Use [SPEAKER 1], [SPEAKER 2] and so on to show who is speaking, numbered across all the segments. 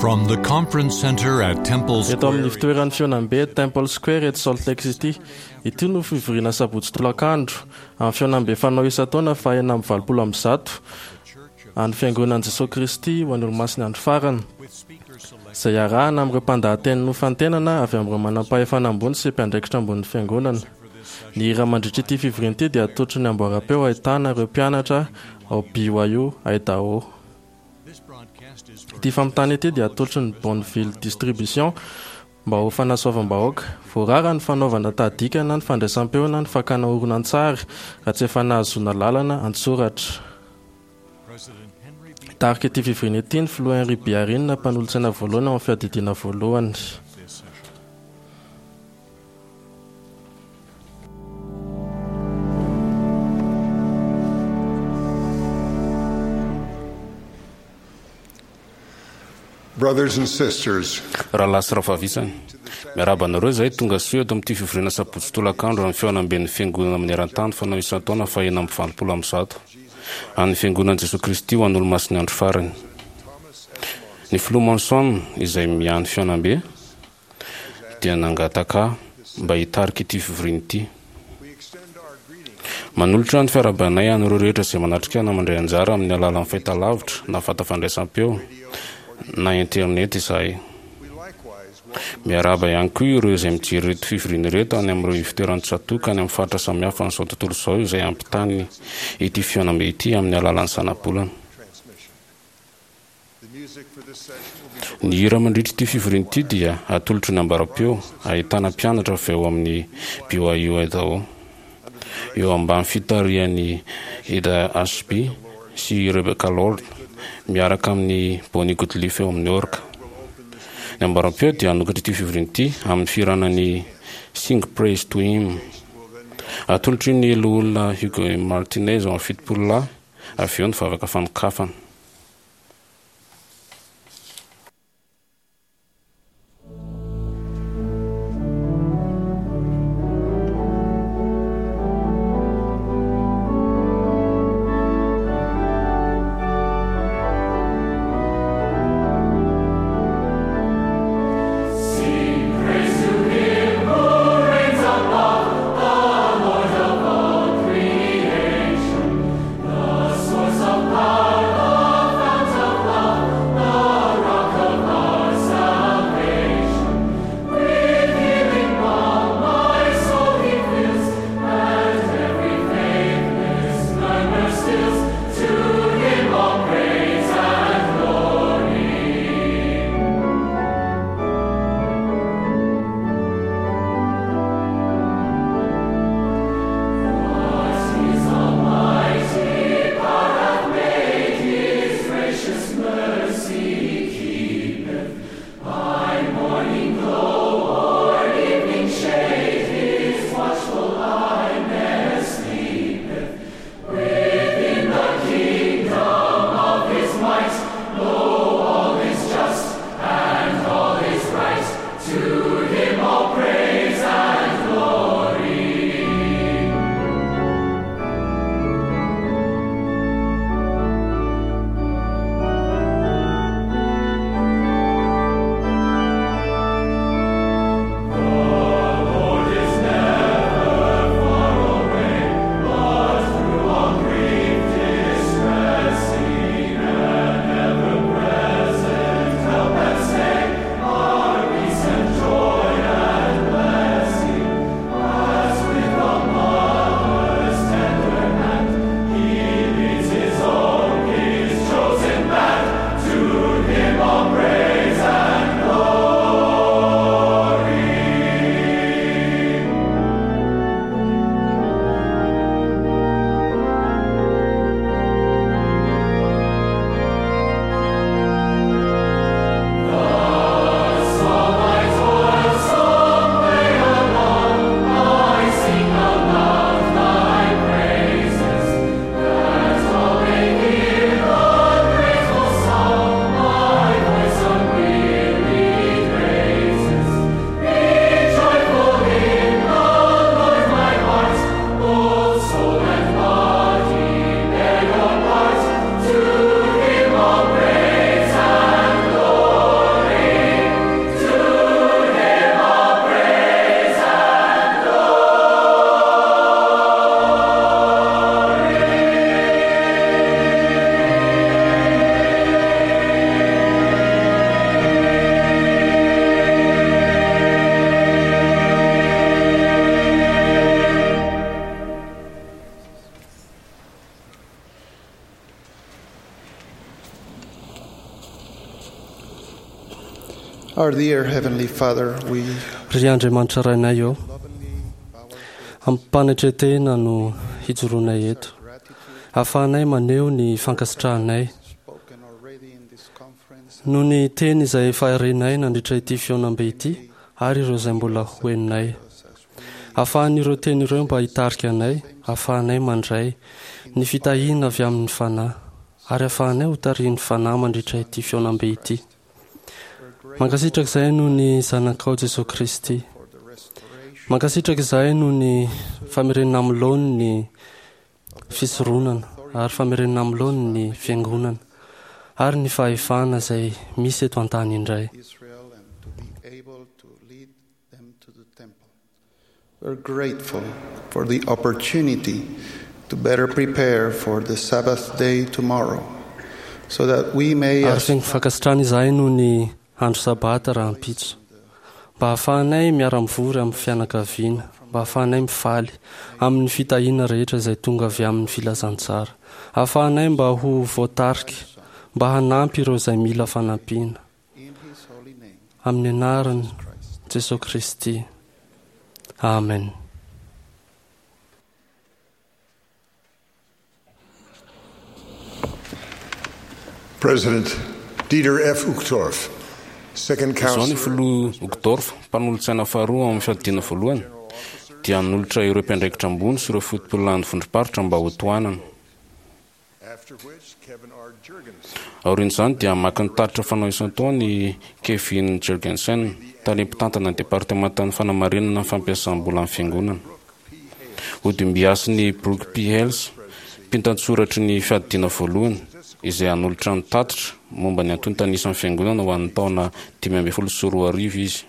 [SPEAKER 1] From the conference center at Temple
[SPEAKER 2] Eto amin'ny
[SPEAKER 1] Square,
[SPEAKER 2] fitoeran'ny fihaonambe Temple Square eto Salt Lake City. Ity no fivoriana sabotsy tolakandro amin'ny fihaonambe fanao isan-taona faha 186 an'ny Fiangonan'i Jesoa Kristy ho an'ny Olomasin'ny Andro Farany, izay iarahana amin'ireo mpandahateny nofantenana avy amin'ireo manampahefana ambony sy mpiandraikitra ambonin'ny Fiangonana. Ny hira mandritra ity fivoriana ity dia atolotry ny amboaram-peo ahitana ireo mpianatra ao BYU Idaho. Ity fampitana ity dia atolotry ny Bonneville Distribution mba ho fanasoavam-bahoaka. Voarara ny fanaovana tahadika na ny fandraisam-peo na ny fakana horonantsary raha tsy efa nahazoana lalana an-tsoratra. Hitarika ity fivoriana ity ny filoha Henry Biarin, mpanolotsaina voalohany ao amin'ny fiadidiana voalohany.
[SPEAKER 3] Brothers and sisters,
[SPEAKER 4] Rahalahy sy rahavavy isany, miarahaba anareo izahay tonga soa eto amin'ity fivoriana sabotsy tolakandro amin'ny fihaonamben'ny Fiangonana maneran-tany fanao isan-taona faha 186 an'ny Fiangonan'i Jesoa Kristy ho an'Olomasin'ny Andro Farany. Ny Filoha Monson izay miahy ny fihaonambe dia nangataka ahy mba hitarika ity fivoriana ity. Manolotra ny fiarahabanay an'ireo rehetra izay manatrika na mandray anjara amin'ny alalan'ny fahitalavitra na vata fandraisam-peo na internet izahay. Miarahaba ihany koa ireo izay mijery ireto fivoriana ireto any amin'ireo ivotoeran'ny tsatòka any amin'ny faritra samihafa an'izao tontolo izao izay ampitany ity fihaonambe ity amin'ny alalan'ny zanabolana. Ny hira mandritra ity fivoriana ity dia atolotry ny ambaram-peo ahitana mpianatra avy ao amin'ny BYU Idaho, eo ambany fitarihan'i Ida Ashby sy Rebecca Lord, miaraka amin'i Bonnie Goodliff eo amin'ny orga. Ny ambaram-peo dia hanokatra ity fivoriana ity amin'ny fihirana ny Sing Praise to Him. Atolotry ny Loholona Hugo Martinez ao amin'ny Fitopololahy avy eo ny vavaka fanokafana.
[SPEAKER 5] The source of power. Our dear Heavenly Father, we
[SPEAKER 6] Ry Andriamanitra Rainay ô, amim-panetren-tena no hijoroanay eto, ahafahanay maneho ny fankasitrahanay
[SPEAKER 5] spoken already in this conference
[SPEAKER 6] noho ny teny izay efa renay nandritra ity fihaonambe ity ary ireo izay mbola ho henonay. Ahafahan'ireo teny ireo mba hitarika anay, ahafahanay mandray ny fitahiana avy amin'ny Fanahy, ary ahafahanay ho tarihin'ny Fanahy mandritra ity fihaonambe ity. Mankasitraka izahay noho ny Zanakao Jesosy Kristy. Mankasitraka izahay noho ny famerenana amin'ny laoniny ny fisoronana ary famerenana amin'ny laoniny ny fiangonana ary ny fahefana izay misy eto an-tany indray.
[SPEAKER 5] Israel and to be able to lead them to the temple. We're grateful for the opportunity to better prepare for the Sabbath day tomorrow so that we may
[SPEAKER 6] Ary
[SPEAKER 5] as
[SPEAKER 6] feno fankasitrahana izahay noho ny andro sabata rahampitso, mba hahafahanay miara-mivory amin'ny fianakaviana, mba hahafahanay mifaly amin'ny fitahiana rehetra izay tonga avy amin'ny filazantsara, hahafahanay mba ho voatarika, mba hanampy ireo izay mila fanampiana.
[SPEAKER 5] in his holy name.
[SPEAKER 6] Amin'ny anarany Jesosy Kristy. Amen.
[SPEAKER 3] President Dieter F. Uchtdorf, Second
[SPEAKER 4] Izao ny
[SPEAKER 3] Counselor,
[SPEAKER 4] filoha Uchtdorf, mpanolotsaina faharoa amin'ny fiadiana voalohany, dia hanolotra ireo mpiandraikitra ambony sy ireo fotopolon'ny vondrom-paritra mba ho tohanana.
[SPEAKER 3] after which Kevin R. Jurgensen,
[SPEAKER 4] Aorian'izany dia maka ny tatitra fanao isan-taona i Kevin Jurgensen, tale mpitantana ny departemantan'ny fanamarinana ny fampiasam-bola amin'ny fiangonana. Hodimbiasin'i Brooke P. Hales, mpitantsoratry ny fiadiana voalohany, izay hanolotra ny tatitra momba ny antontan'isan'ny fiangonana ho an'ny taona 2015 izy.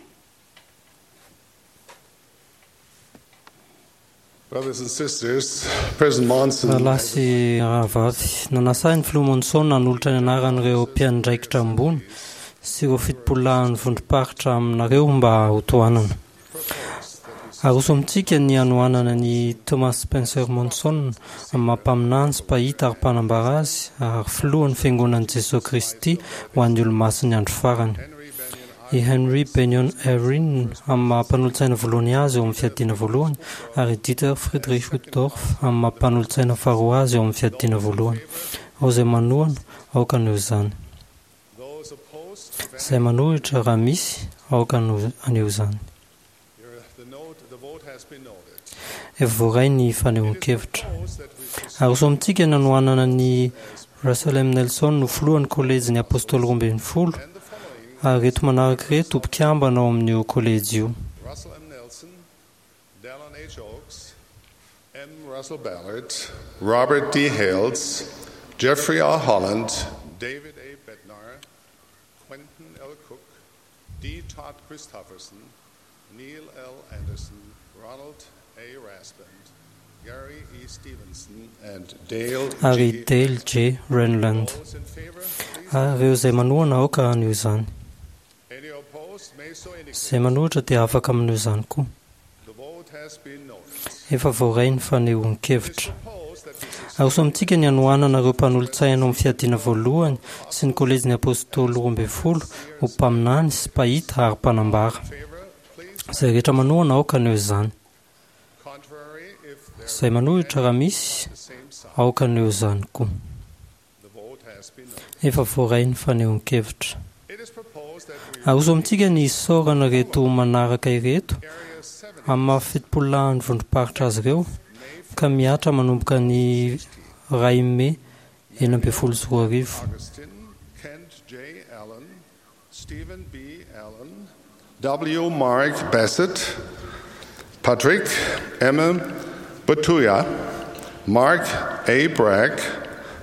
[SPEAKER 3] Brothers and sisters, President Monson
[SPEAKER 7] Rahalahy sy rahavavy, nanasa ahy ny filoha Monson hanolotra ny anaran'ireo mpiandraikitra ambony sy ireo fitopololahin'ny vondrom-paritra aminareo mba ho tohanana. Aroso amintsika ny hanohanana ny Thomas Spencer Monson amin'ny maha mpaminany sy mpahita ary mpanambara azy ary filohan'ny fiangonan'i Jesosy Kristy ho an'ny olomasin'ny andro farany. I Henry Benyon Eyring amin'ny maha mpanolotsaina voalohany azy eo amin'ny fiadiana voalohany ary i Dieter Friedrich Uchtdorf amin'ny maha mpanolotsaina faharoa azy eo amin'ny fiadiana voalohany. Ao izay manohana, aoka haneho izany.
[SPEAKER 3] those opposed to
[SPEAKER 7] Izay manohitra raha misy, aoka haneho izany.
[SPEAKER 3] the note, the vote has been noted.
[SPEAKER 7] Efa voaray ny fanehoan-kevitra.
[SPEAKER 3] Propose that we
[SPEAKER 7] Aroso amintsika ny hanohanana ny Russell M. Nelson ho filohan'ny kolejin'ny Apôstôly 12 ary ireto manaraka ireto ho mpikambana ao amin'io kolejy io.
[SPEAKER 3] Russell M. Nelson, Dallin H. Oaks, M. Russell Ballard, Robert D. Hales, Jeffrey R. Holland, David A. Bednar, Quentin L. Cook, D. Todd Christofferson, Neil L. Anderson, Ronald A. Raspand, Gary E. Stevenson, and Dale
[SPEAKER 7] Ary
[SPEAKER 3] G.
[SPEAKER 7] Dale J. Renlund.
[SPEAKER 3] Those in favor, please.
[SPEAKER 7] Ary ireo izay manohana aoka haneho izany.
[SPEAKER 3] Any opposed may so indicate.
[SPEAKER 7] Izay manohitra dia afaka maneho izany koa.
[SPEAKER 3] The vote has been noted.
[SPEAKER 7] Efa voaray ny fanehoan-kevitra.
[SPEAKER 3] Propose that we
[SPEAKER 7] Aroso amintsika ny hanohanana ireo mpanolotsaina ao amin'ny fiadiana voalohany sy ny kolejin'ny Apôstôly 12 ho mpaminany sy mpahita ary mpanambara.
[SPEAKER 3] favor, please.
[SPEAKER 7] Izay rehetra manohana aoka haneho izany.
[SPEAKER 3] Contrary, if there
[SPEAKER 7] Izay manohitra raha misy,
[SPEAKER 3] the same sign.
[SPEAKER 7] aoka haneho izany koa.
[SPEAKER 3] The vote has been noted.
[SPEAKER 7] Efa voaray ny fanehoan-kevitra.
[SPEAKER 3] It is proposed that we
[SPEAKER 7] Aroso amintsika ny isaorana ireto manaraka ireto
[SPEAKER 3] area 7
[SPEAKER 7] amin'ny maha fitopololahin'ny vondrom-paritra azy ireo ka mihatra manomboka ny 1 mey 2016.
[SPEAKER 3] Augustine, Kent J. Allen, Stephen B. Allen, W. Mark Bassett, Patrick M. Batuya, Mark A. Bragg,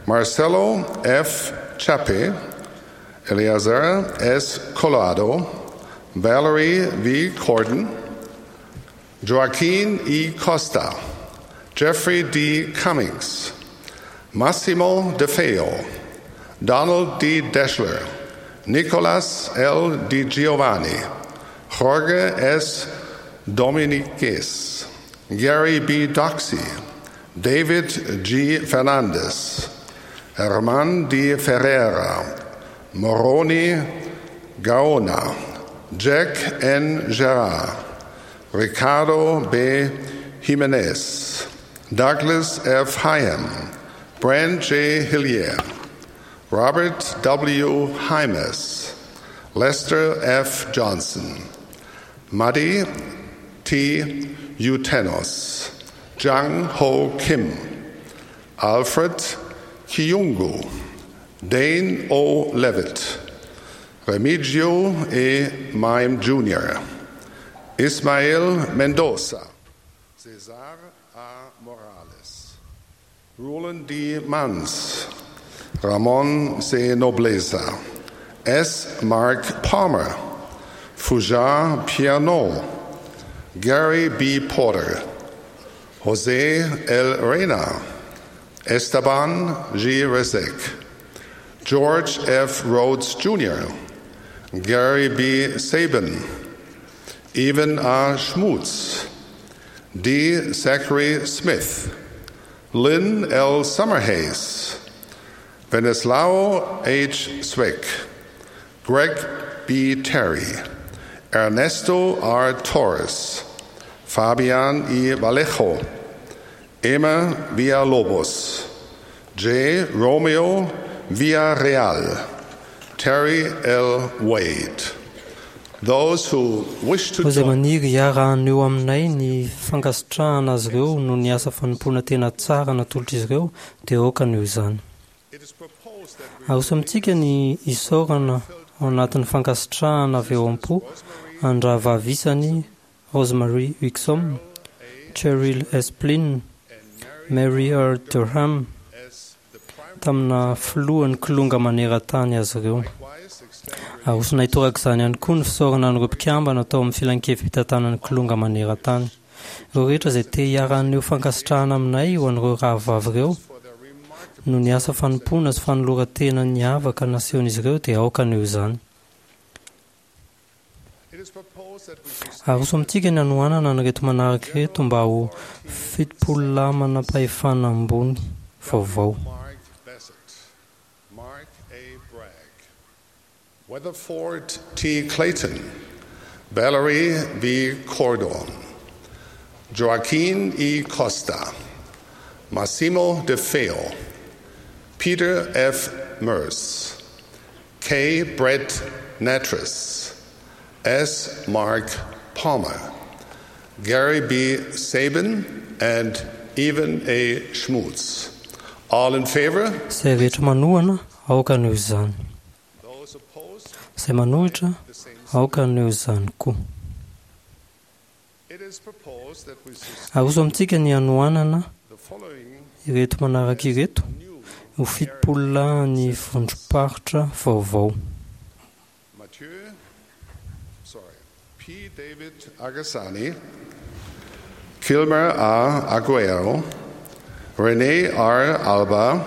[SPEAKER 3] Marcelo F. Chape, Eleazar S. Collado, Valerie V. Corden, Joaquin E. Costa, Jeffrey D. Cummings, Massimo DeFeo, Donald D. Deschler, Nicolas L. Di Giovanni, Jorge S. Dominiquez, Gary B. Doxey, David G. Fernandez, Herman D. Ferreira, Moroni Gaona, Jack N. Gerard, Ricardo B. Jimenez, Douglas F. Hyam, Brand J. Hillier, Robert W. Hymas, Lester F. Johnson, Muddy T. Utenos, Jang Ho Kim, Alfred Kiyungu, Dane O. Levitt, Remigio E. Mime Jr., Ismael Mendoza, Cesar A. Morales, Roland D. Mans, Ramon C. Nobleza, S. Mark Palmer, Fujar Piano, Gary B. Porter, Jose L. Reyna, Esteban G. Rezek, George F. Rhodes Jr., Gary B. Sabin, Evan R. Schmutz, D. Zachary Smith, Lynn L. Summerhays, Veneslao H. Swick, Greg B. Terry, Ernesto R. Torres, Fabian E. Vallejo, Emma Villalobos, J. Romeo Villarreal, Terry L. Wade. Those who wish to
[SPEAKER 7] Izay
[SPEAKER 3] join
[SPEAKER 7] maniry hiara-haneho aminay ny fankasitrahana azy ireo noho ny asa fanompoana tena tsara natolotr'izy ireo dia aoka haneho izany.
[SPEAKER 3] It is proposed that we
[SPEAKER 7] Aroso amintsika ny isaorana ao anatin'ny fankasitrahana avy eo am-po an-drahavavisany Rosemary Wixom, Cheryl Esplin, Mary R. Durham
[SPEAKER 3] as the primary
[SPEAKER 7] tamina filohan'ny kilonga maneran-tany azy ireo.
[SPEAKER 3] wise extend
[SPEAKER 7] Arosonay torak'izany ihany koa ny fisaorana an'ireo mpikambana tao amin'ny filankevi-pitantanan'ny kilonga maneran-tany. Ireo rehetra izay te hiara-haneho fankasitrahana aminay ho an'ireo rahavavy ireo
[SPEAKER 3] for their remarkable
[SPEAKER 7] noho ny asa fanompoana sy fanoloran-tena niavaka nasehon'izy ireo dia aoka haneho izany.
[SPEAKER 3] It is proposed that we sustain
[SPEAKER 7] Aroso amintsika ny hanohanana an'ireto manaraka ireto mba ho 70 lahy manam-pahefana ambony vaovao.
[SPEAKER 3] Mark Bassett, Mark A. Bragg, Weatherford T. Clayton, Valerie V. Cordon, Joaquin E. Costa, Massimo DeFeo, Peter F. Merce, K. Brett Natras, S. Mark Palmer, Gary B. Sabin, and Evan A. Schmutz. All in favor?
[SPEAKER 7] Izay rehetra manohana aoka haneho izany.
[SPEAKER 3] Those opposed?
[SPEAKER 7] Izay manohitra
[SPEAKER 3] The same.
[SPEAKER 7] aoka haneho izany koa.
[SPEAKER 3] It is proposed that we sustain
[SPEAKER 7] Aroso amintsika ny hanohanana
[SPEAKER 3] the following
[SPEAKER 7] ireto manaraka ireto
[SPEAKER 3] new
[SPEAKER 7] ho 70 lahy ny vondrom-paritra vaovao.
[SPEAKER 3] Mathieu, sorry, P. David Agassani, Kilmer A. Aguero, Rene R. Alba,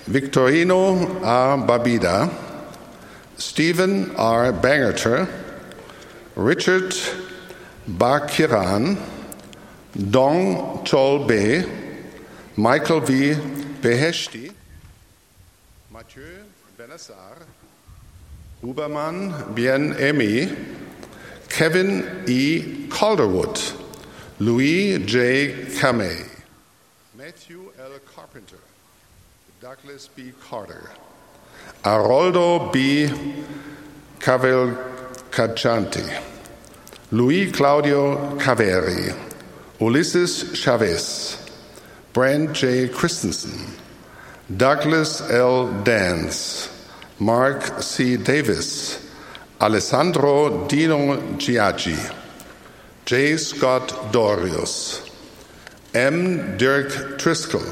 [SPEAKER 3] Victorino A. Babida, Stephen R. Bangerter, Richard Bakiran, Dong Chol Be, Michael V. Beheshti, Mathieu Benassar, Huberman Bien Emi, Kevin E. Calderwood, Louis J. Kamei, Matthew L. Carpenter, Douglas B. Carter, Aroldo B. Cavalcanti, Luis Claudio Caveri, Ulysses Chavez, Brand J. Christensen, Douglas L. Dance, Mark C. Davis, Alessandro Dino Giaggi, J. Scott Dorius, M. Dirk Triskel,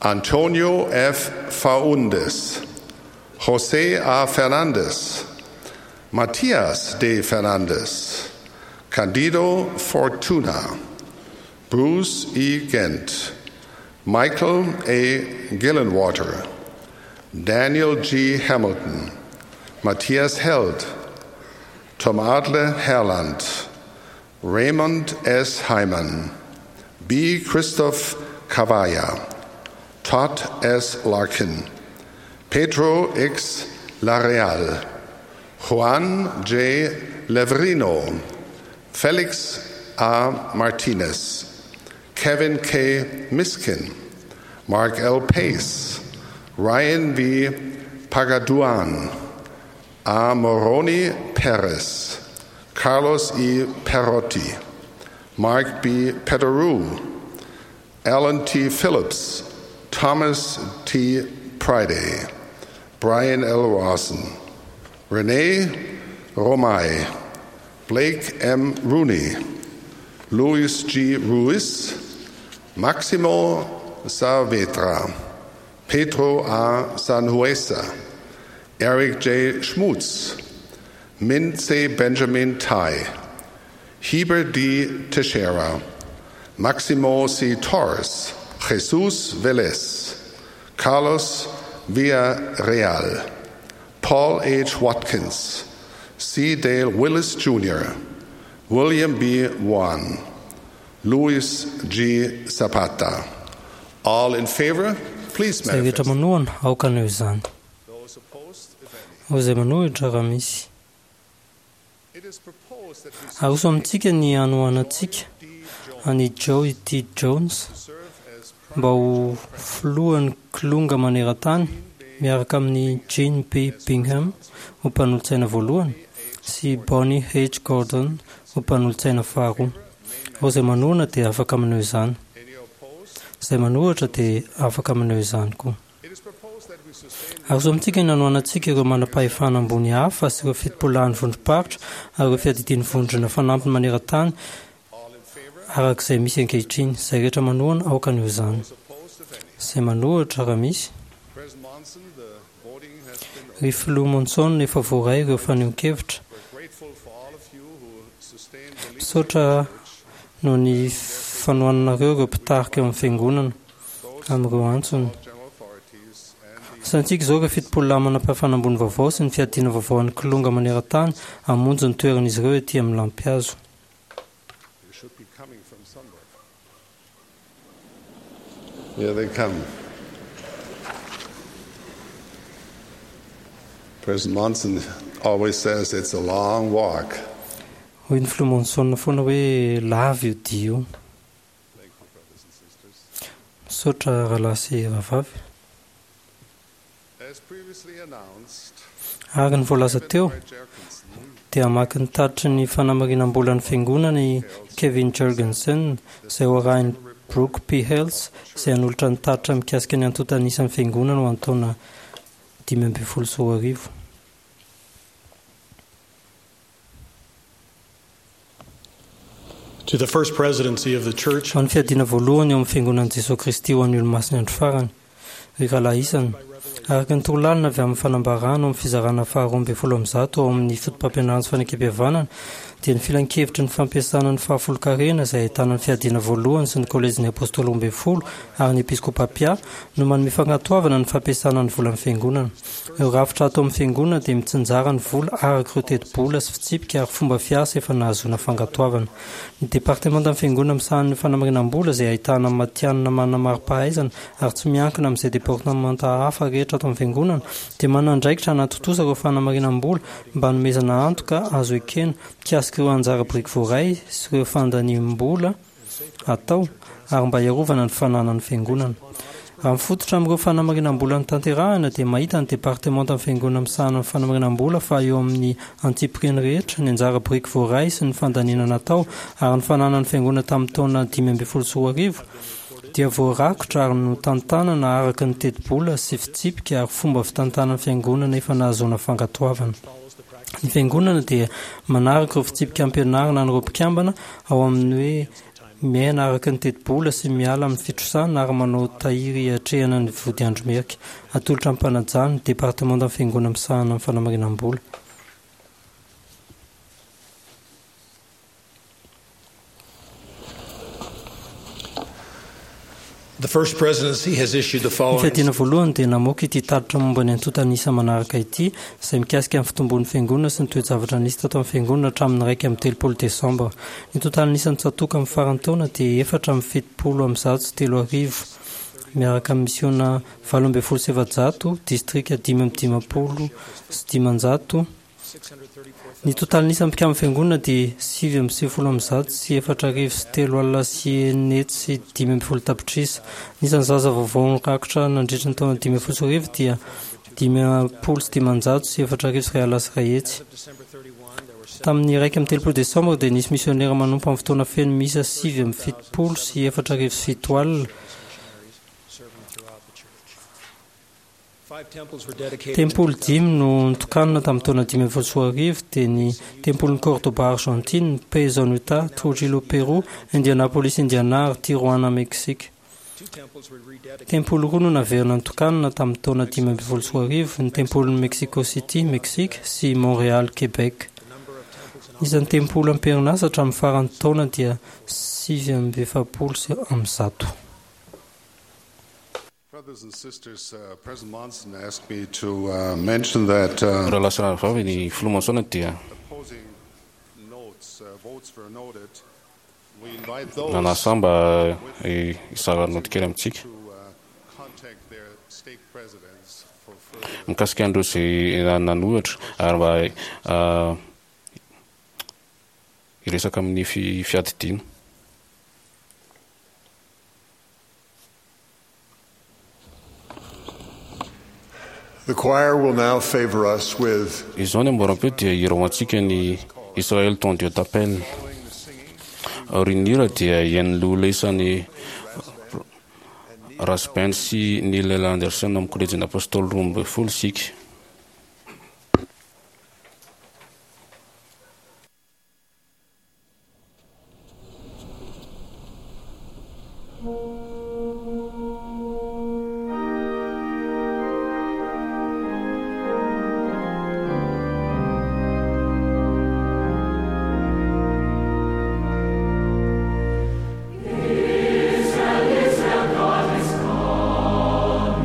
[SPEAKER 3] Antonio F. Faundes, Jose A. Fernandez, Matias De Fernandez, Candido Fortuna, Bruce E. Gent, Michael A. Gillenwater, Daniel G. Hamilton, Matthias Held, Tom Adler Herland, Raymond S. Hyman, B. Christoph Cavalla, Todd S. Larkin, Pedro X. Lareal, Juan J. Leverino, Felix A. Martinez, Kevin K. Miskin, Mark L. Pace, Ryan V. Pagaduan, A. Moroni Perez, Carlos E. Perotti, Mark B. Peteru, Alan T. Phillips, Thomas T. Priday, Brian L. Rawson, Renee Romay, Blake M. Rooney, Luis G. Ruiz, Maximo Saavedra, Pedro A. Sanhuesa, Eric J. Schmutz, Min C. Benjamin Tai, Heber D. Teixeira, Maximo C. Torres, Jesus Velez, Carlos Villarreal, Paul H. Watkins, C. Dale Willis Jr., William B. Wan, Luis G. Zapata. All in favor, please
[SPEAKER 7] Izay rehetra
[SPEAKER 3] manifest.
[SPEAKER 7] manohana aoka haneho izany.
[SPEAKER 3] Those opposed, if any.
[SPEAKER 7] Ho izay manohitra raha misy.
[SPEAKER 3] It is proposed that we
[SPEAKER 7] Aroso amintsika ny hanohanantsika
[SPEAKER 3] D. Jones
[SPEAKER 7] an'i Joe T. Jones
[SPEAKER 3] to serve as
[SPEAKER 7] mba ho filohan'ny kilonga maneran-tany miaraka amin'ny Jean P. Bingham ho mpanolotsaina voalohany sy Bonnie H. Gordon ho mpanolotsaina faharoa. Ireo izay manohana dia afaka maneho izany.
[SPEAKER 3] any opposed.
[SPEAKER 7] Izay manohitra dia afaka maneho izany koa.
[SPEAKER 3] It is proposed that we sustain
[SPEAKER 7] Aroso amintsika ny hanohanantsika ireo manam-pahefana ambony hafa sy ireo fitopolahan'ny vondrom-paritra ary ireo fiadidian'ny vondrona fanampiny maneran-tany
[SPEAKER 3] all in favor,
[SPEAKER 7] araka izay misy ankehitriny. Izay rehetra manohana aoka haneho izany.
[SPEAKER 3] those opposed, if any.
[SPEAKER 7] Izay manohitra raha misy.
[SPEAKER 3] President Monson, the voting has been
[SPEAKER 7] Ry filoha Monson efa voaray ireo fanehoan-kevitra.
[SPEAKER 3] We're grateful for all of you who sustain the leadership
[SPEAKER 7] Misaotra
[SPEAKER 3] of the church,
[SPEAKER 7] noho ny fanohananareo ireo mpitarika eo amin'ny fiangonana
[SPEAKER 3] those
[SPEAKER 7] amin'ireo antsony.
[SPEAKER 3] all general authorities and the
[SPEAKER 7] Asantsika izao ireo 70 manam-pahefana ambony vaovao sy ny fiadiana vaovao an'ny kilonga maneran-tany hamonjy ny toeran'izy ireo ety amin'ny lampihazo.
[SPEAKER 3] They should be coming from somewhere. Here they come. President Monson always says it's a long walk.
[SPEAKER 7] Hoy ny filoha Monson foana hoe lava io dia io.
[SPEAKER 3] Thank you, brothers and sisters.
[SPEAKER 7] Misaotra rahalahy sy rahavavy.
[SPEAKER 3] As previously announced,
[SPEAKER 7] Ary ny voalaza teo
[SPEAKER 3] R. Jerkinson
[SPEAKER 7] dia hamaky ny tatitry ny fanamarinam-bolan'ny fiangonana i Kevin Jorgensen izay ho arahin'i Brooke P. Hales izay hanolotra ny tatitra mikasika ny antontan'isan'ny fiangonana ho an'ny taona 2015.
[SPEAKER 8] To the first presidency of the church,
[SPEAKER 7] Ho an'ny fiadiana voalohany eo amin'ny fiangonan'i Jesoa Kristy ho an'ny olomasina andro farany, ry rahalahy isany, araka ny torolalana avy amin'ny fanambarana ao amin'ny fizarana faha-112 ao amin'ny foto-pampianarana sy fanekempihavanana dia ny filankevitry ny fampiasana ny fahafolonkarena izay ahitana ny fiadiana voalohany sy ny kolejin'ny apôstôly 12 ary ny episkopapia no manome fankatoavana ny fampiasana ny volan'ny fiangonana. Ireo rafitra ato amin'ny fiangonana dia mitsinjara ny vola araka ireo tetibola sy fitsipika ary fomba fiasa efa nahazoana fankatoavana. Ny departemantan'ny fiangonana misahana ny fanamarinam-bola izay ahitana matihanina manana mari-pahaizana ary tsy miankina amin'izay departemanta hafa rehetra ato amin'ny fiangonana dia manana andraikitra hanatontosa ireo fanamarinam-bola mba hanomezana antoka azo ekena mikasika ireo anjara biriky voaray sy ireo fandaniam-bola atao ary mba hiarovana ny fananan'ny fiangonana. Raha mifototra amin'ireo fanamarinam-bola notanterahina dia mahita ny departemantan'ny fiangonana misahana ny fanamarinam-bola fa eo amin'ny antsipiriany rehetra ny anjara biriky voaray sy ny fandaniana natao ary ny fananan'ny fiangonana tamin'ny taona 2015 dia voarakotra ary notantanana araka ny tetibola sy fitsipika ary fomba fitantanan'ny fiangonana efa nahazoana fankatoavana. Ny fiangonana dia manaraka ireo fitsipika ampianarina an'ireo mpikambana ao amin'ny hoe miaina araka ny tetibola sy miala amin'ny fitrosana ary manao tahiry hiatrehana ny vodiandro merika. Atolotra am-panajana ny departemantan'ny fiangonana misahana ny fanamarinam-bola.
[SPEAKER 8] the first presidency has issued the
[SPEAKER 7] Ny
[SPEAKER 8] following
[SPEAKER 7] fiadiana voalohany dia namoaka ity tatitra momba ny antontan'isa manaraka ity izay mikasika ny fitombon'ny fiangonana sy ny toe-javatra nisy tato amin'ny fiangonana hatramin'ny 31 desambra. Ny totalin'isan'ny tsatòka amin'ny faran'ny taona dia 374 miaraka amin'ny misiona 418, distrika 555 Ny totalin'isan'ny mpikamban'ny fiangonana dia 699 615 tapitrisa. Ny isan'ny zaza vaovao nirakitra nandritra ny taona 2015 dia 150 401. Tamin'ny 31 desambra dia nisy misionera manompo amin'ny fotoana feno miisa 479. Tempoly dimy no notokanana tamin'ny taona 2015 dia ny tempolin'i Cordoba Argentine, Payson Utah, Trujillo Pérou, Indianapolis Indiana ary Tijuana Mexique. Tempoly roa no naverina notokanana tamin'ny taona 2015, ny tempolin'i Mexico City Mexique sy Montréal Québec. Ny isan'ny tempoly am-perinasa hatramin'ny faran'ny taona dia 149.
[SPEAKER 3] Brothers and sisters, President Monson asked me to mention that
[SPEAKER 4] Rahalahy sy rahavavy, ny filoha Monson dia
[SPEAKER 3] opposing notes, votes were noted. We invite those
[SPEAKER 4] nanasa mba hizara naoty kely amintsika
[SPEAKER 3] to contact their stake presidents for further
[SPEAKER 4] mikasika an'ireo izay nanohitra ary mba hiresaka amin'ny fiadidiana.
[SPEAKER 9] The choir will now favor us with
[SPEAKER 4] Izao ny amboaram-peo dia hira ho antsika ny Israël ton Dieu t'appelle. Aorian'ny hira dia hihaino loholona isan'ny Rasband sy Neil L. Anderson amin'ny kolejin'ny Apôstôly 12 isika.
[SPEAKER 10] Israel, Israel, God is calling,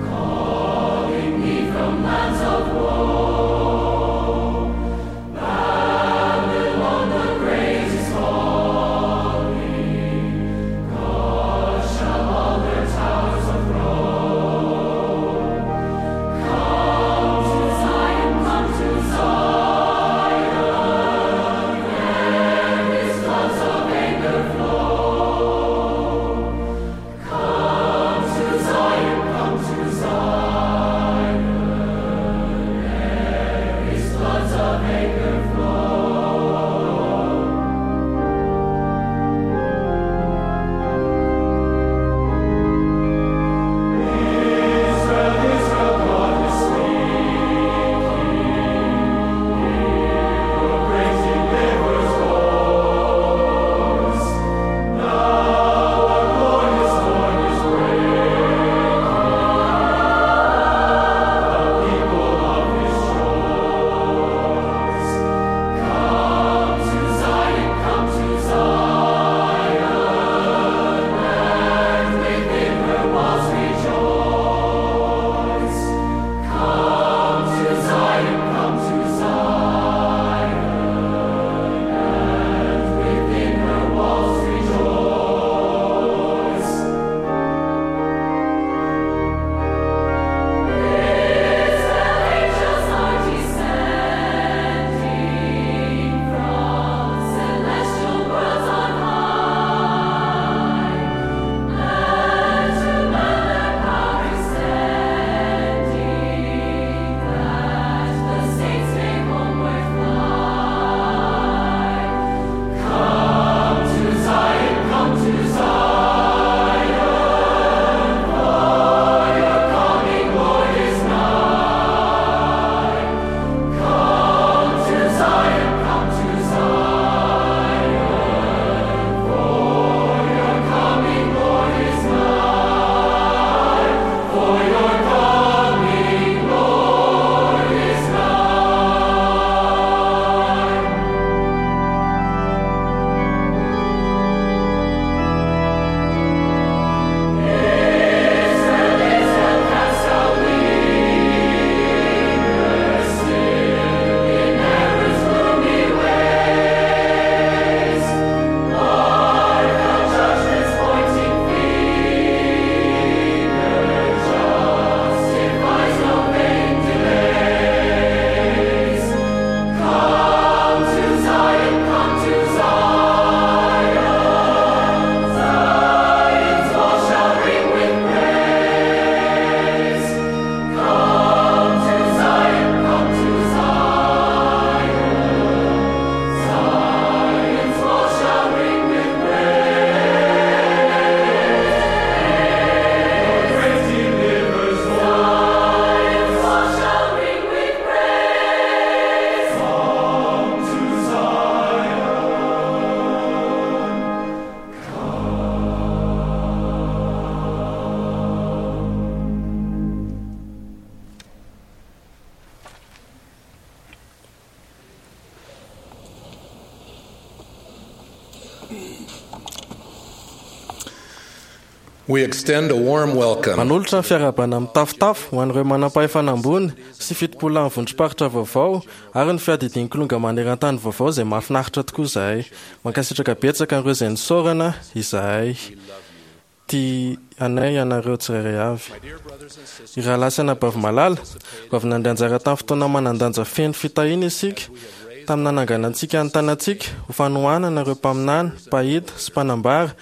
[SPEAKER 10] calling. We extend a warm welcome
[SPEAKER 2] Manolotra ny fiarahabana mitafotafo ho an'ireo manam-pahefana ambony sy 70 ny vondrom-paritra vaovao ary ny fiadidian'ny kilonga maneran-tany vaovao izay mahafinaritra tokoa izahay. Mankasitraka betsaka an'ireo izay nisaorana izahay. Tia anay ianareo tsirairay avy. Ry rahalahy sy anabavy malala, vao avy nandray anjara tamin'ny fotoana manan-danja feno fitahiana isika, tamin'ny nananganantsika ny tanantsika ho fanohanana ireo mpaminany, mpahita sy mpanambara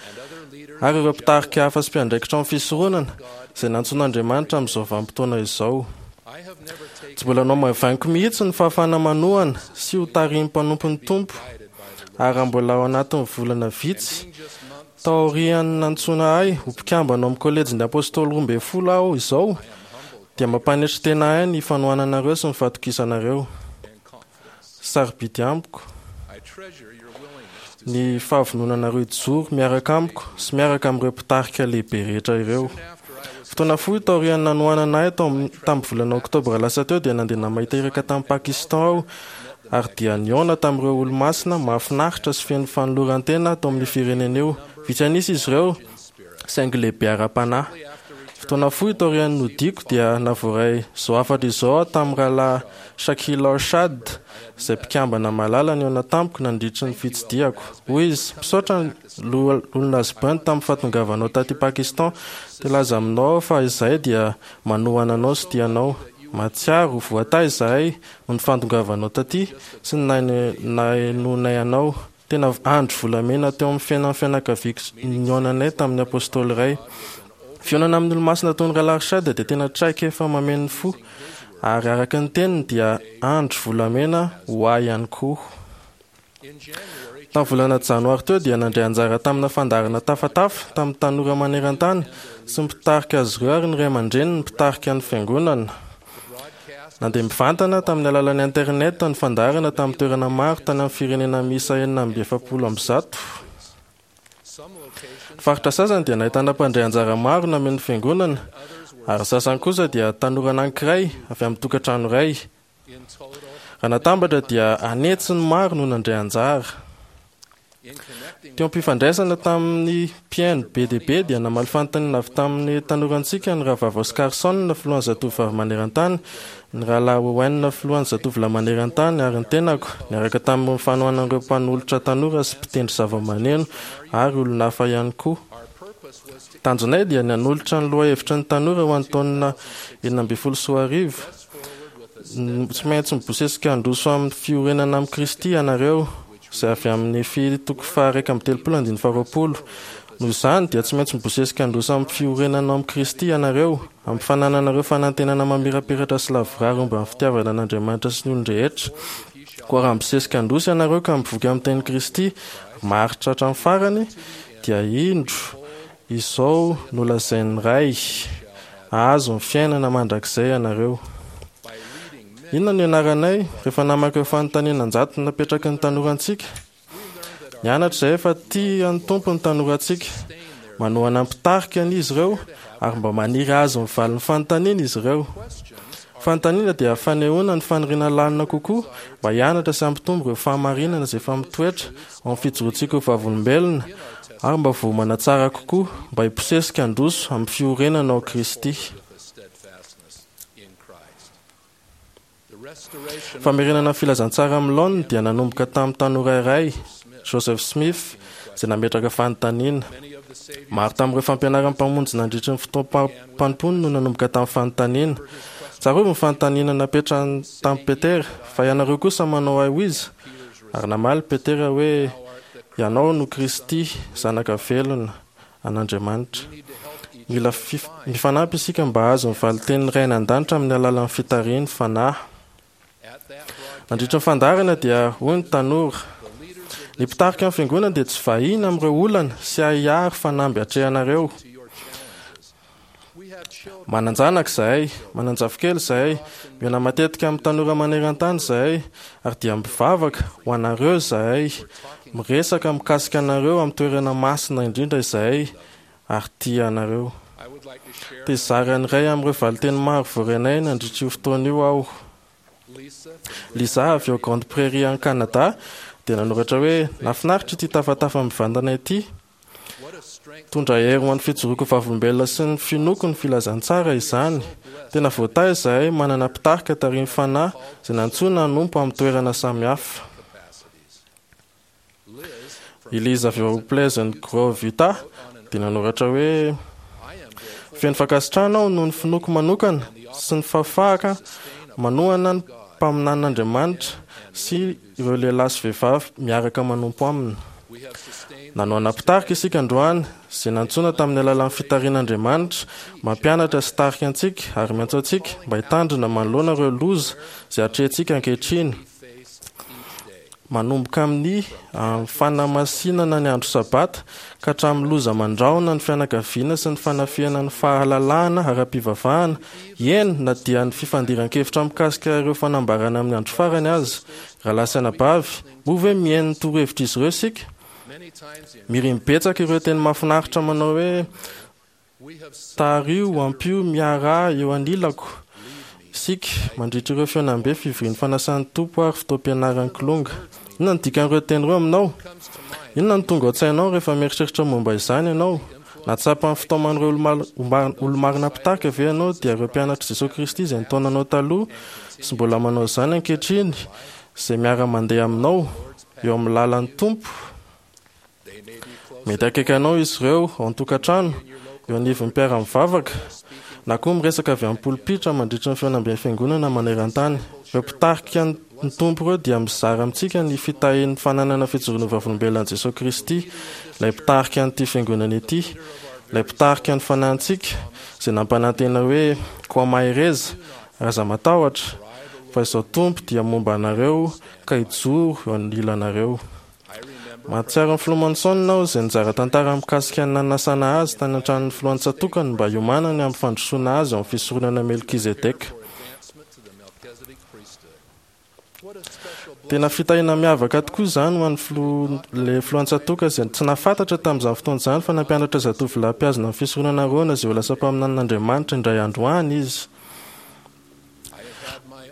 [SPEAKER 2] ary ireo mpitarika hafa sy mpiandraikitra ao amin'ny fisoronana izay nantsoin'Andriamanitra amin'izao vanim-potoana izao. Tsy mbola nohamaivaniko mihitsy ny fahafahana manohana sy ho tarihin'ny mpanompon'ny Tompo, ary raha mbola ao anatin'ny volana vitsy Taorian'ny nantsoina ahy ho mpikambana ao amin'ny Kolejin'ny Apôstôly 12 aho izao, dia mampanetry tena ahy ny fanohananareo sy ny fahatokisanareo. Sarobidy amiko ny fahavononanareo hijoro miaraka amiko sy miaraka amin'ireo mpitarika lehibe rehetra ireo. Fotoana fohy taorian'ny nanohanana ahy tamin'ny volana Oktobra lasa teo dia nandeha namahita iraka tany Pakistan aho ary dia nihaona tamin'ireo olomasina mahafinaritra sy feno fanoloran-tena tao amin'io firenena io. Vitsy an'isa izy ireo, saingy lehibe ara-panahy. Fotoana fohy taorian'ny nodiako dia navoaray izao hafatra izao aho tamin'ny Rahalahy Shakil Arshad, izay mpikambana malala nihaona tamiko nandritry ny fitsidihako. Hoy izy, Misaotra Loholona Husband tamin'ny fahatongavanao taty Pakistan. Te hilaza aminao aho fa izahay dia manohana anao sy tia anao. Mahatsiaro ho voatahy izahay Noho ny fahatongavanao taty sy ny nahenoanay anao. Tena andro volamena teo amin'ny fiainan'ny fianakaviako ny nihaonanay tamin'ny Apostoly iray. Fihaonana amin'ny Olomasina toy ny Rahalahy Arshad dia tena traikefa mameno ny fo, ary araka ny teniny dia andro volamena ho ahy ihany koa. Tamin'ny volana Janoary teo dia nandray anjara tamina fandaharana tafatafa tamin'ny tanora maneran-tany sy ny mpitarika azy ireo ary ny ray aman-dreniny mpitarika ny fiangonana. Nandeha mivantana tamin'ny alalan'ny internet ny fandaharana tamin'ny toerana maro tany amin'ny firenena miisa 146. Ny faritra sasany dia nahitana mpandray anjara maro nameno ny fiangonana ary ny sasany kosa dia tanora anankiray avy amin'ny tokantrano iray. Raha natambatra dia an'hetsiny maro no nandray anjara. Teo am-pifandraisana tamin'ny mpihaino be dia be dia namaly fanontaniana avy tamin'ny tanorantsika ny Rahavavy Oscarson, filohan'ny Zatovovavy maneran-tany, ny Rahalahy Owen, filohan'ny Zatovolahy maneran-tany, ary ny tenako, niaraka tamin'ny fanohanan'ireo mpanolotra tanora sy mpitendry zavamaneno ary olona hafa ihany koa. Tanjonay dia ny hanolotra ny lohahevitry ny tanora ho an'ny taona 2016. Tsy maintsy mibosesika handroso amin'ny fiorenana amin'i Kristy ianareo, izay avy amin'ny Nefy toko faha-31 andininy faha-20. Noho izany, dia tsy maintsy mibosesika handroso amin'ny fiorenana ao amin'i Kristy ianareo, amin'ny fanananareo fanantenana mamirapiratra sy lavorary momba ny fitiavana an'Andriamanitra sy ny olon-drehetra. Koa raha mibosesika handroso ianareo ka mivoky amin'ny tenin'i Kristy, maharitra hatramin'ny farany, dia indro, Izao no lazain'ny Ray, Hahazo ny fiainana mandrakizay ianareo. Inona no ianaranay rehefa namaky ireo fanontaniana an-jatony napetraky ny tanorantsika? Nianatra izahay fa tia ny Tompo ny tanorantsika. Manohana ny mpitarika ny izy ireo ary mba maniry hahazo ny valin'ny fanontaniana izy ireo. Fanontaniana dia fanehoana ny faniriana lalina kokoa mba hianatra sy hampitombo ireo fahamarinana izay efa mitoetra ao amin'ny fijoroantsika ho vavolombelona ary mba voaomana tsara kokoa mba hibosesika handroso amin'ny fiorenana ao Kristy. Famerenana ny filazantsara amin'ny laoniny dia nanomboka tamin'ny tanora iray, Joseph Smith, izay nametraka fanontaniana. Maro tamin'ireo fampianaran'ny Mpamonjy nandritry ny fotoam-panompoany no nanomboka tamin'ny fanontaniana. Tsarovy ny fanontaniana napetrany tamin'i Petera, Fa ianareo kosa manao ahy ho iza? Ary namaly Petera hoe, Ianao no Kristy, Zanaka velona an'Andriamanitra. Mila mifanampy isika mba hahazo ny valintenin'ny Ray any An-danitra amin'ny alalan'ny fitarihin'ny Fanahy. Nandritra ny fandaharana dia hoy ny tanora, Ny mpitarika ny Fiangonana dia tsy vahiny amin'ireo olana sy ahiahy ary fanamby atrehanareo. Manan-janaka izahay, manan-jafikely izahay, mihaona matetika amin'ny tanora maneran-tany izahay, ary dia mivavaka ho anareo izahay, miresaka mikasika anareo amin'ny toerana masina indrindra izahay, ary tia anareo. Te hizara ny iray amin'ireo valinteny maro voarainay nandritra io fotoana io aho. Lisa avy ao Grande Prairie any Canada dia nanoratra hoe, Nahafinaritra ity tafatafa mivantana ity. Mitondra hery ho an'ny fijoroako vavolombelona sy ny finoako ny filazantsara izany. Tena voatahy izahay manana mpitarika tarihin'ny Fanahy izay nantsoina hanompo amin'ny toerana samihafa. I Liz avy ao Pleasant Grove, Utah, dia nanoratra hoe, Feno fankasitrahana aho noho ny finoako manokana sy ny fahafahaka manohana ny mpaminanin'Andriamanitra sy ireo lehilahy sy vehivavy miaraka manompo aminy. Nanohana mpitarika isika androany, izay nantsoina tamin'ny alalan'ny fitarihan'Andriamanitra, mampianatra sy tarika antsika ary miantso antsika mba hitandrina manoloana ireo loza izay atrehintsika ankehitriny. Manomboka amin'ny fanamasinana ny andro Sabata ka hatramin'ny loza mandrahona ny fianakaviana sy ny fanafihana ny fahalalahana ara-pivavahana, eny na dia ny fifandiran-kevitra mikasika ireo fanambarana amin'ny andro farany aza. Rahalahy sy anabavy, moa ve mihaino ny torohevitr'izy ireo isika? Mirim betsaka ireo teny mahafinaritra manao hoe, Tariho, ampio, miaraha eo anilako isika mandritra ireo fihaonambe, fivorian'ny fanasan'ny Tompo ary fotoam-pianaran'ny Kilonga. Inona no dikan'ireo teny ireo aminao? Inona no tonga ao an-tsainao rehefa mieritreritra momba izany ianao? Nahatsapa ny fitaoman'ireo olo-marina mpitarika ve ianao, dia ireo mpianatr'i Jesoa Kristy izay nitaona anao taloha sy mbola manao izany ankehitriny, izay miara-mandeha aminao eo amin'ny lalan'ny Tompo? Mety akaiky anao izy ireo ao an-tokantrano, eo anivon'ny mpiara-mivavaka, na koa miresaka avy amin'ny polipitra mandritra ny fihaonamben'ny Fiangonana maneran-tany. Ireo mpitarika ny Tompo ireo dia mizara amintsika ny fitahian'ny fananana fijoroana ho vavolombelona an'i Jesoa Kristy, ilay mpitarika an'ity Fiangonana ity, ilay mpitarika ny fanahintsika, izay nampanantena hoe, Koa mahereza, ary aza matahotra, fa Izaho Tompo dia momba anareo ka hijoro eo anilanareo. Mahatsiaro ny Filoha Monson aho izay nizara tantara mikasika ny nanasana azy tany an-tranon'ny filohan'ny tsatòkany mba hiomanany amin'ny fandrosoana azy ao amin'ny fisoronana Melkizedeka. Tena fitahiana miavaka tokoa izany ho an'ny filoha ilay filohan'ny tsatòka izay tsy nahafantatra tamin'izany fotoana izany fa nampianatra zatovolahy mpihazona ny fisoronana Arona izay ho lasa mpaminanin'Andriamanitra indray andro any izy.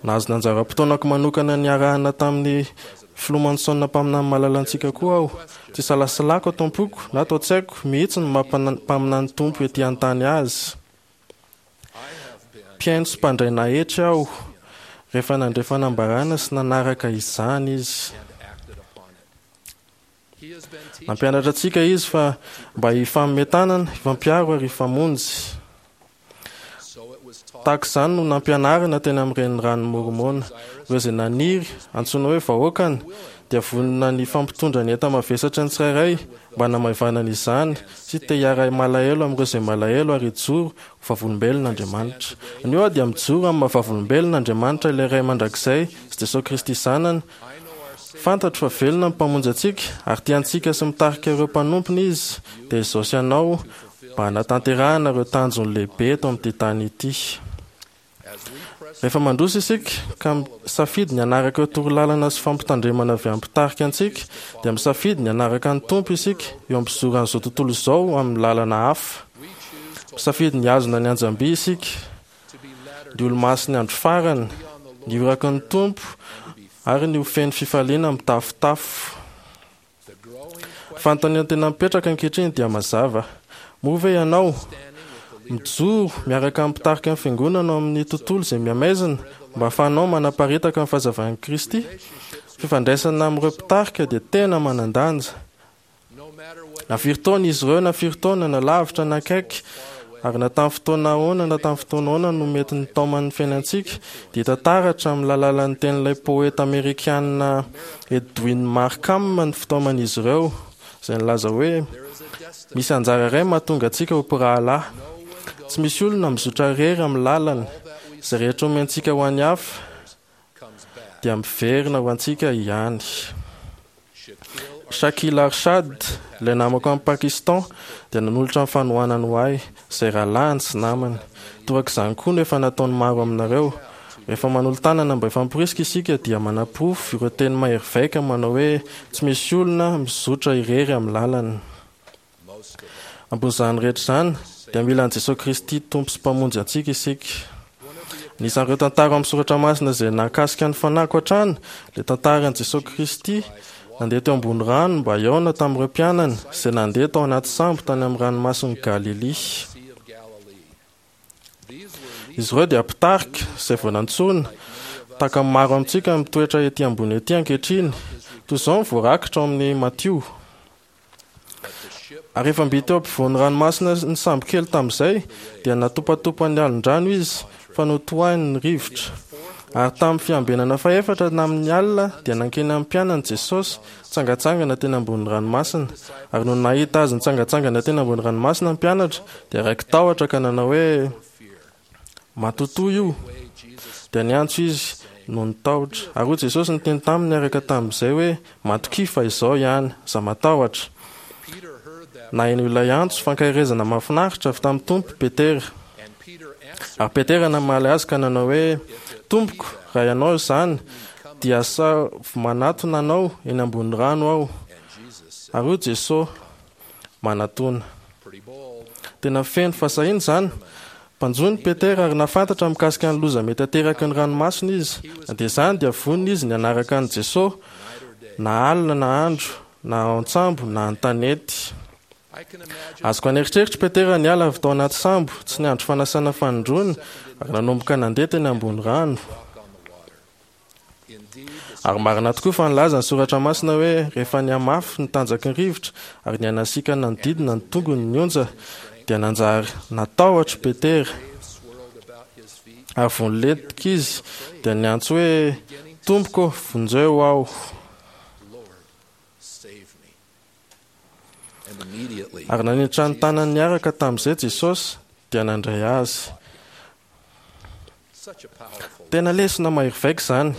[SPEAKER 2] Nahazo ny anjara-potoanako manokana niarahana tamin'ny Filoha Monson mpaminany malalantsika koa aho. Tsy isalasalako ato am-poko na ato an-tsaiko mihitsy ny maha mpaminany Tompo ety an-tany azy. Mpihaino sy mpandray nahetry aho rehefa nandre fanambarana sy nanaraka izany izy. Nampianatra antsika izy fa mba hifanome tanana, hifampiaro ary hifamonjy. Tahaka izany no nampianarina teny amin'ny Reniranon'i Môrmôna. Ireo izay naniry antsoina hoe vahoakany dia vonona ny hifampitondra ny enta-mavesatra ny tsirairay mba hanamaivanana izany sy te hiara-malahelo amin'ireo izay malahelo ary hijoro ho vavolombelon'Andriamanitra. Anio aho dia mijoro amin'ny maha-vavolombelona Andriamanitra ilay Ray Mandrakizay sy Jesoa Kristy Zanany, Fantatro fa velona ny Mpamonjy antsika, ary tia antsika sy mitarika ireo mpanompony Izy, dia izao sy ianao, mba hanatanterahana ireo tanjony lehibe eto amin'ity tany ity. Rehefa mandroso isika, ka misafidy ny hanaraka ireo torolalana sy fampitandremana avy amin'ny mpitarika antsika, dia misafidy ny hanaraka ny Tompo isika eo am-pizoran'izao tontolo izao amin'ny lalana hafa. Misafidy ny hihazona ny anjam-by isika, ny Olomasin'ny Andro Farany, ny iraky ny Tompo, ary ny ho feno fifaliana mitafotafo. Ny fanontaniana tena mipetraka ankehitriny dia mazava, Moa ve ianao mijoro miaraka amin'ny mpitarika ny Fiangonana ao amin'ny tontolo izay mihamaizina mba hahafahanao manaparitaka ny fahazavan'i Kristy? Fifandraisana amin'ireo mpitarika dia tena manan-danja. Na firy taona izy ireo na firy taona, na lavitra na akaiky, ary na tamin'ny fotoana ahoana na tamin'ny fotoana ahoana no mety nitaoman'ny fiainantsika, dia hita taratra amin'ny lalalan'ny tenin'ilay poeta amerikana Edwin Markham ny fitaoman'izy ireo, izay nilaza hoe, Misy anjara iray mahatonga antsika ho mpirahalahy. Tsy misy olona mizotra irery amin'ny lalany. Izay rehetra omentsika ho an'ny hafa, dia miverina ho antsika ihany. Shakil Arshad, ilay namako any Pakistan, dia nanolotra ny fanohanany ho ahy, izay rahalahiny sy namany. Torak'izany koa no efa nataon'ny maro aminareo. Rehefa manolo-tanana mba hifamporisika isika dia manaporofo ireo teny mahery vaika manao hoe tsy misy olona mizotra irery amin'ny lalany. Ambonin'izany rehetra izany, dia mila an'i Jesoa Kristy Tompo sy Mpamonjy antsika isika. Anisan'ireo tantara ao amin'ny Soratra Masina izay nahakasika ny fanahiko hatrany ilay tantaran'i Jesoa Kristy nandeha teo ambony rano mba hihaona tamin'ireo mpianany izay nandeha tao anaty sambo tany amin'ny ranomasin'i Galilia. Izy ireo dia mpitarika izay vao nantsoina, tahaka ny maro amintsika mitoetra ety ambony ety ankehitriny. Toy izao no voarakitra ao amin'ny Matio. Ary rehefa mby teo ampovoan'ny ranomasina ny sambo kely tamin'izay, dia natopatopan'ny alon-drano izy, fa notohahiny ny rivotra. Ary tamin'ny fiambenana fahefatra tamin'ny alina, dia nankeny amin'ny mpianany Jesosy, nitsangantsangana teny ambonin'ny ranomasina. Ary nony nahita azy nitsangantsangana teny ambony ranomasina ny mpianatra, dia raiki-tahotra ka nanao hoe, Matotoa io! Dia niantso izy noho ny tahotra. Ary hoy Jesosy niteny taminy niaraka tamin'izay hoe, Matokia fa Izaho ihany, aza matahotra. Naheno ilay antso fankaherezana mahafinaritra avy tamin'ny Tompo Petera. Ary Petera namaly azy ka nanao hoe, Tompoko, raha Ianao izany, dia asaivo manatona Anao eny ambony rano aho. Ary hoy Jesosy, Manatona. Tena feno fahasahiana izany. Mpanjono i Petera ary nahafantatra mikasika ny loza mety ateraky ny ranomasina izy. Na dia izany dia vonona izy ny hanaraka an'i Jesosy, na alina na andro, na ao an-tsambo na an-tanety. Azoko an'eritreritra i Petera niala avy tao anaty sambo, tsy niandry fanasana fanindroany, ary nanomboka nandeha teny ambony rano. Ary marina tokoa fa nilaza ny Soratra Masina hoe rehefa nihamafy ny tanjaky ny rivotra ary nihanasiaka nanodidina ny tongony ny onja, dia nanjary natahotra i Petera. Ary vao nilentika izy, dia niantso hoe, Tompoko ô, vonjeo aho! Ary nanitra ny tanany niaraka tamin'izay Jesosy, dia nandray azy. Tena lesona mahery vaika izany.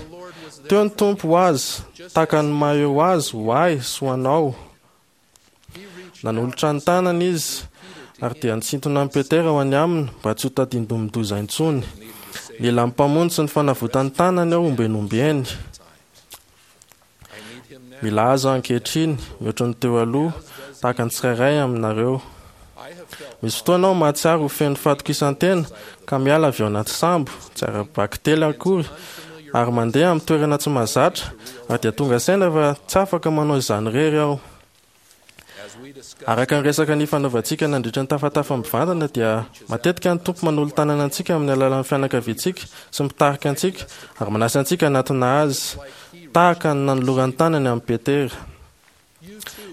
[SPEAKER 2] Teo ny Tompo ho azy, tahaka ny maha eo azy ho ahy sy ho anao. Nanolotra ny tanany izy, ary dia nisintona an'i Petera ho any aminy mba tsy ho tadindomin-doza intsony. Nila ny Mpamonjy sy ny fanavotan'ny tanany aho ombieny ombieny. Mila azy aho ankehitriny, mihoatra ny teo aloha, tahaka ny tsirairay aminareo. Misy fotoana aho mahatsiaro ho feno fahatokisan-tena ka miala avy ao anaty sambo, tsy ara-bakiteny akory, ary mandeha amin'ny toerana tsy mahazatra, ary dia tonga saina fa tsy afaka manao izany irery aho. Araka ny resaka nifanaovantsika nandritra ny tafatafa mivantana dia matetika ny Tompo manolo-tanana antsika amin'ny alalan'ny fianakaviantsika sy mitarika antsika ary manasa antsika hanatona Azy tahaka ny nanolorany tanany amin'i Petera.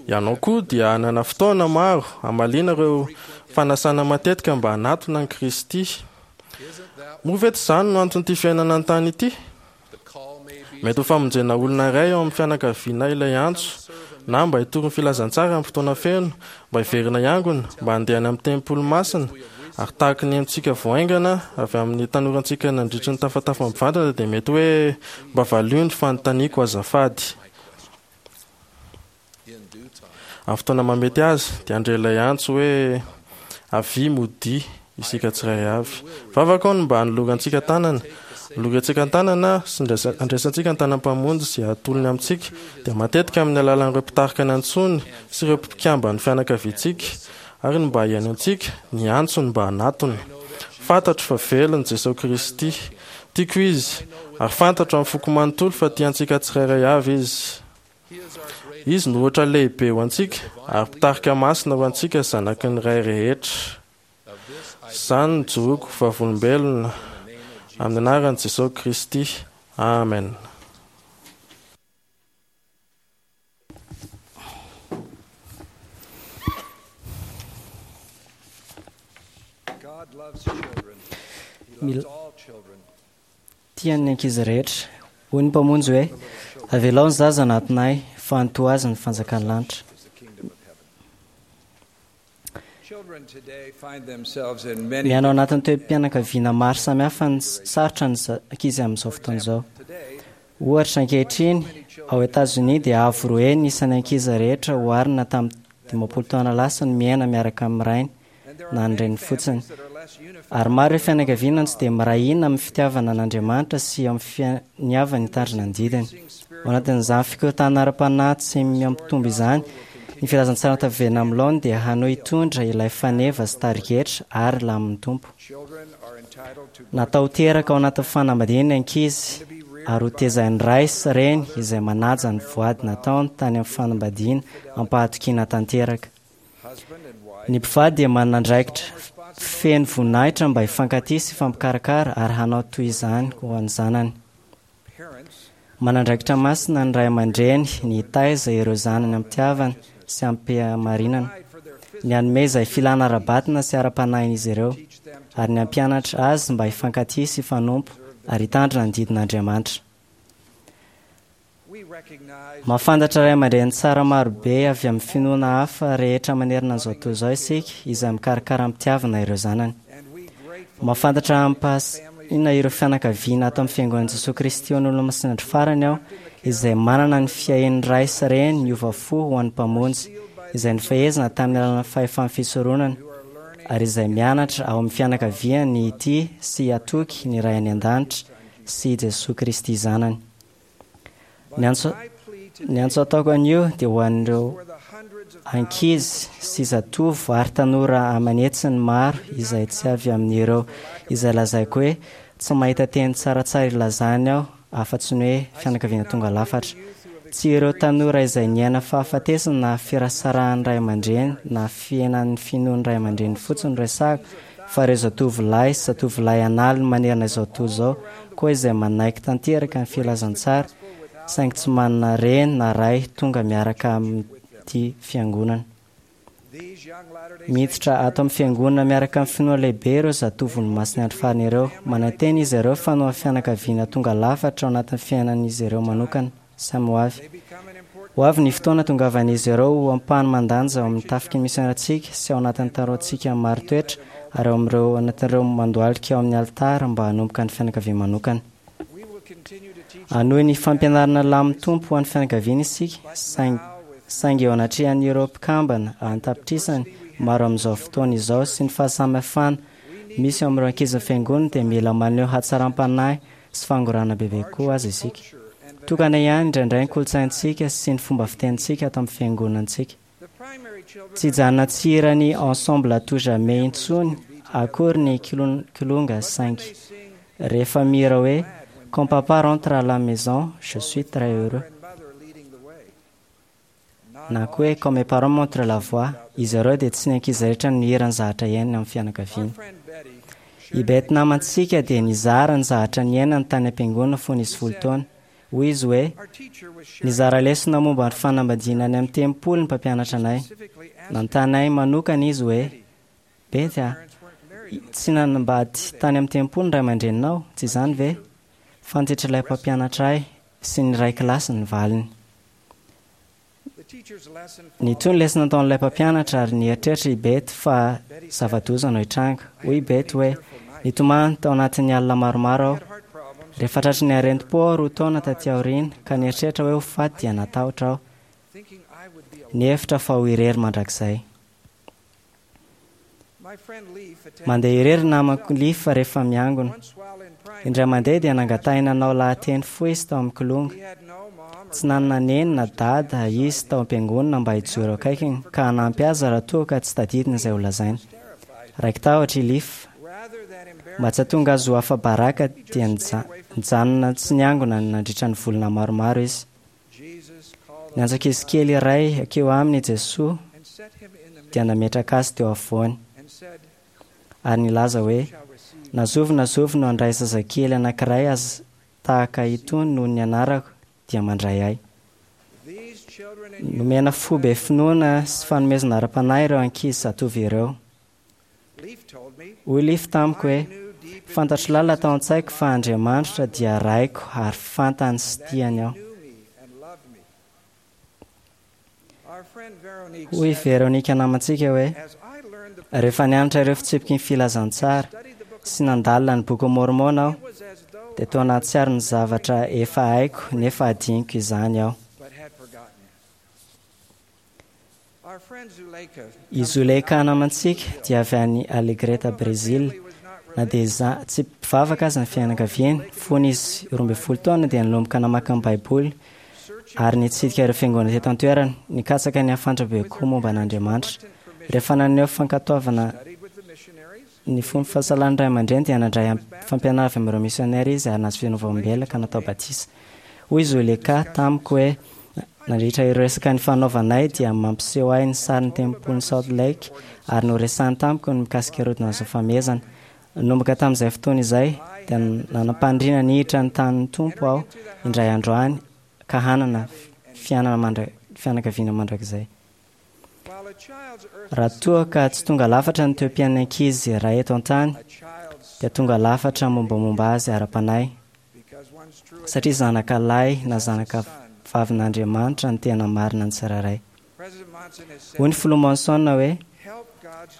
[SPEAKER 2] Ianao koa dia hanana fotoana maro hamaliana ireo fanasana matetika mba hanatona an'i Kristy. Moa ve tsy izany no anton'ity fiainana an-tany ity? Mety ho famonjena olona iray ao amin'ny fianakaviana ilay antso, na mba hitory ny filazantsara amin'ny fotoana feno, mba hiverina hiangona, mba handeha any amin'ny tempoly masina, ary tahaka ny henontsika vao haingana avy amin'ny tanorantsika nandritry ny tafatafa mivantana dia mety hoe mba valio ny fanontaniako azafady. Amin'ny fotoana mahamety azy, dia handre ilay antso hoe, Avia, modia, isika tsirairay avy. Vavaka aho ny mba hanolorantsika tanana. Anolorantsika an-tanana sy andraisantsika ny tanan'ny Mpamonjy izay atolony amintsika, dia matetika amin'ny alalan'ireo mpitarika nantsoiny sy ireo mpikamban'ny fianakaviantsika, ary ny mba hihainoantsika ny antsony mba hanatona. Fantatro fa velona Jesoa Kristy. Tiako Izy, ary fantatro amin'ny foko manontolo fa tia antsika tsirairay avy Izy. Izy no ohatra lehibe ho antsika ary mpitarika masina ho antsika zanaky ny Ray rehetra. Izany no ijoroako ho vavolombelona amin'ny anaran'i Jesoa Kristy. Amen.
[SPEAKER 11] Tiany ny ankizy rehetra. Hoy ny Mpamonjy hoe, Avelao ny zaza hanatona Ahy, fa antoha azy ny fanjakan'ny lanitra. Miaina ao anatin'ny toe-pianakaviana maro samihafa ny sarotra ny ankizy amin'izao fotoana izao. Ohatra, ankehitriny, ao Etazonia dia avo roa heny ny isan'ny ankizy rehetra oharina tamin'ny 50 taona lasa no miaina miaraka amin'ny rainy na ny reniny fotsiny. Ary maro ireo fianakaviana no tsy dia miray hina amin'ny fitiavana an'Andriamanitra sy amin'ny finiavany hitandrina ny didiny. Ao anatin'izany fikorontanana ara-panahy tsy mihampitombo izany, ny filazantsara taverina amin'ny laoniny dia hanohy hitondra ilay faneva sy tarigetra ary lamin'ny Tompo. Natao ho teraka ao anatin'ny fanambadiana ny ankizy. ary ho tezain'ny ray sy reny izay manaja ny voady nataony tany amin'ny fanambadiana am-pahatokiana tanteraka. Ny mpivady dia manana andraikitra feno voninahitra mba hifankatia sy hifampikarakara ary hanao toy izany ho an'ny zanany. Manandraikitra masina ny ray aman-dreny ny hitaiza ireo zanany am-pitiavana sy am-pihamarinana, ny hanome izay filana ara-batana sy ara-panahin'izy ireo, ary ny hampianatra azy mba hifankatia sy hifanompo ary hitandrina ny didin'Andriamanitra. Mahafantatra ray aman-dreny tsara marobe avy amin'ny finoana hafa rehetra manerana an'izao tontolo izao isika izay mikarakara am-pitiavana ireo zanany. Mahafantatra amim-pahasiana ireo fianakaviana ato amin'ny Fiangonan'i Jesoa Kristy ho an'ny Olomasinandro Farany aho izay manana ny fiahian'ny ray sy reny niova fo ho an'ny Mpamonjy, izay nifehezina tamin'ny alalan'ny fahefan'ny fisoronana, ary izay mianatra ao amin'ny fianakaviany ny hitia sy hatoky ny Ray any An-danitra sy i Jesoa Kristy Zanany. Ny antso, ny antso ataoko anio dia ho an'ireo ankizy sy zatovo ary tanora aman'hetsiny maro izay tsy avy amin'ireo izay lazaiko hoe tsy mahita teny tsaratsara ilazany aho afa-tsy ny hoe fianakaviana tonga lafatra. Tsy ireo tanora izay niaina fahafatesana na firasarahan'ny ray aman-dreny na fihenan'ny finoan'ny ray aman-dreny fotsiny no resahako fa ireo zatovolahy sy zatovolahy an'aliny manerana izao tontolo izao koa izay manaiky tanteraka ny filazantsara saingy tsy manana reny na ray tonga miaraka amin'ity fiangonana. Miditra ato amin'ny fiangonana miaraka amin'ny finoana lehibe ireo zatovon'ny Masin'ny Andro Farany ireo. Manantena izy ireo fa noho fianakaviana tonga lafatra ao anatin'ny fiainan'izy ireo manokana. Samy ho avy. Ho avy ny fotoana hatongavan'izy ireo ho ampahany mandanja ao amin'ny tafiky ny misionerantsika sy ao anatin'ny taroantsika marin-toetra ary ao amin'ireo anatin'ireo mandohalika ao amin'ny alitara mba hanomboka ny fianakaviany manokana. Hanohy ny fampianarana lamin'ny Tompo ho an'ny fianakaviana isika, saingy saingy eo anatrehan'ireo mpikambana an-tapitrisany maro amin'izao fotoana izao sy ny fahasamihafana misy eo amin'ireo ankizin'ny Fiangonana dia mila maneho hatsaram-panahy sy fangorahana bebe kokoa aza isika. Tokana ihany indraindray ny kolontsaintsika sy ny fomba fitenintsika ato amin'ny fiangonantsika. Tsy hijanona tsy hira ny Ensemble à tout jamais intsony akory ny kilonga saingy rehefa mihira hoe Quand papa rentre à la maison, je suis très heureux. Na koa hoe Quand mes parents montrent la voie, izy ireo dia tsy ny ankizy rehetra no mihira ny zavatra iainany amin'ny fianakaviany. I Beth namantsika dia nizara ny zavatra niainany tany am-piangonana fony izy folo taona. Hoy izy hoe, Nizara lesona momba ny fanambadiana any amin'ny tempoly ny mpampianatra anay. Nanontany ahy manokana izy hoe, Beth a, tsy nanambady tany amin'ny tempoly ny ray aman-dreninao, tsy izany ve? Fantatr'ilay mpampianatra ahy sy ny iray kilasy ny valiny. Nitohy ny lesona nataon'ilay mpampianatra ary nieritreritra i Beth fa zava-doza no hitranga. Hoy i Beth hoe, Nitomany tao anatin'ny alina maromaro aho. Rehefa tratry ny aretim-po aho roa taona taty aoriana ka nieritreritra hoe ho faty dia natahotra aho. Nihevitra fa ho irery mandrakizay. Mandeha irery ny namako Leaf rehefa miangona. Indray mandeha dia nangatahina hanao lahateny fohy izy tao amin'ny kilonga. Tsy nanana neny na dada izy tao am-piangonana mba hijoro akaikiny ka hanampy azy raha toa ka tsy tadidiny izay holazainy. Raiki-tahotra i Leaf. Mba tsy hahatonga azy ho afa-baraka dia nijanona tsy niangona nandritra ny volana maromaro izy. Niantso ankizy kely iray hankeo aminy i Jesoa dia nametraka azy teo afovoany ary nilaza hoe, Na zovy na zovy no handray zazakely anankiray aza tahaka itony noho ny anarako dia mandray ahy. Nomena fo be finoana sy fanomezana ara-panahy ireo ankizy zatovo ireo. Hoy Leaf tamiko hoe, Fantatro lalina tao an-tsaiko fa Andriamanitra dia Raiko ary fantany sy tiany aho. Hoy i Veronica namantsika hoe, Rehefa nianatra ireo fitsipiky ny filazantsara sy nandalina ny Bokin'i Môrmôna aho, dia toa nahatsiaro ny zavatra efa haiko nefa hadinoko izany aho. I Zuleika namantsika dia avy any Alegrete, Brezila. Na dia tsy mpivavaka aza ny fianakaviany, fony izy 12 taona dia nanomboka namaky ny Baiboly ary nitsidika ireo fiangonana teto an-toerana, nikatsaka ny hahafantatra bebe kokoa momba an'Andriamanitra. Rehefa naneho fankatoavana. Ny fony fahasalan'ny ray aman-dreny dia nandray fampianarana avy amin'ireo misionera izy ary nahazo finovam-bela ka natao batisa. Hoy Zoleka tamiko hoe, Nandritra ireo resaka nifanaovanay dia mampiseho ahy ny sarin'ny tempolin'i Salt Lake ary noresahiny tamiko ny mikasika ireo ozonan'ny famehezana. Nanomboka tamin'izay fotoana izay dia nanam-paniriana ny hiditra ny tanin'ny Tompo aho indray andro any ka hanana fiainana mandra- fianakaviana mandrakizay. Raha toa ka tsy tonga lafatra ny toe-piainan'ny ankizy iray eto an-tany dia tonga lafatra mombamomba azy ara-panahy satria zanaka lahy na zanaka vavin'Andriamanitra ny tena marina ny tsirairay. Hoy ny filoha Monson hoe,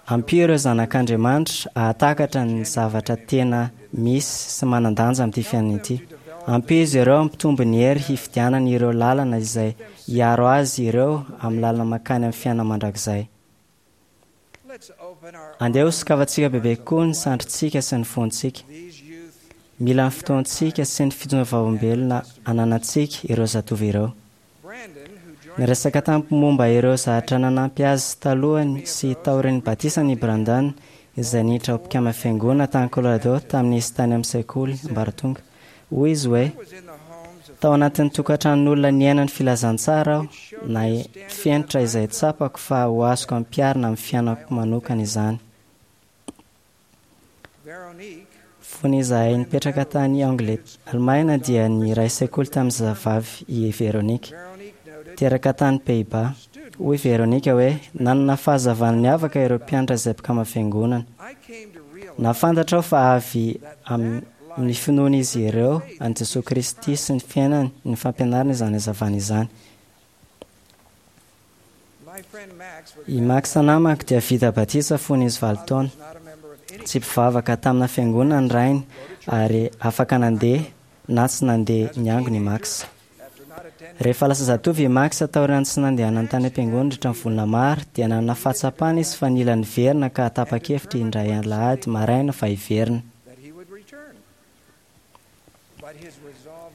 [SPEAKER 11] Ampio ireo zanak'Andriamanitra hahatakatra ny zavatra tena misy sy manan-danja amin'ity fiainana ity. Ampio izy ireo hampitombo ny hery hifidianany ireo lalana izay hiaro azy ireo amin'ny lalana mankany amin'ny fiainana mandrakizay. Andeha hosokafantsika bebe kokoa ny sandrintsika sy ny fontsika. Mila ny fotoantsika sy ny fijoroam-vavolombelona ananantsika ireo zatovo ireo. Niresaka tamiko momba ireo zavatra nanampy azy talohany sy taorian'ny batisany i Brandon, izay niditra ho mpikambana fiangonana tany Colorado tamin'izy tany amin'ny sekoly ambaratonga. Hoy izy hoe, Tao anatin'ny tokantranon'olona niaina ny filazantsara aho, na fenitra izay tsapako fa ho azoko ampiharina amin'ny fiainako manokana izany. Fony izahay nipetraka tany Alemaina dia niray sekoly tamin'ny zazavavy i Véronique. Teraka tany Pays-Bas. Hoy Véronique hoe, Nanana fahazavana niavaka ireo mpianatra izay mpikambana fiangonana. Nahafantatra aho fa avy amin'ny finoan'izy ireo an'i Jesoa Kristy sy ny fiainany ny fampianarana izany hazavana izany. I Max namako dia vita batisa fony izy valo taona. Tsy mpivavaka tamina fiangonana ny rainy ary afaka nandeha na tsy nandeha niangona i Max. Rehefa lasa zatovo i Max taorian'ny tsy nandehanany tany am-piangonana nandritra ny volana maro dia nanana fahatsapana izy fa nila niverina ka tapa-kevitra indray alahady maraina fa hiverina.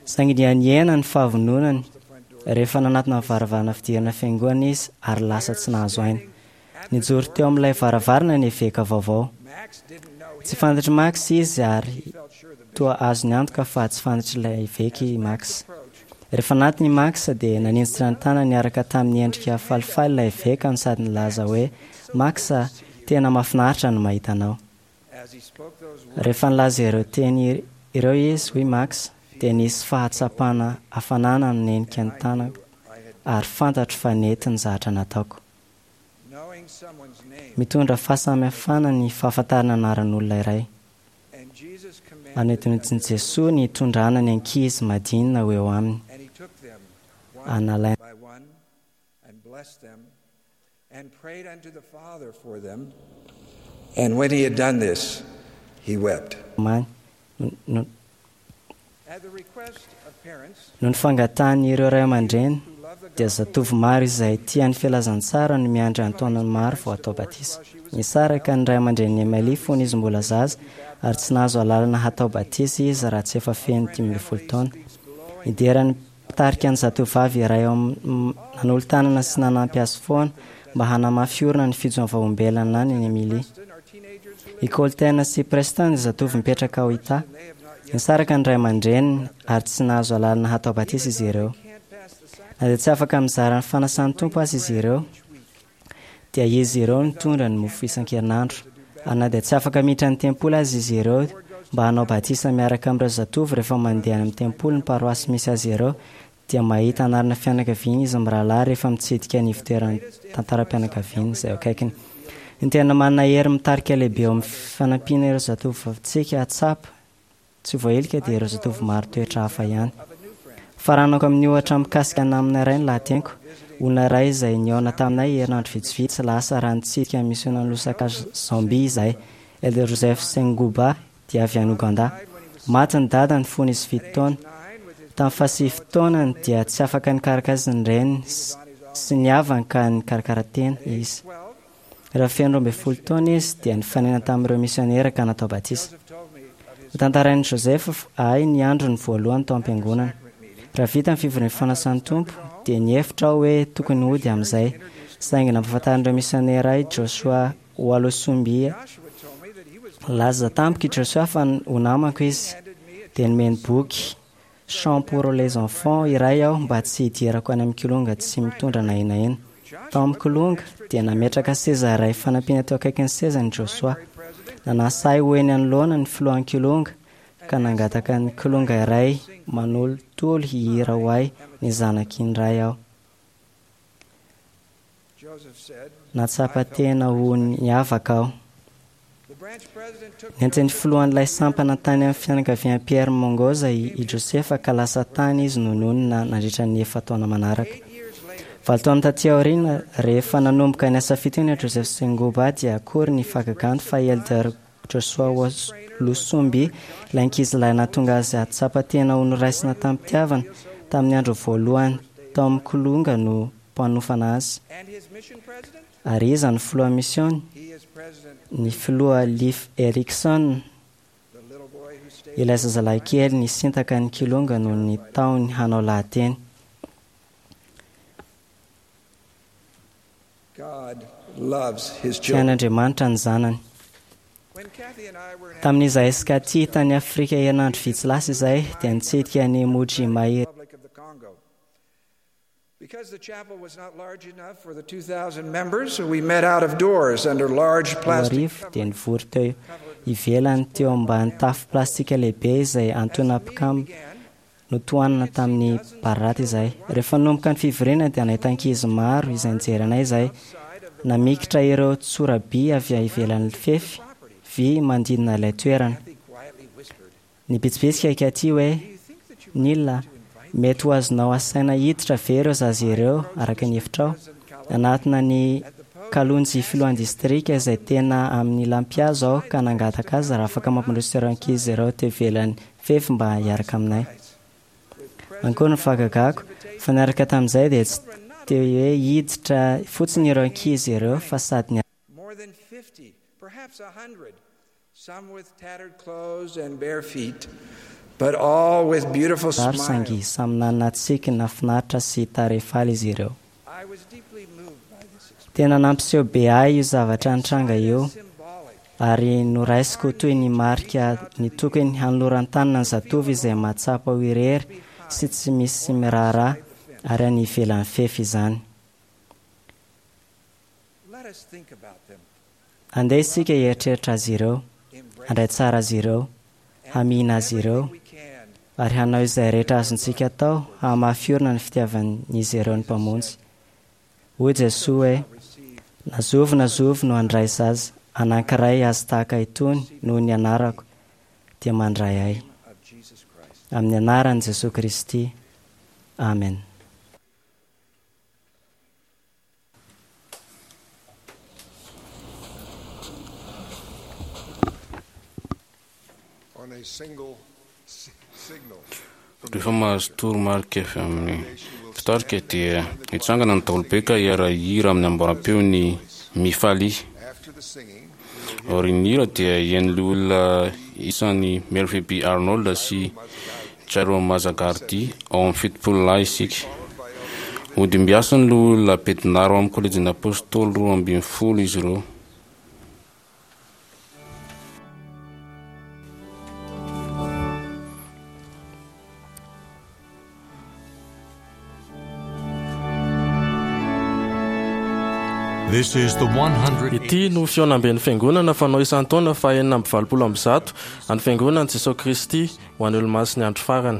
[SPEAKER 11] Saingy niha-nihena ny fahavononany rehefa nanatona ny varavarana fidirana fiangonana izy ary lasa tsy nahazo aina. Nijoro teo amin'ilay varavarana ny eveka vaovao. Tsy fantatr'i Max izy ary toa azony antoka fa tsy fantatr'ilay eveka i Max. Rehefa nanatona i Max dia naninjitra ny tanany niaraka tamin'ny endrika falifaly ilay eveka no sady nilaza hoe, Max a, tena mahafinaritra ny mahita anao. Rehefa nilaza ireo teny ireo izy, hoy Max, dia nisy fahatsapana hafanana nanenika ny tanako ary fantatro fa nety ny zavatra nataoko. Mitondra fahasamihafana ny fahafantarana anaran'olona iray. Anedinedin'i Jesoa ny hitondrana ny ankizy madinina ho eo aminy. Analaina.
[SPEAKER 10] And when he had done this, he wept.
[SPEAKER 11] Many. Noho ny fangatahan'ireo ray aman-dreny, dia zatovo maro izay tia ny filazantsara no miandry an-taonany maro vao hatao batisa. Nisaraka ny ray aman-drenin'i Emily fony izy mbola zaza ary tsy nahazo alalana hatao batisa izy raha tsy efa feno 15 taona. Nidera ny mpitarika ny zatovovavy iray ao amin'ny nanolo-tanana sy nanampy azy foana mba hanamafy orina ny fijoavahom-belana any Emily. I Colten sy Preston dia zatovo mipetraka ao Utah. Nisaraka ny ray aman-dreniny ary tsy nahazo alalana hatao batisa izy ireo. Na dia tsy afaka mizara ny fanasan'ny Tompo aza izy ireo, dia izy ireo nitondra ny mofo isan-kerinandro. Ary na dia tsy afaka miditra ny tempoly aza izy ireo mba hanao batisa miaraka amin'ireo zatovo rehefa mandeha any amin'ny tempoly ny paroasy misy azy ireo, dia mahita anarana fianakaviana izy mirahalahy rehefa mitsidika ny ivotoeran'ny tantaram-pianakaviana izay eo akaikiny. Ny tena manana hery mitarika lehibe eo amin'ny fanampiana ireo zatovovavintsika hahatsapa tsy voailika dia ireo zatovo maro toetra hafa ihany. Faranako amin'ny ohatra mikasika namana iray ny lahateniko, olona iray izay nihaona taminay herinandro vitsivitsy lasa raha nitsidika ny misionan'i Lusaka Zambia izahay, Elder Joseph Sengooba dia avy any Ouganda. Maty ny dadany fony izy fito taona. Tamin'ny fahasivy taonany dia tsy afaka nikarakara azy ny reniny sy ny havany ka nikarakara tena izy. Raha feno 12 taona izy dia nifanena tamin'ireo misionera ka natao batisa. Notantarain'i Joseph ahy ny androny voalohany tao am-piangonana. Raha vita ny fivorian'ny fanasan'ny Tompo dia nihevitra aho hoe tokony hody amin'izay. Saingy nampahafantarin'ireo misionera ahy Joshua. Walusumbia. Nilaza tamiko i Joshua fa ho namako izy, dia nomeny boky Chants pour les enfants iray aho mba tsy hidirako any amin'ny kilonga tsy mitondra na inona na inona. Tao amin'ny kilonga, dia nametraka seza iray fanampiana teo akaikin'ny sezany i Joshua. Nanasa ahy ho eny anoloana ny filohan'ny kilonga, ka nangataka ny kilonga iray manolotolo hihira ho ahy ny zanak'indray aho. Nahatsapa tena ho niavaka aho. Nentin'ny filohan'ilay sampana tany amin'ny fianakavian'i Pierre Mongoza i Josefa ka lasa tany izy no nonina nandritra ny efa-taona manaraka. Valo taona taty aoriana, rehefa nanomboka ny asa fitoriana Joseph Sengoba dia akory ny fahagagany fa i Elder Joshua Lusumbi, ilay ankizilahy nahatonga azy hahatsapa tena ho noraisina tamim-pitiavana tamin'ny andro voalohany tao amin'ny Kilonga no mpanofana azy. Ary iza no filoha misiôny? Ny filoha Leif Erikson, ilay zazalahy kely nisintaka ny Kilonga noho ny tahony hanao lahateny. Tian'Andriamanitra ny zanany. Tamin'izahay sy Kathy tany Afrika herinandro vitsy lasa izay, dia nitsidika an'i Mbuji-Mayi.
[SPEAKER 10] Because the chapel was not large enough for the 2,000 members, we met out of doors under large plastic
[SPEAKER 11] 2000 dia nivory teo ivelany teo ambany tafo plastika lehibe izay antoina mpikam notohanana tamin'ny bararata izahay. Rehefa nanomboka ny fivoriana dia nahita ankizy maro izay nijery anay izahay, namikitra ireo tsoraby avy ivelan'ny fefy vy manodidina ilay toerana. Nibitsibitsika i Kathy hoe, Neil a, mety ho azonao asaina hiditra ve ireo zaza ireo araka ny hevitrao? Nanatona an'i Kalonji filohan'ny distrika izay tena amin'ny lampihazo aho ka nangataka azy raha afaka mampandroso ireo ankizy ireo teo ivelan'ny fefy mba hiaraka aminay. Ankoa ny fahagagako, fa niaraka tamin'izay dia tsy teo hoe hiditra fotsiny ireo ankizy ireo fa sady
[SPEAKER 10] More than 50, perhaps 100, some with tattered clothes and bare feet, but all with beautiful
[SPEAKER 11] Maro saingy
[SPEAKER 10] smiles.
[SPEAKER 11] samy nanana tsiky nahafinaritra sy tarehy faly izy ireo. Tena nampiseho be ahy io zavatra nitranga io ary noraisiko ho toy ny marika ny tokony hanoloran-tanana ny zatovo izay mahatsapa ho irery sy tsy misy miraharaha ary any ivelan'ny fefy izany.
[SPEAKER 10] Let us think about them.
[SPEAKER 11] Andeha isika hieritreritra azy ireo, handray tsara azy ireo, hamihina azy ireo, ary hanao izay rehetra azontsika atao hahamafy orina ny fitiavan'izy ireo ny Mpamonjy. Hoy Jesoa hoe, Na zovy na zovy no handray zaza anankiray azy tahaka itony noho ny anarako, dia mandray ahy. Amin'ny anaran'i Jesoa Kristy. Amen.
[SPEAKER 9] On a single signal.
[SPEAKER 4] Rehefa mahazo toromarika avy amin'ny mpitarika dia hitsangana ny daholobe ka hiara-hihira amin'ny amboaram-peo ny Mifalia. Aorian'ny hira dia hihaino loholona isan'i Melvin B. Arnold sy Jairo Mazagardi ao amin'ny 70 lahy isika. Hodimbiasin'ny loholona Bednar ao amin'ny Kolejin'ny Apôstôly 12 izy ireo.
[SPEAKER 1] This is the 100.
[SPEAKER 2] Ity no fihaonamben'ny Fiangonana fanao isan-taona faha 186 an'ny Fiangonan'i Jesoa Kristy ho an'ny Olomasin'ny Andro Farany.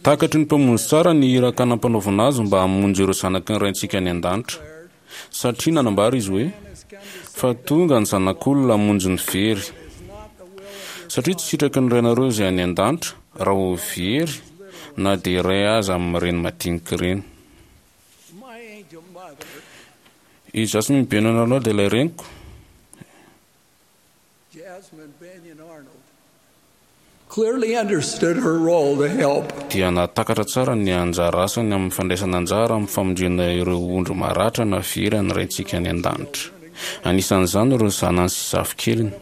[SPEAKER 4] Takatry ny Mpamonjy tsara ny iraka nampanaovina azy mba hamonjy ireo zanaky ny Raintsika any an-danitra, satria nanambara izy hoe, Fa tonga ny Zanak'olona hamonjy ny very. Satria tsy sitraky ny Rainareo izay any an-danitra raha ho very na dia iray aza amin'ireny madinika ireny. I Jasmine Benyon Arnold ilay reniko. Dia nahatakatra tsara ny anjara asany amin'ny fandraisana anjara amin'ny famonjena ireo ondry maratra na very ny Raintsika any An-danitra. Anisan'izany ireo zanany sy zafikeliny.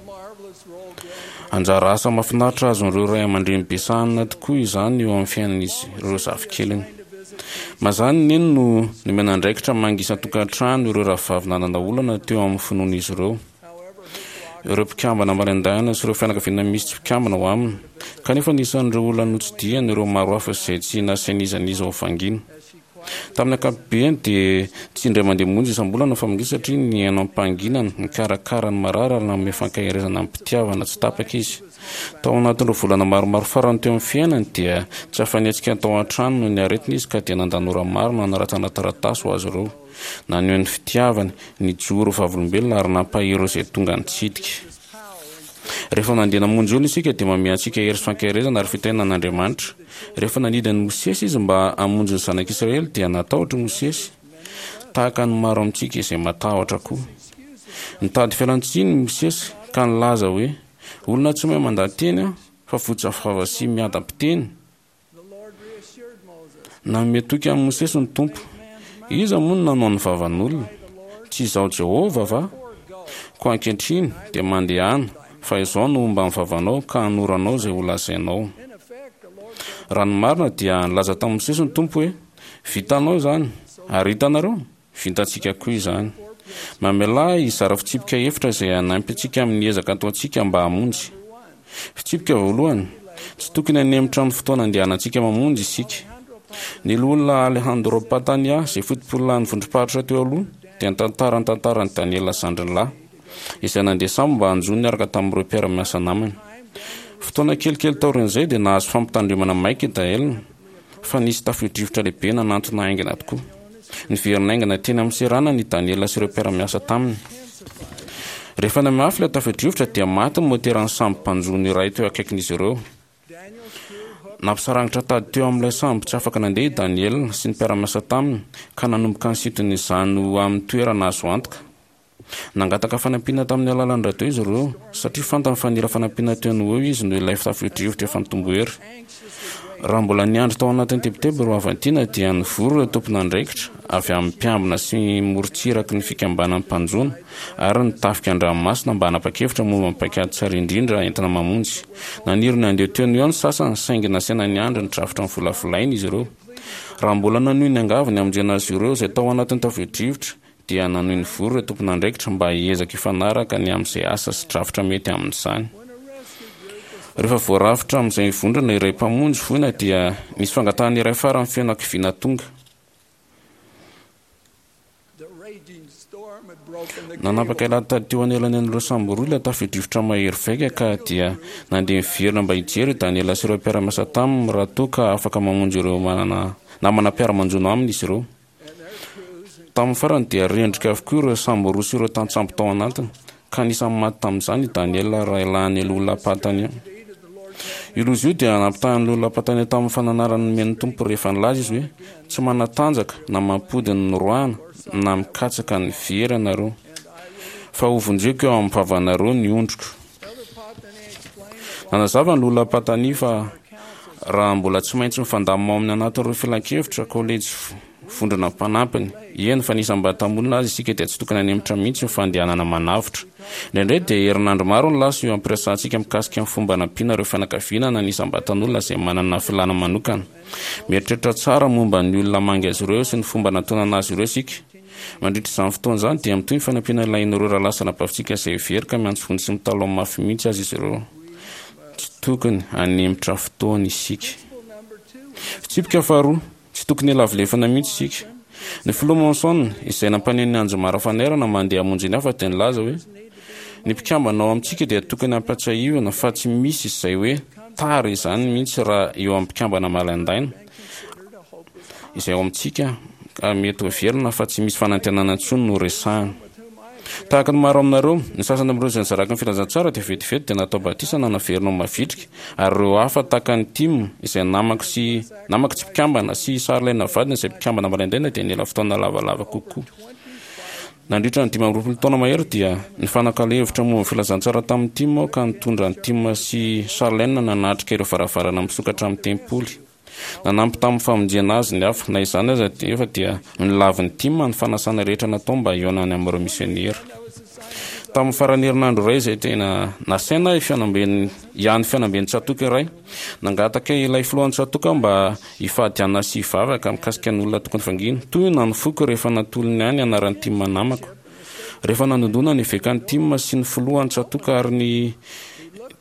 [SPEAKER 4] Anjara asa mahafinaritra azon'ireo ray aman-dreny be sahanina tokoa izany eo amin'ny fiainan'izy ireo zafikeliny. Mazàna i Neny no nomena andraikitra manga isan-tokantrano ireo rahavavy nanana olana teo amin'ny finoan'izy ireo. Ireo mpikambana marain-daina sy ireo fianakaviana misy tsy mpikambana ao aminy. Kanefa anisan'ireo olona notsidihany ireo maro hafa izay tsy nasain'iza n'iza ho vangiana. Tamin'ny ankapobeny dia tsy indray mandeha monja isam-bolana ny famangiana satria nihaino am-pahanginana, nikarakara ny marary ary nanome fankaherezana amim-pitiavana tsy tapaka izy. Tao anatin'ireo volana maromaro farany teo amin'ny fiainany dia tsy afa-nihetsika tao an-trano noho ny aretina izy ka dia nandany ora maro nanoratana taratasy ho azy ireo. Naneho ny fitiavany, nijoro ho vavolombelona ary nampahery ireo izay tonga nitsidika. Rehefa nandeha namonjy olona isika dia manome antsika hery sy fankaherezana ary fitahiana an'Andriamanitra. Rehefa nandidy an'i Mosesy izy mba hamonjy ny zanak'Israely dia natahotra i Mosesy, tahaka ny maro amintsika izay matahotra koa. Nitady fialan-tsiny i Mosesy ka nilaza hoe, Olona tsy mahay mandaha-teny aho, fa votsa-vava sy miadam-piteny. Nanome toky an'i Mosesy ny Tompo. Iza moa no nanao ny vavan'olona? Tsy Izaho Jehovah va? Koa ankehitriny dia mandehana, fa Izaho no homba ny vavanao ka hanoro anao izay holazainao. Raha ny marina dia nilaza tamin'i Mosesy ny Tompo hoe, Vitanao izany, ary hitanareo? Vitantsika koa izany. Mamelà ahy hizara fitsipika efitra izay hanampy antsika amin'ny ezaka ataontsika mba hamonjy. Fitsipika voalohany, Tsy tokony hanemotra ny fotoana andehanantsika mamonjy isika. Ny Loholona Alejandro Patania, izay fotopololahin'ny vondrom-paritra teo aloha, dia nitantara ny tantaran'i Daniela zandriny lahy, izay nandeha sambo mba hanjono niaraka tamin'ireo mpiara-miasa namany. Fotoana kelikely taorian'izay dia nahazo fampitandremana maika i Dael, fa nisy tafio-drivotra lehibe nanantona haingana tokoa. Niverina haingana teny amin'ny seranana i Daniela sy ireo mpiara-miasa taminy. Rehefa nihamafy ilay tafio-drivotra dia maty ny moteran'ny sambo mpanjono iray teo akaikin'izy ireo. Nampisarangitra tady teo amin'ilay sambo tsy afaka nandeha i Daniela sy ny mpiara-miasa taminy ka nanomboka nisintona izany ho amin'ny toerana azo antoka. Nangataka fanampiana tamin'ny alalan'ny radio izy ireo, satria fantany fa nila fanampiana teo no ho eo izy noho ilay tafio-drivotra efa nitombo hery. Raha mbola niandry tao anatin'ny tebiteby ireo havan-tiana dia nivory ireo tompon'andraikitra avy amin'ny mpiambina sy morontsiraky ny fikambanan'ny mpanjono ary ny tafika an-dranomasina mba hanapa-kevitra momba ny paikady tsara indrindra entina mamonjy. Naniry ny handeha teo no eo ny sasany saingy nasaina niandry ny drafitra novolavolaina izy ireo. Raha mbola nanohy niangavy ny hamonjena azy ireo izay tao anatin'ny tafio-drivotra dia nanohy nivory ireo tompon'andraikitra mba hiezaka hifanaraka ny amin'izay asa sy drafitra mety amin'izany. Rehefa voarafitra amin'izay vondrona iray mpamonjy voina dia nisy fangatahana iray farany feno hakiviana tonga. Nanapaka ilay tady teo anelanelan'ireo sambo roa ilay tafio-drivotra mahery vaika ka dia nandeha niverina mba hijery i Daniela sy ireo mpiara-miasa taminy raha toa ka afaka mamonjy ireo manana namana mpiara-manjono aminy izy ireo. Tamin'ny farany dia rendrika avokoa ireo sambo roa sy ireo tantsambo tao anatiny, ka anisan'ny maty tamin'izany i Daniela rahalahin'i Lola Patania. Io loza io dia nampitahan'i Lola Patania tamin'ny fananarana nomen'ny Tompo rehefa nilaza izy hoe, Tsy manatanjaka na mampody ny noroahana na mikatsaka ny very ianareo, fa hovonjeko eo amin'ny vavanareo ny ondriko. Nanazava ny Lola Patania fa raha mbola tsy maintsy mifandamina ao amin'ny anatin'ireo filankevitra, kolejy vondrona mpanampiny, eny fa ny isam-batamolona aza isika dia tsy tokony hanemotra mihitsy ny fandehanana manavotra. Indraindray dia herinandro maro no lasa eo am-piresahantsika mikasika ny fomba hanampiana ireo fianakaviana na ny isam-batan'olona izay manana filàna manokana. Mieritreritra tsara momba ny olona mangy azy ireo sy ny fomba anatonana azy ireo isika. Mandritra izany fotoana izany dia mitohy ny fanampiana ilain'ireo rahalahy sy anabavintsika izay very ka miantso vonjy sy mitalaho mafy mihitsy aza izy ireo. Tsy tokony hanemotra fotoana isika. Fitsipika faharoa, tsy tokony hilavilefana mihitsy isika. Ny Filoha Monson, izay nampaneno ny anjomara fanairana mandeha hamonjy ny hafa dia nilaza hoe, Ny mpikambana ao amintsika dia tokony hampatsiahivina fa tsy misy izay hoe. tara izany mihitsy raha eo amin'ny mpikambana malaindaina izay ao amintsika ka mety ho heverina fa tsy misy fanantenana intsony no resahina. Tahaka ny maro aminareo, ny sasany amin'ireo izay nizarako ny filazantsara dia vetivety dia natao batisa na naverina ho mavitrika, ary ireo hafa tahaka an'i Tim, izay namako sy namako tsy mpikambana, sy i Charlene vadiny izay mpikambana malaindaina dia nila fotoana lavalava kokoa. Nandritra ny 25 taona mahery dia nifanakalo hevitra momba ny filazantsara tamin'i Tim aho ka nitondra an'i Tim sy Charlene nanatrika ireo varavarana misokatra amin'ny tempoly. Nanampy tamin'ny famonjena azy ny hafa. Na izany aza nefa dia nolavin'i Tim ny fanasana rehetra natao mba hihaonany amin'ireo misionera. Tamin'ny faran'ny herinandro iray izay tena nasaina ahy fihaonamben'ny ihany fihaonamben'ny tsatòka iray, nangataka ilay filohan'ny tsatòka aho mba hifady hanina sy hivavaka mikasika ny olona tokony vangiana. Tohina ny foko rehefa natolony ahy ny anaran'i Tim namako. Rehefa nandondona ny evekan'i Tim sy ny filohan'ny tsatòka ary ny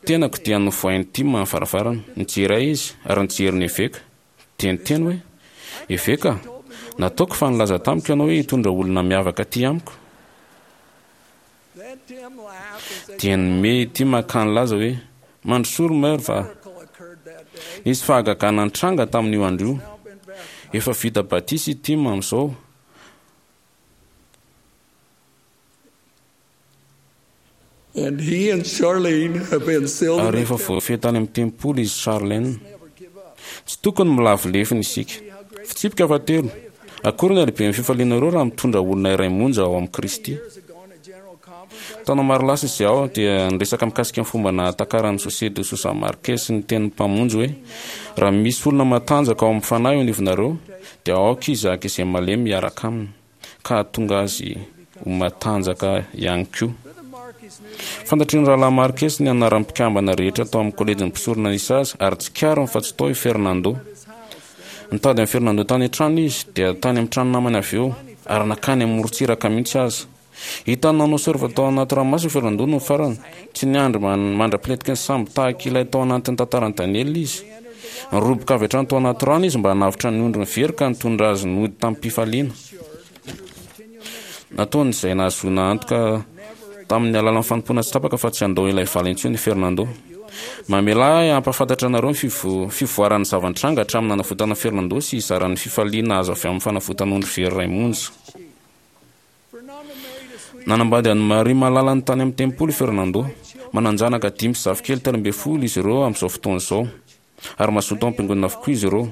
[SPEAKER 4] tenako dia novohain'i Tim ny varavarana. Nijery ahy izy ary nijery ny eveka. Dia niteny hoe, Eveka, nataoko fa nilaza tamiko ianao hoe hitondra olona miavaka aty amiko. Dia nimehy i Tim ka nilaza hoe, Mandrosoa ry Merv a! Nisy fahagagana nitranga tamin'io andro io. Efa vita batisa i Tim amin'izao. Ary efa voafehy tany amin'ny tempoly izy sy Charlene. Tsy tokony milavo lefona isika. Fitsipika fahatelo, Akory ny halehiben'ny fifalianareo raha mitondra olona iray monja ao amin'i Kristy. Taona maro lasa izay aho dia niresaka mikasika ny fomba nahatakaran'i José de Sousa Marques ny tenin'ny Mpamonjy hoe, Raha misy olona matanjaka ao amin'ny fanahy eo anivonareo, dia aoka izy haka izay malemy hiaraka aminy, ka hahatonga azy ho matanjaka ihany koa. Fantatry ny Rahalahy Marques ny anaran'ny mpikambana rehetra tao amin'ny kolejin'ny mpisorona nisy azy, ary tsikariny fa tsy tao i Fernando. Nitady an'i Fernando tany an-trano izy, dia tany amin'ny trano namany avy eo, ary nankany amorontsiraka mihitsy aza. Hitany nanao surf tao anaty ranomasina i Fernando nony farany. Tsy niandry mandra-pilentiky ny sambo tahaka ilay tao anatin'ny tantaran'i Daniela izy. Niroboka avy hatrany tao anaty rano izy mba hanavotra ny ondriny very ka nitondra azy nody tamim-pifaliana. Nataony izay nahazoana antoka tamin'ny alalan'ny fanompoana tsy tapaka fa tsy handao ilay vala intsony i Fernando. Mamelà ahy hampahafantatra anareo ny fivoaran'ny zava-nitranga hatramin'ny nanavotana an'i Fernando sy hizara ny fifaliana azo avy amin'ny fanavotana ondry very iray monja. Nanambady an'i Maria malalany tany amin'ny tempoly i Fernando. Manan-janaka dimy sy zafikely 13 izy ireo amin'izao fotoana izao. Ary mazoto ao am-piangonana avokoa izy ireo.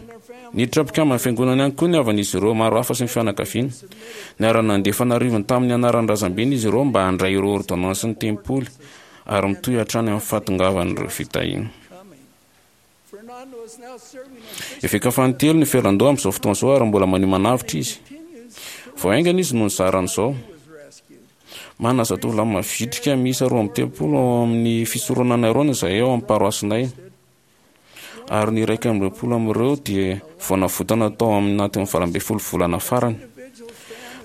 [SPEAKER 4] Niditra mpikamban'ny fiangonana ihany koa ny havan'izy ireo maro hafa sy ny fianakaviany. Niara-nandefa an'arivony tamin'ny anaran'ny razambeny izy ireo mba handray ireo ôrdônansin'ny tempoly, ary mitohy hatrany amin'ny fahatongavan'ireo fitahiana. Eveka fanintelony i Fernando amin'izao fotoana izao ary mbola maneho manavotra izy. Vao haingana izy no nizara an'izao. Manana zatovolahy mavitrika miisa 32 ao amin'ny fisoronana Aarona izahay ao amin'ny paroasinay. Ary ny 21 amin'ireo dia vao navotana tao anatin'ny 18 volana farany.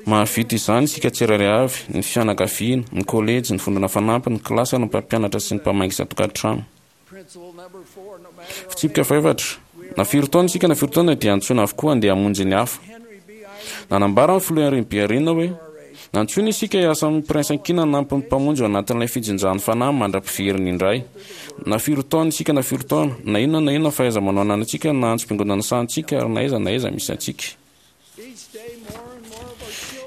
[SPEAKER 4] Mahavita izany isika tsirairay avy, ny fianakaviana, ny kolejy, ny vondrona fanampiny, ny kilasy ary ny mpampianatra sy ny mpamangy isan-tokantrano. Fitsipika fahefatra, Na firy taona isika na firy taona dia antsoina avokoa handeha hamonjy ny hafa. Nanambara ny filoha Henry B. Eyring hoe, Nantsoina isika hiasa amim-piraisankina hanampy ny Mpamonjy ao anatin'ilay fijinjan'ny fanahy mandra-piveriny indray. Na firy taona isika na firy taona, na inona na inona fahaiza-manao ananantsika na antsom-piangonana sahanintsika ary na aiza na aiza misy antsika.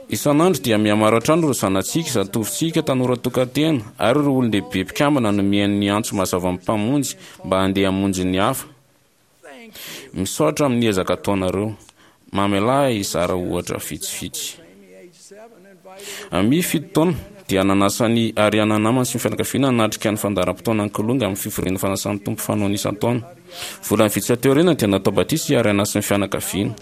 [SPEAKER 4] Isan'andro dia mihamaro hatrany ireo zanatsika, zatovontsika, tanora tokan-tena, ary ireo olon-dehibe mpikambana no mihaino ny antso mazavan'ny Mpamonjy mba handeha hamonjy ny hafa. Misaotra amin'ny ezaka ataonareo. Mamelà ahy hizara ohatra vitsivitsy. Amy, 7 taona, dia nanasa an'i Ariana namany sy ny fianakaviana hanatrika ny fandaharam-potoanan'ny Kilonga amin'ny fivorian'ny Fanasan'ny Tompo fanaony isan-taona. Volana vitsy aty aoriana dia natao batisa i Ariana sy ny fianakaviany.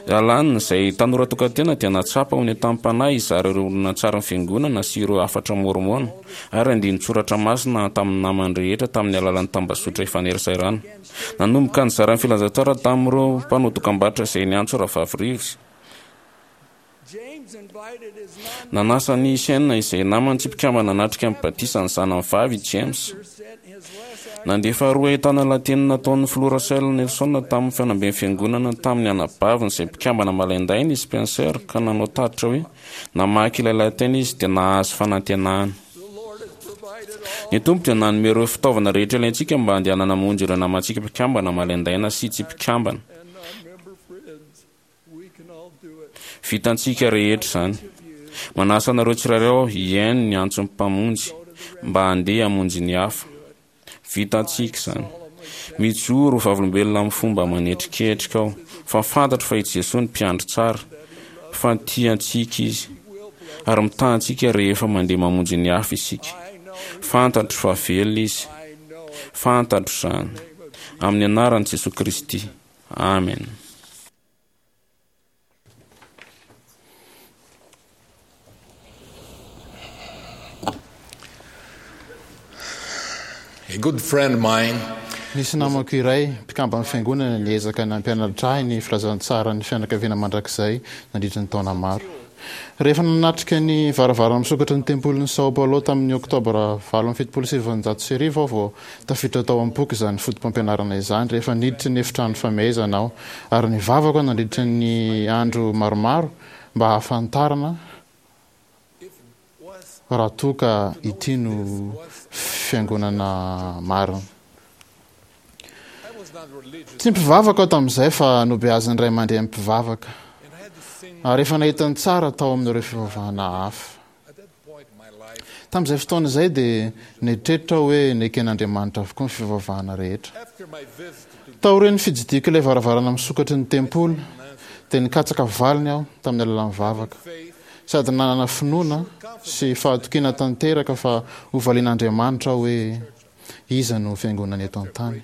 [SPEAKER 4] Alan, izay tanora tokan-tena, dia nahatsapa ho nentanam-panahy hizara ireo horonantsarin'ny Fiangonana sy ireo hafatra môrmôna ary andinin-tsoratra masina tamin'ny namany rehetra tamin'ny alalan'ny tambazotra ifaneraserana. Nanomboka nizara ny filazantsara tamin'ireo mpanao dokambarotra izay niantso Rahavavy Reeves. Nanasa an'i Shane izay namany tsy mpikambana hanatrika ny batisan'ny zanany vavy i James. Nandefa rohy ahitana lahateny nataon'ny Filoha Russell Nelson tamin'ny fihaonamben'ny Fiangonana tamin'ny anabaviny izay mpikambana malaindaina i Spencer ka nanao tatitra hoe namaky ilay lahateny izy dia nahazo fanantenana. Ny Tompo dia nanome ireo fitaovana rehetra ilaintsika mba handehanana hamonjy ireo namantsika mpikambana malaindaina sy tsy mpikambana. Vitantsika rehetra izany. Manasa anareo tsirairay aho hihaino ny antson'ny Mpamonjy mba handeha hamonjy ny hafa. Vitantsika izany. Mijoro ho vavolombelona amin'ny fomba manetriketrika aho fa fantatro fa i Jesoa no Mpiandry tsara, fa tia antsika Izy, ary mitaha antsika rehefa mandeha mamonjy ny hafa isika. Fantatro fa velona Izy. Fantatro izany. Amin'ny anaran'i Jesoa Kristy. Amen.
[SPEAKER 12] A good friend of mine
[SPEAKER 5] Nisy namako iray, mpikamban'ny Fiangonana, niezaka nampianatra ahy ny filazantsaran'ny fianakaviana mandrakizay nandritra ny taona maro. Rehefa nanatrika ny varavarana misokatry ny Tempolin'i São Paulo tamin'ny Oktobra 1978 aho vao Tafiditra tao am-poko izany fotopampianarana izany rehefa niditra ny efitrano famehezana aho, ary nivavaka aho nandritra ny andro maromaro mba hahafantarana raha toa ka ity no fiangonana marina. Tsy mpivavaka aho tamin'izay fa nobeazin'ny ray aman-dreny mpivavaka, ary efa nahita ny tsara tao amin'ireo fivavahana hafa. Tamin'izay fotoana izay dia nieritreritra aho hoe neken'Andriamanitra avokoa ny fivavahana rehetra. Taorian'ny fitsidihako ilay varavarana misokatry ny tempoly, dia nikatsaka valiny aho tamin'ny alalan'ny vavaka, sady nanana finoana sy fahatokiana tanteraka fa hovalian'Andriamanitra aho hoe Iza no fiangonana eto an-tany?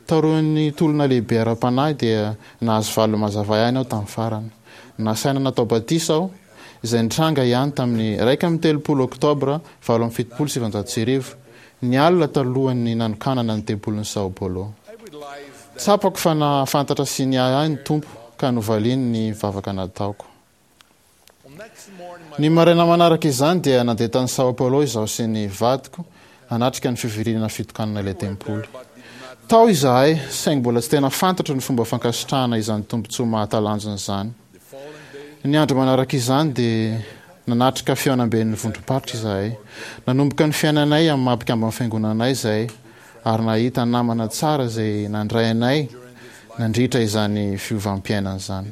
[SPEAKER 5] Taorian'ny tolona lehibe ara-panahy dia nahazo valiny mazava ihany aho tamin'ny farany. Nasaina natao batisa aho, izay nitranga ihany tamin'ny 31 Oktobra 1978, ny alina talohan'ny nanokanana ny tempolin'i São Paulo. Tsapako fa nahafantatra sy niahy ahy ny Tompo ka novaliany ny vavaka nataoko. Ny maraina manaraka izany dia nandeha tany São Paulo izaho sy ny vadiko hanatrika ny fivoriana fitokanana ilay tempoly. Tao izahay, saingy mbola tsy tena fantatro ny fomba fankasitrahana izany tombontsoa mahatalanjona izany. Ny andro manaraka izany dia nanatrika fihaonamben'ny vondrom-paritra izahay. Nanomboka ny fiainanay amin'ny maha-mpikamban'ny Fiangonana anay izahay ary nahita namana tsara izay nandray anay nandritra izany fiovam-piainana izany.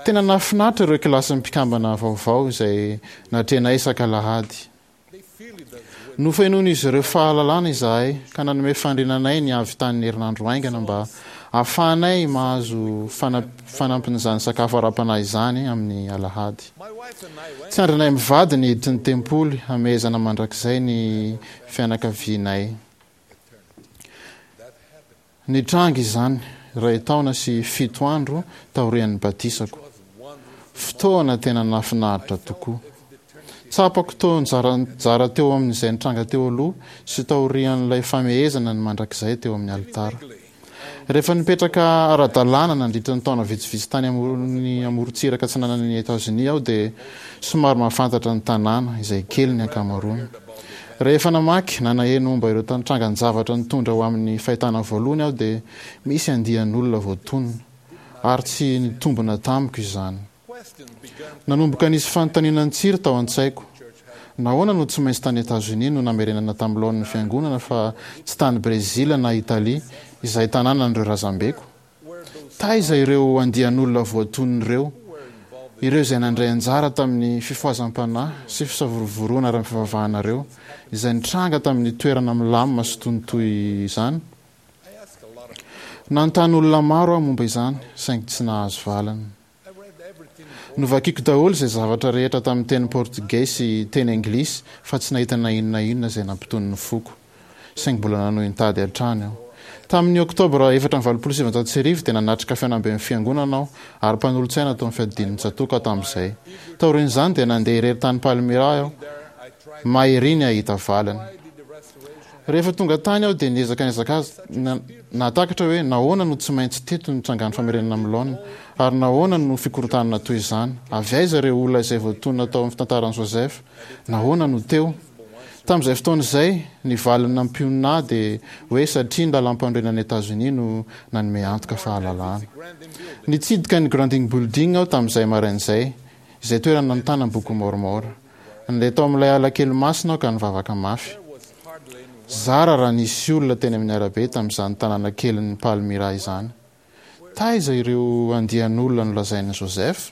[SPEAKER 5] Tena nahafinaritra ireo kilasin'ny mpikambana vaovao izay natrehinay isak'alahady. Nofenoin'izy ireo fahalalana izahay ka nanome faniriana anay ny hahavitan'ny herinandro haingana mba hahafahanay mahazo fanampin'izany sakafo ara-panahy izany amin'ny alahady. Tsy andrinay mivady ny hiditry ny tempoly hamehezana mandrakizay ny fianakavianay. Nitranga izany iray taona sy fito andro taorian'ny batisako. Fotoana tena nahafinaritra tokoa. Tsapako toa nizara teo amin'izay nitranga teo aloha sy taorian'ilay famehezana ny mandrakizay teo amin'ny alitara. Rehefa nipetraka ara-dalàna nandritra ny taona vitsivitsy tany amin'ny amorontsiraka atsinanan'i Etazonia aho dia somary mahafantatra ny tanàna, izay kely ny ankamaroany. Rehefa namaky na naheno momba ireo trangan-javatra nitondra ho amin'ny fahitana voalohany aho dia misy andian'olona voatonona, ary tsy nitombina tamiko izany. Nanomboka nisy fanontaniana nitsiry tao an-tsaiko. Nahoana no tsy maintsy tany Etazonia no namerenana tamin'ny laoniny ny Fiangonana fa tsy tany Brezila na Italia, izay tanànan'ireo razambeko? Taiza ireo andian'olona voatonona ireo, ireo izay nandray anjara tamin'ny fifohazam-panahy sy fisavorovoroana ara-pivavahana ireo, izay nitranga tamin'ny toerana milamina sy tony toy izany? Nanontany olona maro aho momba izany, saingy tsy nahazo valiny. Novakiko daholo izay zavatra rehetra tamin'ny teny portogey sy teny anglisy fa tsy nahita na inona na inona izay nampitony ny foko. Saingy mbola nanohy nitady hatrany aho. Tamin'ny Oktobra 1984 dia nanatrika fihaonamben'ny Fiangonana aho ary mpanolotsaina tao amin'ny fiadidian'ny tsatòka aho tamin'izay. Taorian'izany dia nandeha irery tany Palmyra aho, may ery ny hahita valiny. Rehefa tonga tany aho dia niezaka nahatakatra hoe nahoana no tsy maintsy teto ny trangan'ny famerenana amin'ny laoniny, ary nahoana no fikorontanana toy izany. Avy aiza ireo olona izay voatonona tao amin'ny fitantaran'i Joseph? Nahoana no teo? Tamin'izay fotoana izay, ny valiny nampionona ahy dia hoe satria ny lalàmpanorenan'i Etazonia no nanome antoka fahalalahana. Nitsidika ny Granding Building aho tamin'izay maraina izay, izay toerana nanontana ny Bokin'i Môrmôna. Nandeha tao amin'ilay ala kely masina aho ka nivavaka mafy.
[SPEAKER 12] Zara raha nisy olona teny amin'ny arabe tamin'izany tanàna kelin'i Palmyra izany. Taiza ireo andian'olona nolazain'i Joseph?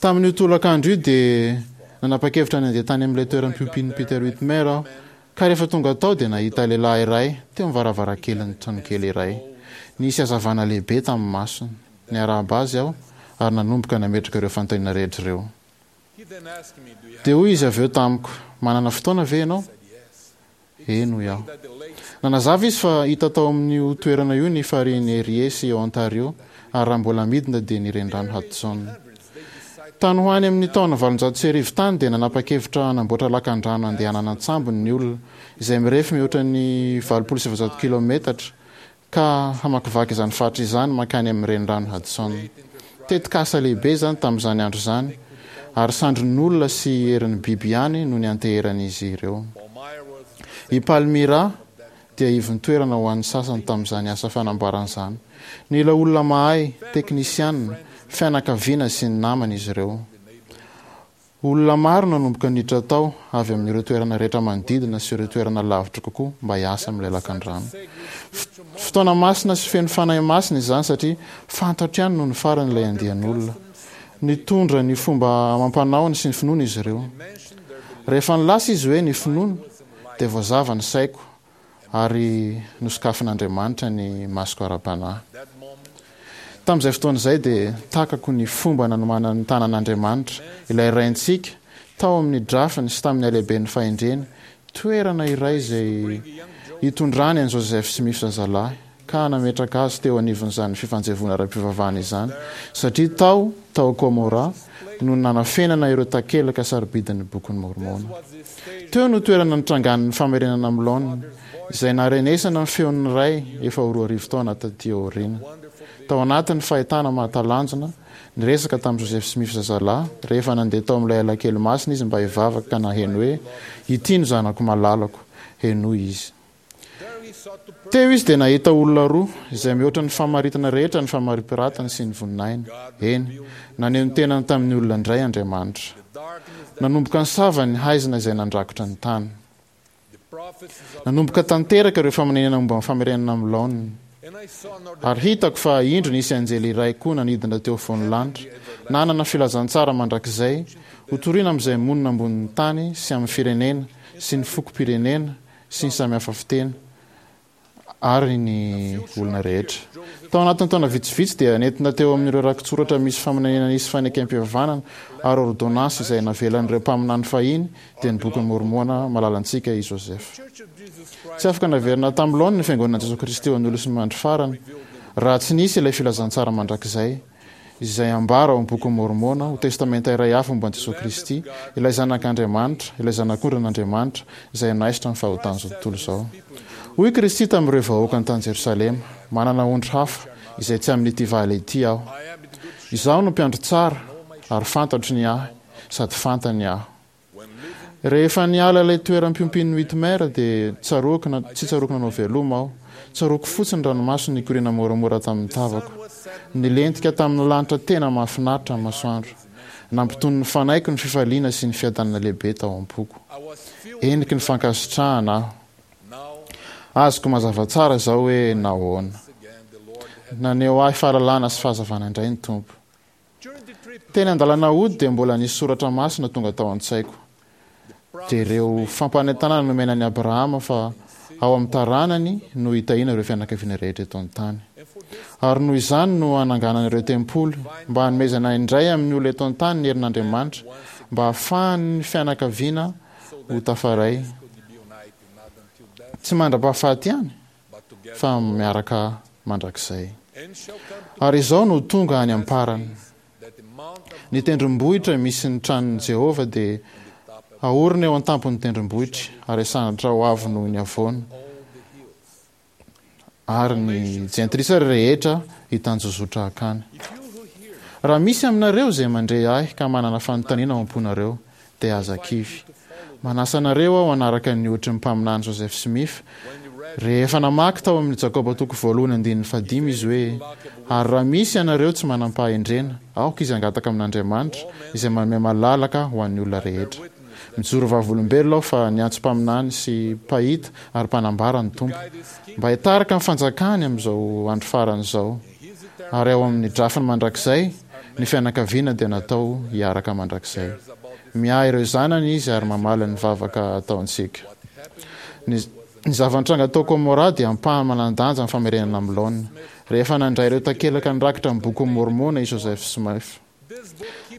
[SPEAKER 12] Tamin'io tolakandro io dia nanapa-kevitra ny handeha tany amin'ilay toeram-piompian'i Peter Whitmer aho, ka rehefa tonga tao dia nahita lehilahy iray teo amin'ny varavarankelin'ny tranokely iray. Nisy hazavana lehibe tamin'ny masony. Niarahaba azy aho ary nanomboka nametraka ireo fanontaniana rehetra ireo. Dia hoy izy avy eo tamiko, Manana fotoana ve ianao? Eny, hoy aho. Nanazava izy fa hita tao amin'io toerana io ny farihin'i Erie sy Ontario, ary raha mbola midina dia ny Renirano Hudson. Tany ho any amin'ny taona 1800 tany dia nanapa-kevitra hanamboatra lakandrano handehanana an-tsambo ny olona, izay mirefy mihoatra ny 480 kilaometatra, ka hamakivaky izany faritra izany mankany amin'ny Renirano Hudson. Tetikasa lehibe izany tamin'izany andro izany, ary sandrin'olona sy herin'ny biby ihany no nianteheran'izy ireo. I Palmyra dia ivon-toerana ho an'ny sasany tamin'izany asa fanamboarana izany. Nila olona mahay, teknisianina, fianakaviana sy ny namana izy ireo. Olona maro no nanomboka niditra tao, avy amin'ireo toerana rehetra manodidina sy ireo toerana lavitra kokoa mba hiasa amin'ilay lakandrano. Fotoana masina sy feno Fanahy Masina izany satria fantatro ihany nony farany ilay andian'olona. Nitondra ny fomba amam-panaony sy ny finoany izy ireo. Rehefa nilaza izy hoe ny finoana, dia voazava ny saiko ary nosokafin'Andriamanitra ny masoko ara-panahy. Tamin'izay fotoana izay dia takako ny fomba nanomanan'ny tanan'Andriamanitra, ilay Raintsika, tao amin'ny drafiny sy tamin'ny halehiben'ny fahendreny, toerana iray izay hitondrany an'i Joseph Smith zazalahy, ka nametraka azy teo anivon'izany fifanjevoana ara-pivavahana izany, satria tao, tao Komôrà, no nanafenana ireo takelaka sarobidin'ny Bokin'i Môrmôna. Teo no toerana nitrangan'ny famerenana amin'ny laoniny, izay naharenesana ny feon'ny Ray efa ho 2000 taona tatỳ aoriana. Tao anatin'ny fahitana mahatalanjona, niresaka tamin'i Joseph Smith zazalahy, rehefa nandeha tao amin'ilay alakely masina izy mba hivavaka ka naheno hoe, Ity no Zanako malalako, henoy Izy. Teo izy dia nahita olona roa, izay mihoatra ny famaritana rehetra ny famaripiratany sy ny voninahiny. Eny, naneho ny tenany tamin'ny olona indray Andriamanitra. Nanomboka nisava ny haizina izay nandrakotra ny tany. Nanomboka tanteraka ireo faminaniana momba ny famerenana amin'ny laoniny. Ary hitako fa indro nisy anjely iray koa nanidina teo afovoan'ny lanitra, nanana filazantsara mandrakizay, hotorina amin'izay monina ambonin'ny tany sy amin'ny firenena sy ny fokom-pirenena sy ny samihafa fiteny ary ny olona rehetra. Tao anatin'ny taona vitsivitsy dia nentina teo amin'ireo rakitsoratra misy faminaniana nisy fanekem-pihavanana ary ôrdônansy izay navelan'ireo mpaminany fahiny dia ny Bokin'i Môrmôna malalantsika i Joseph. Tsy afaka naverina tamin'ny laoniny ny Fiangonan'i Jesoa Kristy ho an'ny Olosin'ny Andro Farany raha tsy nisy ilay filazantsara mandrakizay izay ambara ao amin'ny Bokin'i Môrmôna ho testamenta iray hafa momba an'i Jesoa Kristy, ilay Zanak' Andriamanitra, ilay Zanak'ondrin' Andriamanitra, izay hanaisotra ny fahotan'izao tontolo izao. Hoy Kristy tamin'ireo vahoakany tany Jerosalema, Manana ondry hafa, izay tsy amin'ity vala ity Aho. Izaho no mpiandry tsara, ary fantatro ny ahy, sady fantany Aho. Rehefa niala ilay toeram-piompian'ny Whitmer dia tsaroako na tsy tsaroako nanao veloma aho. Tsaroako fotsiny ranomaso nikoriana moramora tamin'ny tavako. Nilentika tamin'ny lanitra tena mahafinaritra ny masoandro. Nampitony ny fanahiko ny fifaliana sy ny fiadanana lehibe tao am-poko. Heniky ny fankasitrahana aho. Azoko mazava tsara izao hoe nahoana. Naneho ahy fahalalana sy fahazavana indray ny Tompo. Teny an-dalana hody dia mbola nisy soratra masina tonga tao an-tsaiko. Dia ireo fampanentanana nomena an'i Abrahama fa ao amin'ny taranany no hitahiana ireo fianakaviana rehetra eto an-tany. Ary noho izany no hananganana ireo tempoly, mba hanomezana indray amin'ny olona eto an-tany ny herin'Andriamanitra, mba hahafahan'ny fianakaviana ho tafaray, tsy mandra-pahafaty ihany, fa miaraka mandrakizay. Ary izao no tonga any am-parany. Ny tendrombohitra misy ny tranon'i Jehovah dia haorina eo an-tampon'ny tendrombohitra, ary hasandratra ho avo noho ny havoana, ary ny jentilisa rehetra hitanjozotra hankany. Raha misy aminareo izay mandre ahy ka manana fanontaniana ao am-ponareo, dia aza kivy. Manasa anareo aho hanaraka ny ohatry ny Mpaminany Joseph Smith, rehefa namaky tao amin'ny Jakoba toko voalohany andininy fahadimy izy hoe, Ary raha misy ianareo tsy manam-pahendrena, aoka izy hangataka amin'Andriamanitra, izay manome malalaka ho an'ny olona rehetra. Mijoro vavolombelona aho fa niantso mpaminany sy mpahita ary mpanambara ny Tompo, mba hitarika ny fanjakany amin'izao andro farany izao. Ary ao amin'ny drafiny mandrakizay, ny fianakaviana dia natao hiaraka mandrakizay. Miahy ireo zanany Izy ary mamaly ny vavaka ataontsika. Ny ny zava-nitranga tao Komorà dia ampahany manan-danja amin'ny famerenana amin'ny laoniny. Rehefa nandray ireo takelaka nirakitra ny Bokin'i Môrmôna i Joseph Smith.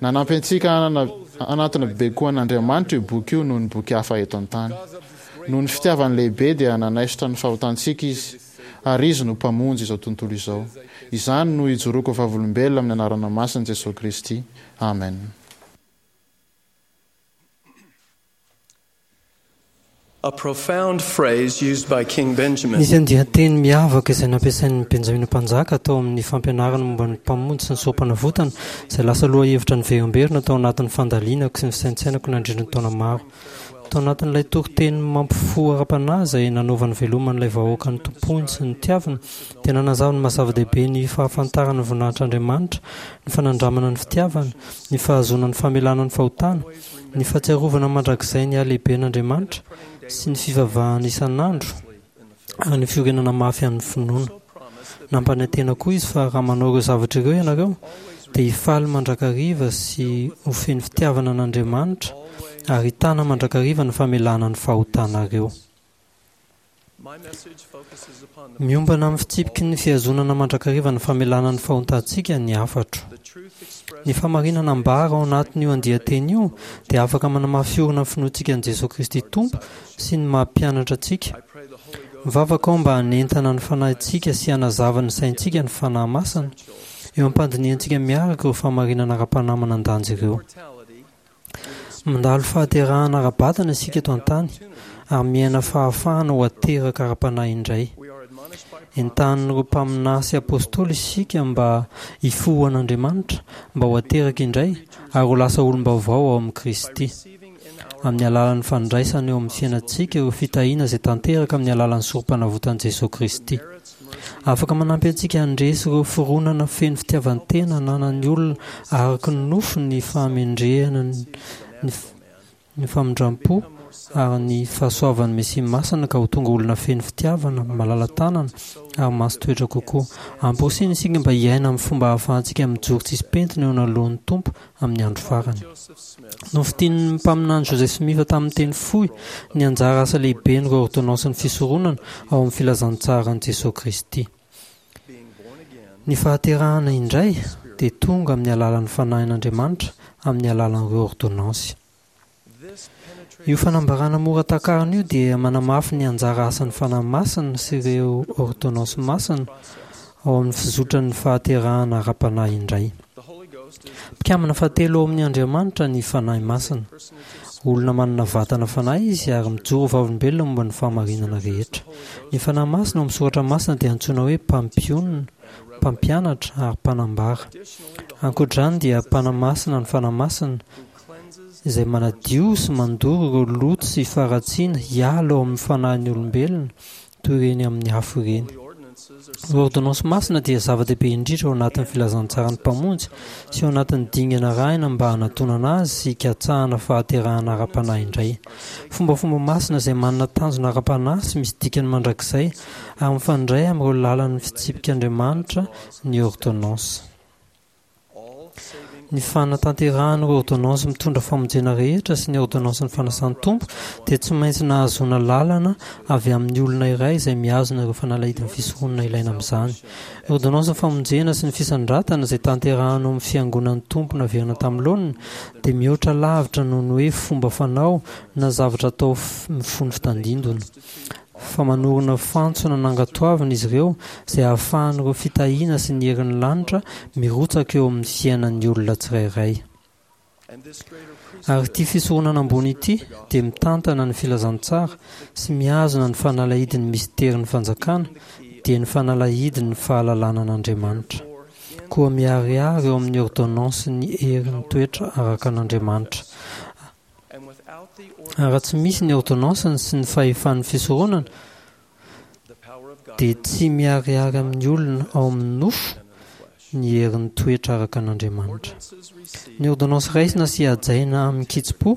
[SPEAKER 12] Nanampy antsika hanana hanatona bebe kokoa an'Andriamanitra io boky io noho ny boky hafa eto an-tany. Noho ny fitiavany lehibe dia nanaisotra ny fahotantsika Izy, ary Izy no Mpamonjy izao tontolo izao. Izany no ijoroako vavolombelona amin'ny anarana masin'i Jesoa Kristy. Amen.
[SPEAKER 13] A profound phrase used by King Benjamin.
[SPEAKER 7] Nisy andian-teny miavaka izay nampiasain'i Benjamina Mpanjaka tao amin'ny fampianarany momba ny Mpamonjy sy ny Sorompanavotana, izay lasa lohahevitra niverimberina tao anatin'ny fandalinako sy ny fisaintsainako nandritra ny taona maro. Tao anatin'ilay toriteny mampifoha ara-panahy izay nanaovany veloma an'ilay vahoaka notompoiny sy notiaviny, dia nanazava ny maha-zava-dehibe ny fahafantarana ny voninahitr'Andriamanitra, ny fanandramana ny fitiavany, ny fahazoana ny famelana ny fahotana, Ny fahatsiarovana mandrakizay ny halehiben'Andriamanitra sy ny fivavahana isan'andro ary ny fiorenana mafy amin'ny finoana. Nampanantena koa izy fa raha manao ireo zavatra ireo ianareo, dia hifaly mandrakariva sy ho feno fitiavana an'Andriamanitra ary hitana mandrakariva ny famelana ny fahotanareo. Miompana amin'ny fitsipiky ny fihazonana mandrakariva ny famelana ny fahotantsika ny hafatro. Ny fahamarinana ambara ao anatin'io andian-teny io dia afaka manamafy orina ny finoantsika an'i Jesoa Kristy Tompo sy ny maha mpianatra antsika. Mivavaka aho mba hanentana ny fanahintsika sy hanazava ny saintsika ny Fanahy Masina, eo am-pandinihantsika miaraka ireo fahamarinana ara-panahy manan-danja ireo. Mandalo fahaterahana ara-batana isika eto an-tany ary miaina fahafahana ho ateraka ara-panahy indray. Entanin'ireo mpaminahy sy apostoly isika mba hifoha an'Andriamanitra, mba ho ateraka indray ary ho lasa olom-baovao ao amin'i Kristy. Amin'ny alalan'ny fandraisana eo amin'ny fiainantsika ireo fitahiana izay tanteraka amin'ny alalan'ny Sorompanavotan'i Jesoa Kristy. Afaka manampy antsika handresy ireo fironana feno fitiavan-tena ananan'ny olona araka ny nofo ny fahamendrehana, ny ny famindram-po ary ny fahasoavan'ny Mesia Masina ka ho tonga olona feno fitiavana, malala-tanana ary masin-toetra kokoa. Amporisihina isika mba hiaina amin'ny fomba ahafahantsika mijoro tsisy pentina eo anoloan'ny Tompo amin'ny andro farany. Nofintinin'ny mpaminany Joseph Smith tamin'ny teny fohy ny anjara asa lehiben'ireo ôrdônansin'ny fisoronana ao amin'ny filazantsaran'i Jesoa Kristy. Ny fahaterahana indray dia tonga amin'ny alalan'ny Fanahin'Andriamanitra amin'ny alalan'ireo ôrdônansy. Io fanambarana mora takarina io dia manamafy ny anjara asan'ny Fanahy Masina sy ireo ôrdônansy masina ao amin'ny fizotran'ny fahaterahana ara-panahy indray. Mpikambana fahatelo ao amin'ny Andriamanitra ny Fanahy Masina. Olona manana vatana fanahy izy ary mijoro ho vavolombelona momba ny fahamarinana rehetra. Ny Fanahy Masina ao amin'ny Soratra Masina dia antsoina hoe mpampionona, mpampianatra ary mpanambara. Ankoatra izany dia mpanamasina ny Fanahy Masina, izay manadio sy mandoro ireo loto sy faharatsiana hiala ao amin'ny fanahin'ny olombelona toy ireny amin'ny afo ireny. Ny ôrdônansy masina dia zava-dehibe indrindra ao anatin'ny filazantsaran'ny Mpamonjy sy ao anatin'ny dingana arahina mba hanatonana Azy sy hikatsahana fahaterahana ara-panahy indray. Fombafomba masina izay manana tanjona ara-panahy sy misy dikany mandrakizay ary mifandray amin'ireo lalan'ny fitsipik'Andriamanitra ny ôrdônansy. Ny fanatanterahana ireo ôrdônansy mitondra famonjena rehetra sy ny ôrdônansin'ny fanasan'ny Tompo dia tsy maintsy nahazoana lalana avy amin'ny olona iray izay mihazona ireo fanalahidin'ny fisoronana ilaina amin'izany. Ny ôrdônansin'ny famonjena sy ny fisandratana izay tanterahana ao amin'ny Fiangonan'ny Tompo naverina tamin'ny laoniny dia mihoatra lavitra noho ny hoe fomba fanao na zavatra atao mifono fitandindona. fa manorina fantsona nankatoavina izy ireo izay ahafahan'ireo fitahiana sy ny herin'ny lanitra mirotsaka eo amin'ny fiainan'ny olona tsirairay. Ary ity fisoronana ambony ity dia mitantana ny filazantsara sy mihazona ny fanalahidin'ny misterin'ny fanjakana, dia ny fanalahidin'ny fahalalana an'Andriamanitra. Koa miharihary eo amin'ny ôrdônansin'ny herin'ny toetra araka an'Andriamanitra. Ary raha tsy misy ny ôrdônansiny sy ny fahefan'ny fisoronana, dia tsy miharihary amin'ny olona ao amin'ny nofo ny herin'ny toetra araka an'Andriamanitra. Ny ôrdônansy raisina sy hajaina amin-kitsim-po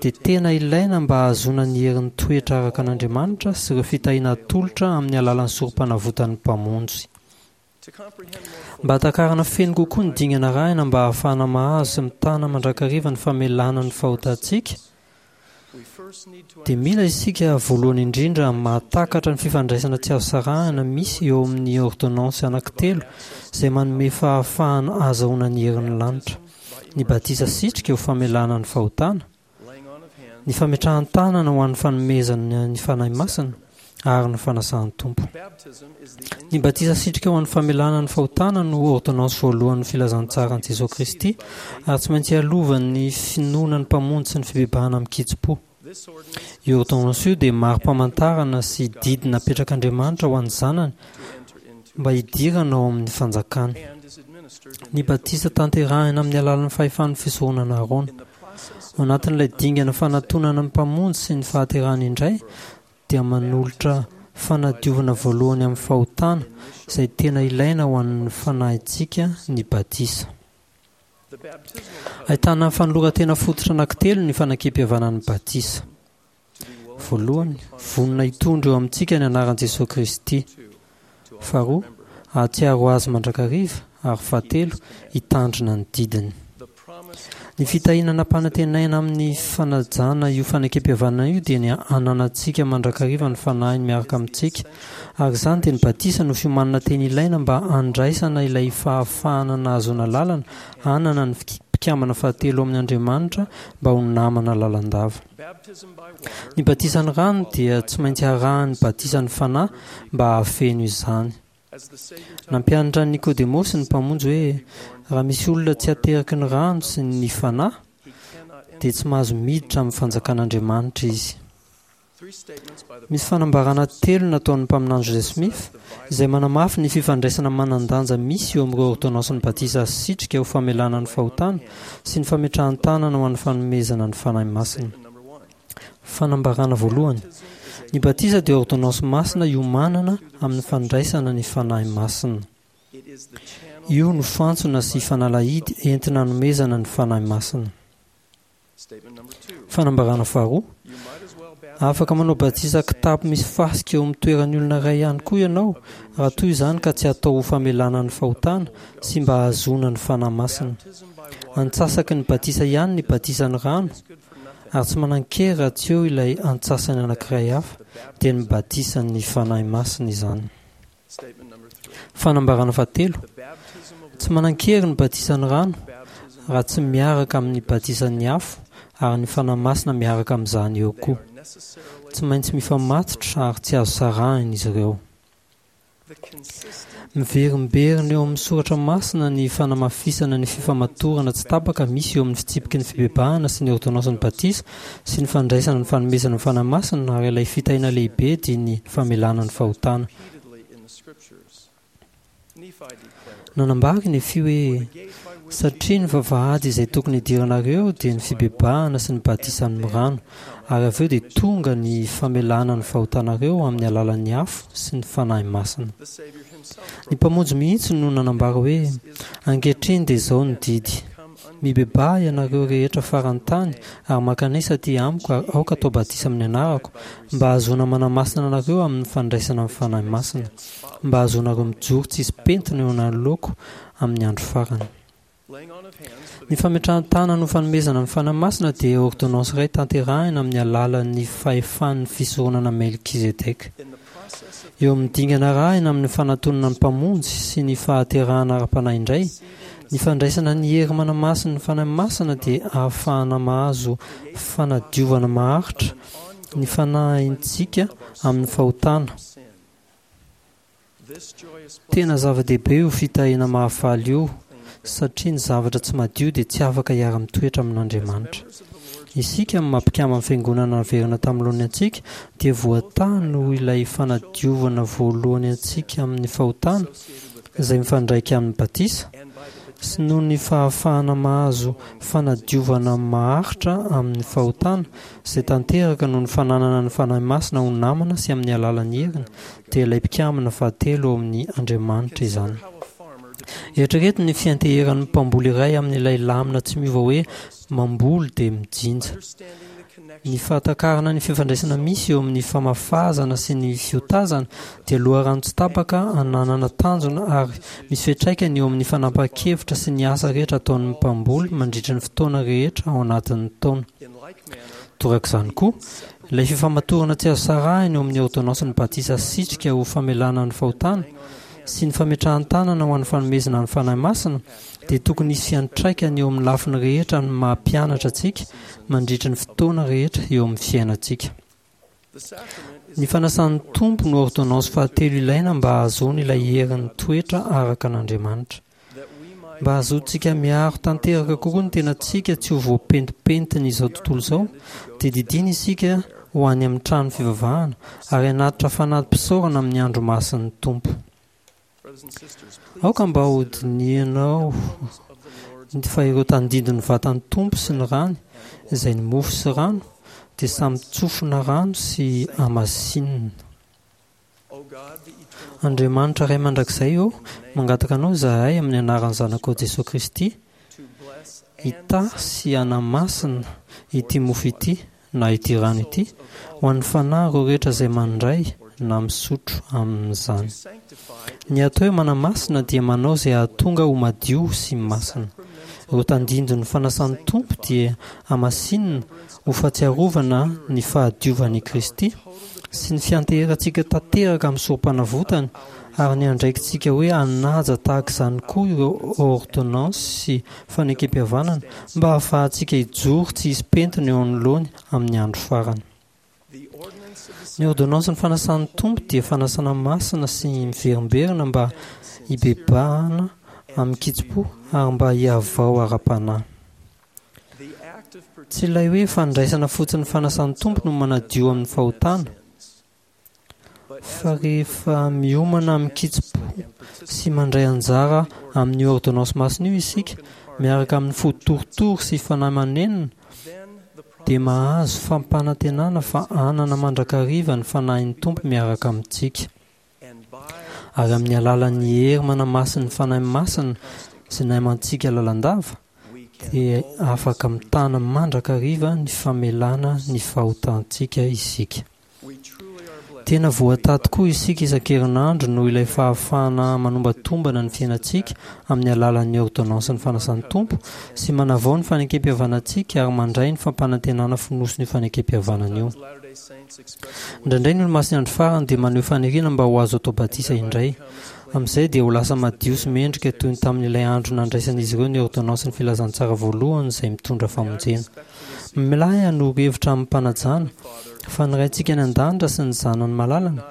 [SPEAKER 7] dia tena ilaina mba hahazoana ny herin'ny toetra araka an'Andriamanitra sy ireo fitahiana atolotra amin'ny alalan'ny sorompanavotan'ny Mpamonjy. Mba hahatakarana feno kokoa ny dingana arahina mba hahafahana mahazo sy mitana mandrakariva ny famelana ny fahotantsika, dia mila isika voalohany indrindra mahatakatra ny fifandraisana tsy azo sarahina misy eo amin'ny ôrdônansy anankitelo izay manome fahafahana ahazahoana ny herin'ny lanitra, ny batisa sitrika ho famelana ny fahotana, ny fametrahan-tanana ho an'ny fanomezana ny Fanahy Masina, ary ny fanasan'ny Tompo. Ny batisa sitrika ho an'ny famelana ny fahotana no ôrdônansy voalohan'ny filazantsaran'i Jesoa Kristy ary tsy maintsy ialovan'ny finoana ny Mpamonjy sy ny fibebahana amin-kitsim-po. Io ôrdônansy io dia mari-pamantarana sy didy napetrak'Andriamanitra ho an'ny zanany mba hidirana ao amin'ny fanjakany. Ny batisa tanterahina amin'ny alalan'ny fahefan'ny fisoronana Arona. Ao anatin'ilay dingana fanatonana ny Mpamonjy sy ny fahaterahany indray dia manolotra fanadiovana voalohany amin'ny fahotana izay tena ilaina ho an'ny fanahintsika ny batisa. Ahitana fanoloran-tena fototra anankitelo ny fanekempihavanan'ny batisa. Voalohany, vonona hitondra eo amintsika ny anaran'i Jesoa Kristy. Faharoa, hahatsiaro Azy mandrakariva, ary fahatelo, hitandrina ny didiny. Ny fitahiana nampanantenaina amin'ny fanajana io fanekempihavanana io dia ny hananantsika mandrakariva ny Fanahiny miaraka amintsika, ary izany dia ny batisa no fiomanana tena ilaina mba handraisana ilay fahafahana nahazoana lalana hanana ny mpikambana fahatelo ao amin' Andriamanitra mba ho namana lalandava. Ny batisan'ny rano dia tsy maintsy arahin'ny batisan'ny Fanahy mba hahafeno izany. Nampianatra an'i Nikodemosy ny Mpamonjy hoe raha misy olona tsy ateraky ny rano sy ny Fanahy, dia tsy mahazo miditra amin'ny fanjakan'Andriamanitra izy. Misy fanambarana telo nataon'ny Mpaminany Joseph Smith izay manamafy ny fifandraisana manan-danja misy eo amin'ireo ôrdônansin'ny batisa asitrika ho famelana ny fahotana sy ny fametrahan-tanana ho an'ny fanomezana ny Fanahy Masina. Fanambarana voalohany, Ny batisa dia ôrdônansy masina iomanana amin'ny fandraisana ny Fanahy Masina. Io no fantsona sy fanalahidy entina hanomezana ny Fanahy Masina. Fanambarana faharoa, Afaka manao batisa kitapo misy fasika eo amin'ny toeran'ny olona iray ihany koa ianao raha toa izany ka tsy atao ho famelana ny fahotana sy mba hahazoana ny Fanahy Masina. Antsasaky ny batisa ihany ny batisan'ny rano ary tsy manan-kery raha tsy eo ilay antsasany anankiray hafa, dia ny batisan'ny Fanahy Masina izany. Fanambarana fahatelo, Tsy manan-kery ny batisan'ny rano raha tsy miaraka amin'ny batisan'ny afo ary ny Fanahy Masina miaraka amin'izany eo koa. Tsy maintsy mifamatotra ary tsy azo sarahina izy ireo. Miverimberina eo amin'ny soratra masina ny fanamafisana ny fifamatorana tsy tapaka misy eo amin'ny fitsipiky ny fibebahana sy ny ôrdônansin'ny batisa sy ny fandraisana ny fanomezana ny Fanahy Masina ary ilay fitahiana lehibe dia ny famelana ny fahotana. Nanambara i Nefia hoe, Satria ny vavahady izay tokony hidiranareo dia ny fibebahana sy ny batisa amin'ny rano, ary avy eo dia tonga ny famelana ny fahotanareo amin'ny alalan'ny afo sy ny Fanahy Masina. Ny Mpamonjy mihitsy no nanambara hoe, Ankehitriny dia izao no didy, Mibebaha ianareo rehetra faran'ny tany, ary mankanesa aty amiko ary aoka atao batisa amin'ny anarako, mba hahazoana manamasina anareo amin'ny fandraisana ny Fanahy Masina, mba hahazoanareo mijoro tsisy pentina eo anoloako amin'ny andro farany. Ny fametrahan-tanana ho fanomezana ny Fanahy Masina dia ôrdônansy iray tanterahina amin'ny alalan'ny fahefan'ny fisoronana Melkizedeka. Eo amin'ny dingana arahina amin'ny fanatonana ny Mpamonjy sy ny fahaterahana ara-panahy indray, ny fandraisana ny hery manamasin'ny Fanahy Masina dia ahafahana mahazo fanadiovana maharitra ny fanahintsika amin'ny fahotana. Tena zava-dehibe io fitahiana mahafaly io satria ny zavatra tsy madio dia tsy afaka hiara-mitoetra amin'Andriamanitra. Isika amin'ny maha mpikamban'ny Fiangonana naverina tamin'ny laoniny antsika dia voatahy noho ilay fanadiovana voalohany antsika amin'ny fahotana izay mifandraika amin'ny batisa sy noho ny fahafahana mahazo fanadiovana maharitra amin'ny fahotana izay tanteraka noho ny fananana ny Fanahy Masina ho namana sy amin'ny alalan'ny heriny dia ilay mpikambana fahatelo ao amin'ny Andriamanitra izany. Eritrereto ny fianteheran'ny mpamboly iray amin'ilay lamina tsy miova hoe. Mamboly dia mijinja. Ny fahatakarana ny fifandraisana misy eo amin'ny famafazana sy ny fiotazana dia loharano tsy tapaka ananana tanjona ary misy fiantraikany eo amin'ny fanapahan-kevitra sy ny asa rehetra ataon'ny mpamboly mandritra ny fotoana rehetra ao anatin'ny taona. Torak'izany koa, ilay fifamatorana tsy azo sarahina eo amin'ny ôrdônansin'ny batisa asitrika ho famelana ny fahotana sy ny fametrahan-tanana ho an'ny fanomezana ny Fanahy Masina dia tokony hisy fiantraikany eo amin'ny lafiny rehetra amin'ny maha mpianatra antsika mandritry ny fotoana rehetra eo amin'ny fiainantsika. Ny fanasan'ny Tompo no ôrdônansy fahatelo ilaina mba hahazoana ilay herin'ny toetra araka an'Andriamanitra. Mba hahazoantsika miaro tanteraka kokoa ny tenantsika tsy ho voapentipentin'izao tontolo izao, dia didiana isika ho any amin'ny trano fivavahana ary hanatitra fanati-pisaorana amin'ny andro masin'ny Tompo. Aoka mba hodinihanao fa ireo tandindon'ny vatan'ny Tompo sy ny rany, izay ny mofo sy rano, dia samy tsofina rano sy hamasinina. Andriamanitra Ray Mandrakizay ô, mangataka Anao izahay amin'ny anaran'ny Zanakao Jesoa Kristy, hitahy sy hanamasina ity mofo ity na ity rano ity ho an'ny fanahy ireo rehetra izay mandray na misotro amin'izany. Ny atao hoe manamasina dia manao izay hahatonga ho madio sy masina. Ireo tandindon'ny fanasan'ny Tompo dia hamasinina ho fahatsiarovana ny fahadiovan'i Kristy sy ny fianteherantsika tanteraka amin'ny sorompanavotany ary ny andraikitsika hoe hanaja tahaka izany koa ireo ôrdônansy sy fanekempihavanana mba hahafahantsika hijoro tsy hisy pentina eo anoloany amin'ny andro farany. Ny ôrdônansin'ny fanasan'ny Tompo dia fanasana masina sy miverimberina mba hibebahana amin-kitsim-po ary mba hihavao ara-panahy. Tsy ilay hoe fandraisana fotsiny ny fanasan'ny Tompo no manadio amin'ny fahotana, Fa rehefa miomana amin-kitsim-po sy mandray anjara amin'io ôrdônansy masina io isika, miaraka amin'ny fo torotoro sy fanahy manenina, dia mahazo fampanantenana fa hanana mandrakariva ny Fanahin'ny Tompo miaraka amintsika. Ary amin'ny alalan'ny hery manamasin'ny Fanahy Masina sy naimantsika lalandava, dia afaka mitana mandrakariva ny famelana ny fahotantsika isika. Tena voatahy tokoa isika isan-kerinandro noho ilay fahafahana manombatombana ny fiainantsika amin'ny alalan'ny ôrdônansin'ny fanasan'ny Tompo sy manavao ny fanekempihavanantsika ary mandray ny fampanantenana fonosin'io fanekempihavanana io. Indraindray ny Olomasin'ny Andro Farany dia maneho faniriana mba ho azo atao batisa indray. Amin'izay dia ho lasa madio sy mendrika toy ny tamin'ilay andro nandraisan'izy ireo ny ôrdônansin'ny filazantsara voalohany izay mitondra famonjena. Milay hanoro hevitra amim-panajana fa ny Raintsika any An-danitra sy ny Zanany malalany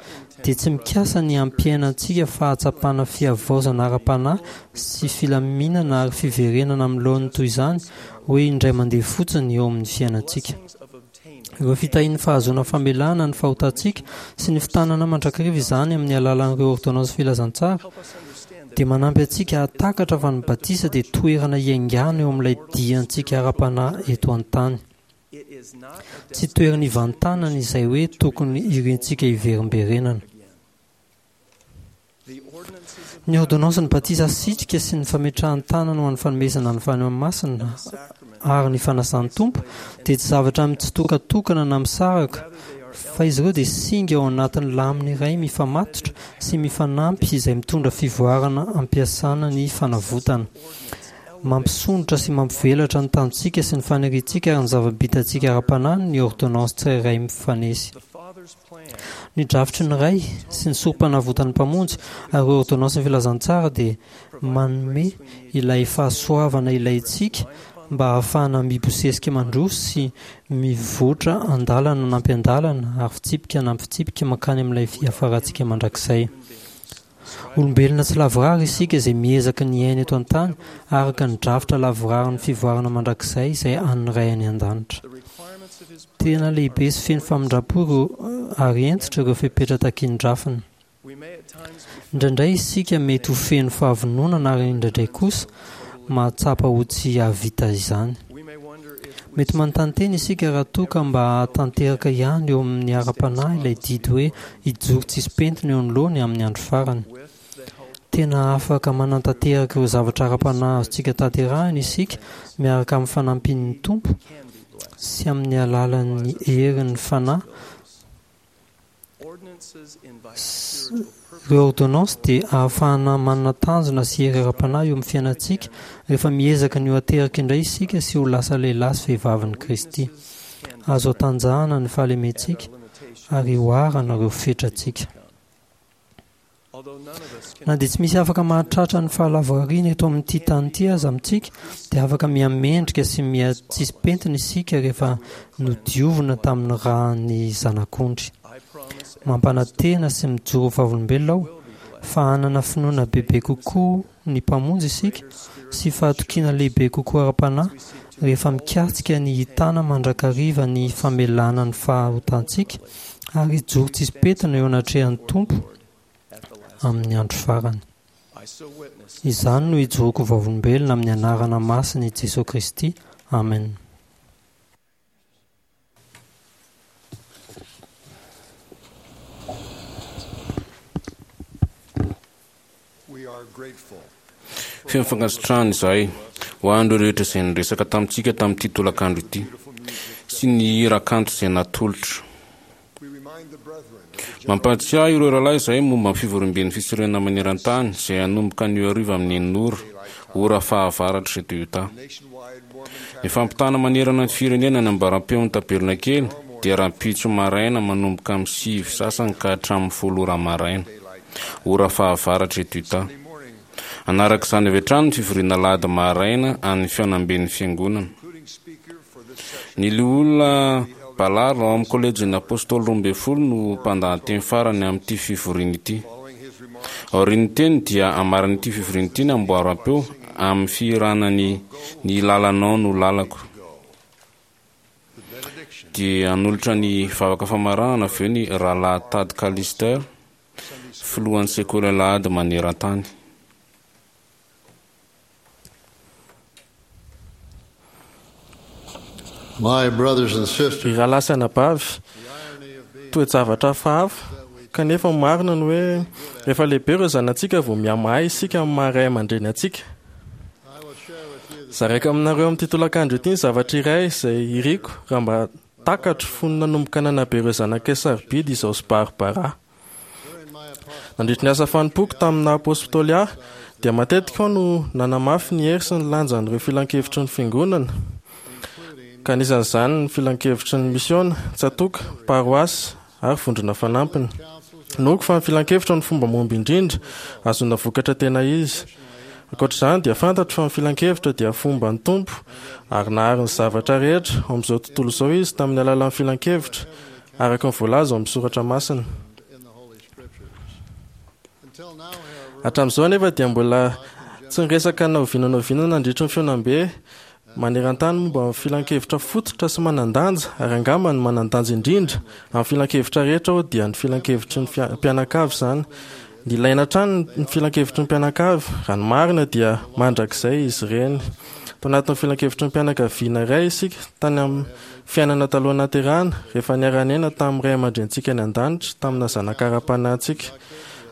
[SPEAKER 7] dia tsy mikasa ny hampiaina antsika fahatsapana fihavaozana ara-panahy sy filaminana ary fiverenana amin'ny laoniny toy izany hoe indray mandeha fotsiny eo amin'ny fiainantsika. Ireo fitahian'ny fahazoana famelana ny fahotantsika sy ny fitanana mandrakariva izany amin'ny alalan'ireo ôrdônansy filazantsara dia manampy antsika hahatakatra fa ny batisa dia toerana hiaingàna eo amin'ilay diantsika ara-panahy eto an-tany. Tsy toerana ivantanana izay hoe tokony irintsika hiverimberenana. Ny ôrdônansin'ny batisa asitrika sy ny fametrahan-tanana ho an'ny fanomezana ny Fanahy Masina ary ny fanasan'ny Tompo dia tsy zavatra mitsitokatokana na misaraka fa izy ireo dia singa ao anatin'ny lamina iray mifamatotra sy mifanampy izay mitondra fivoarana ampiasana ny fanavotana. Mampisondrotra sy mampivelatra ny tanjontsika sy ny faniriantsika ary ny zava-bitantsika ara-panahy ny ôrdônansy tsirairay mifanesy. Ny drafitry ny Ray sy ny Sorompanavotan'ny Mpamonjy ary ireo ôrdônansin'ny filazantsara dia manome ilay fahasoavana ilaintsika mba hahafahana mibosesika mandroso sy mivoatra andalana anampy andalana ary fitsipika anampy fitsipika mankany amin'ilay fiafarantsika mandrakizay. Olombelona tsy lavorary isika izay miezaka ny hiaina eto an-tany araka ny drafitra lavorarin'ny fivoarana mandrakizay izay an'ny Ray any An-danitra. Tena lehibe sy feno famindram-po ireo ary hentitra ireo fepetra takian'ny drafiny. Indraindray isika mety ho feno fahavononana ary indraindray kosa mahatsapa ho tsy hahavita izany. Mety manontany tena isika raha toa ka mba hahatanteraka ihany eo amin'ny ara-panahy ilay didy hoe hijoro tsisy pentina eo anoloany amin'ny andro farany. Tena afaka manatanteraka ireo zavatra ara-panahy azontsika tanterahina isika miaraka amin'ny fanampian'ny Tompo sy amin'ny alalan'ny herin'ny Fanahy. Ireo ôrdônansy dia ahafahana manana tanjona sy hery ara-panahy eo amin'ny fiainantsika rehefa miezaka ny ho ateraka indray isika sy ho lasa lehilahy sy vehivavin'i Kristy. Azo atanjahana ny fahalementsika ary oharana ireo fetrantsika. Na dia tsy misy afaka mahatratra ny fahalavorariana eto amin'ity tany ity aza amintsika, dia afaka miha-mendrika sy miha-tsisy pentina isika rehefa nodiovina tamin'ny ràn'ny Zanak'ondry. Mampanantena sy mijoro ho vavolombelona aho fa hanana finoana bebe kokoa ny Mpamonjy isika sy fahatokiana lehibe kokoa ara-panahy rehefa mikatsika ny hitana mandrakariva ny famelana ny fahotantsika ary hijoro tsisy pentina eo anatrehan'ny Tompo amin'ny andro farany. Izany no ijoroako vavolombelona amin'ny anarana masin'i Jesoa Kristy, amen.
[SPEAKER 4] Feno fankasitrahana izahay ho an'ireo rehetra izay niresaka tamintsika tamin'ity tolakandro ity sy ny hira kanto izay natolotra. Mampahatsiahy ireo rahalahy izahay momba ny fivoriamben'ny fisoronana maneran-tany izay hanomboka anio hariva amin'ny enina ora, ora fahavaratra eto Utah. Ny fampitana manerana ny firenena ny ambaram-peon'ny tabernakely dia rahampitso maraina manomboka amin'ny sivy sasany ka hatramin'ny folo ora maraina, ora fahavaratra eto Utah. Hanaraka izany avy hatrany ny fivoriana alahady maraina an'ny fihaonamben'ny Fiangonana. Ny Loholona Ballard ao amin'ny Kolejin'ny Apôstôly Roambinifolo no mpandahateny farany amin'ity fivoriana ity. Aorian'ny teny dia hamaran'ity fivoriana ity ny amboaram-peo amin'ny fihirana ny Ny lalanao no lalako. Dia hanolotra ny vavaka famaranana avy eo ny Rahalahy Tad Callister, filohan'ny Sekoly Alahady maneran-tany.
[SPEAKER 9] My brothers and sisters.
[SPEAKER 2] Ry rahalahy sy anabavy, toe-javatra hafahafa, kanefa marina ny hoe rehefa lehibe ireo zanatsika vao mihamahay isika amin'ny maha ray aman-dreny antsika. Zaraiko aminareo amin'ity tolakandro ity ny zavatra iray izay iriko raha mba takatro fony nanomboka nanabe ireo zanakay sarobidy izao sy Barbara. Nandritry ny asa fanompoako tamin'ny naha apostoly ahy, dia matetika aho no nanamafy ny hery sy ny lanjan'ireo filankevitry ny Fiangonana, ka anisan'izany ny filankevitry ny misiôna, tsatòka, paroasy ary vondrona fanampiny. Inoako fa ny filankevitra no fomba mahomby indrindra ahazoana vokatra tena izy. Ankoatra izany dia fantatro fa ny filankevitra dia fomban'ny Tompo ary nahary ny zavatra rehetra ao amin'izao tontolo izao Izy tamin'ny alalan'ny filankevitra, araka ny voalaza ao amin'ny soratra masina. Hatramin'izao anefa dia mbola tsy niresaka na oviana na oviana nandritry ny fihaonambe maneran-tany momba ny filankevitra fototra sy manan-danja ary angamba ny manan-danja indrindra amin'ny filankevitra rehetra aho dia ny filankevitry ny mpianakavy izany. Nilaina hatrany ny filankevitry ny mpianakavy, raha ny marina dia mandrakizay izy ireny. Tao anatin'ny filankevitry ny mpianakaviana iray isika tany amin'ny fiainana taloha nahaterahana, rehefa niara-niaina tamin'ny ray aman-drenintsika any an-danitra tamina zanaka ara-panahintsika.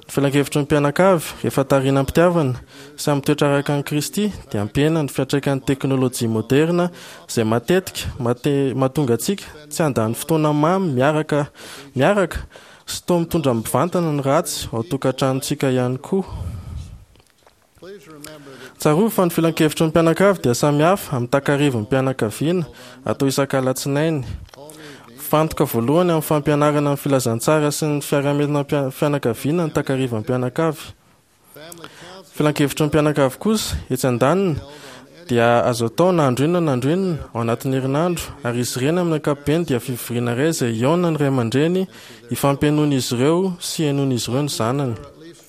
[SPEAKER 2] Ny filankevitry ny mpianakavy, rehefa tarihina am-pitiavana sy amin'ny toetra araka an'i Kristy, dia hampihena ny fiantraikan'ny teknolojia moderina izay matetika mahatonga antsika tsy handany fotoana mamy miaraka miaraka sy toa mitondra mivantana ny ratsy ao an-tokantranontsika ihany koa. Tsarovy fa ny filankevitry ny mpianakavy dia samy hafa amin'ny takarivin'ny mpianakaviana atao isak'alatsinainy. Fantoka voalohany amin'ny fampianarana ny filazantsara sy ny fiarahamelona fianakaviana ny takarivan'ny mpianakavy. Filankevitry ny mpianakavy kosa, etsy andaniny, dia azo atao na andro inona na andro inona ao anatin'ny herinandro, ary izy ireny amin'ny ankapobeny dia fivoriana iray izay hihaonan'ny ray aman-dreny hifampihainoan'izy ireo sy hihainoan'izy ireo ny zanany.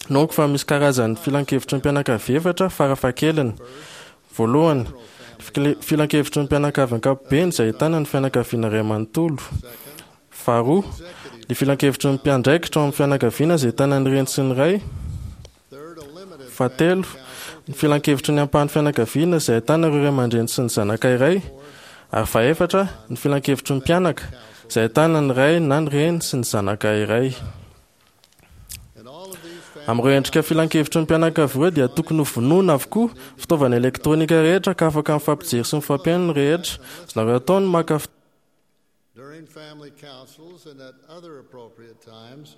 [SPEAKER 2] Inoako fa misy karazan'ny filankevitry ny mpianakavy efatra farafahakeliny. Voalohany, ny filankevitry ny mpianakavy ankapobeny izay ahitana ny fianakaviana iray manontolo. Faharoa, ny filankevitry ny mpiandraikitra ao amin'ny fianakaviana izay ahitana ny reny sy ny ray. Fahatelo, ny filankevitry ny ampahan'ny fianakaviana izay ahitana ireo ray aman-dreny sy ny zanaka iray. Ary fahefatra, ny filankevitry ny mpianaka izay ahitana ny ray na ny reny sy ny zanaka iray. Amin'ireo endrika filankevitry ny mpianakavy ireo dia tokony ho vonoina avokoa fitaovana elektronika rehetra ka afaka mifampijery sy mifampihaino ny rehetra. Azonareo atao ny maka
[SPEAKER 14] During family councils and at other appropriate times,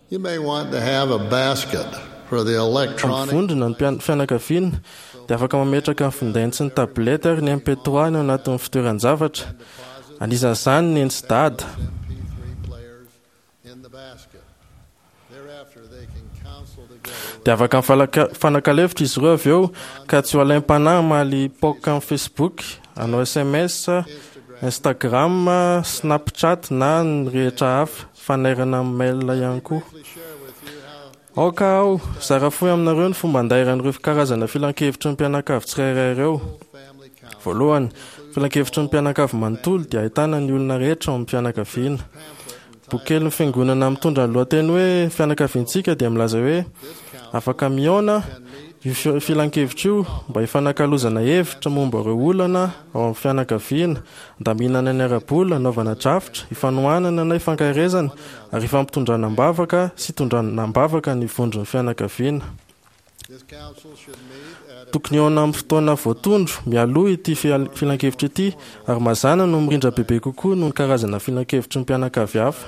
[SPEAKER 14] you may want to have a basket for the electronic
[SPEAKER 2] Mivondrona ny mpian- fianakaviana dia afaka mametraka ny findainy sy ny tablette ary ny MP3 ny ao anatin'ny fitoeran-javatra. Anisan'izany ny neny sy dada.
[SPEAKER 14] in the basket. Thereafter, they can counsel together
[SPEAKER 2] Dia afaka mifalaka- mifanakalo-hevitra izy ireo avy eo ka tsy ho alaim-panahy hamaly poka amin'ny Facebook, hanao SMS, Instagram, Snapchat na ny rehetra hafa, fanairana amin'ny mail ihany koa. Aoka aho zara fohy aminareo ny fomba andairan'ireo karazana filankevitry ny mpianakavy tsirairay ireo. Voalohany, filankevitry ny mpianakavy manontolo dia ahitana ny olona rehetra ao amin'ny fianakaviana. Boky kelin'ny fiangonana mitondra ny lohateny hoe Fianakaviantsika dia milaza hoe afaka mihaona io filankevitra io mba hifanakalozana hevitra momba ireo olana ao amin'ny fianakaviana, andaminana ny ara-bola, anaovana drafitra, ifanohanana na ifankaherezana ary ifampitondrana am-bavaka sy itondrana am-bavaka ny vondron'ny fianakaviana. Tokony hihaona amin'ny fotoana voatondro mialoha ity filankevitra ity ary mazàna no mirindra bebe kokoa noho ny karazana filankevitry ny mpianakavy hafa.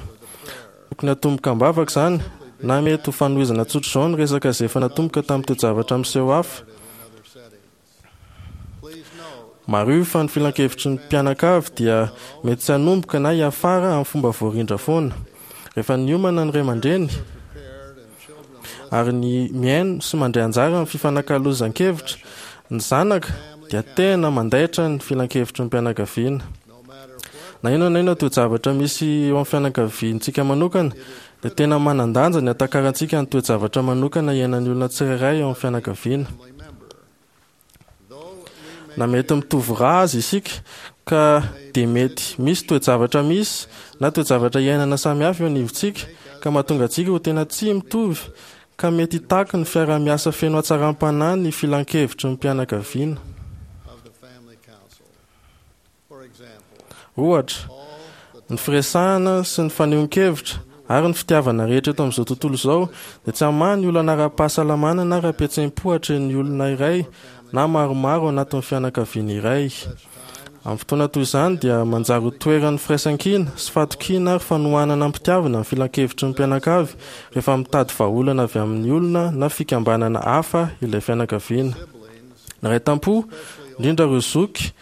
[SPEAKER 2] Tokony hatomboka am-bavaka izany na mety ho fanohizana tsotr'izao ny resaka izay efa natomboka tamin'ny toe-javatra miseho hafa. Mariho fa ny filankevitry ny mpianakavy dia mety tsy hanomboka na hiafara amin'ny fomba voarindra foana. Rehefa niomana ny ray aman-dreny ary ny mihaino sy mandray anjara amin'ny fifanakalozan-kevitra ny zanaka dia tena mandaitra ny filankevitry ny mpianakaviana. Na inona na inona toe-javatra misy eo amin'ny fianakaviantsika manokana dia tena manan-danja ny hatakarantsika ny toe-javatra manokana iainan'ny olona tsirairay ao amin'ny fianakaviana. Na mety mitovy ra aza isika ka dia mety misy toe-javatra misy na toe-javatra iainana samihafa eo anivontsika ka mahatonga antsika ho tena tsy mitovy ka mety hitaky ny fiaraha-miasa feno hatsaram-panahy ny filankevitry ny mpianakaviana. Ohatra, ny firesahana sy ny fanehoan-kevitra ary ny fitiavana rehetra eto amin'izao tontolo izao dia tsy hamaha ny olana ara-pahasalamana na ara-pihetseham-po atrehin'ny olona iray na maromaro ao anatin'ny fianakaviana iray. Amin'ny fotoana toy izany dia manjary ho toeran'ny firaisankina sy fahatokiana ary fanohanana am-pitiavana ny filankevitry ny mpianakavy rehefa mitady vahaolana avy amin'ny olona na fikambanana hafa ilay fianakaviana. Ny ray tam-po, indrindra ireo zoky,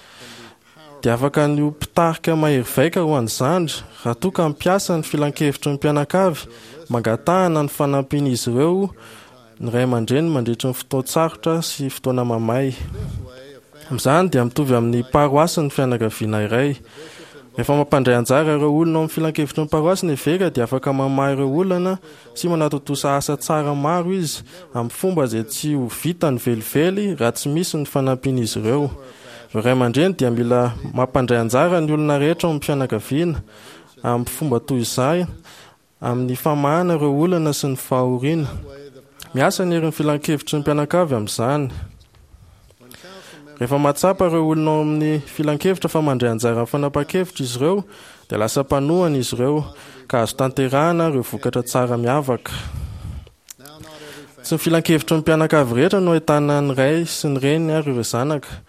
[SPEAKER 2] dia afaka ny ho mpitarika mahery vaika ho an'ny zandry raha toa ka hampiasa ny filankevitry ny mpianakavy mangatahana ny fanampian'izy ireo ny ray aman-dreny mandritry ny fotoan-tsarotra sy fotoana mamay. Amin'izany dia mitovy amin'ny paroasy ny fianakaviana iray. Rehefa mampandray anjara ireo olona ao amin'ny filankevitry ny paroasy ny eveka dia afaka mamaha ireo olana sy manatontosa asa tsara maro izy amin'ny fomba izay tsy ho vitany velively raha tsy misy ny fanampian'izy ireo. Ireo ray aman-dreny dia mila mampandray anjara ny olona rehetra ao amin'ny fianakaviana amin'ny fomba toy izay amin'ny famahana ireo olana sy ny fahoriana. Miasa ny herin'ny filankevitry ny mpianakavy amin'izany. Rehefa mahatsapa ireo olona ao amin'ny filankevitra fa mandray anjara amin'ny fanapahan-kevitra izy ireo, dia lasa mpanohana izy ireo, ka azo tanterahana ireo vokatra tsara miavaka. Tsy ny filankevitry ny mpianakavy rehetra no ahitana ny ray sy ny reny ary ireo zanaka.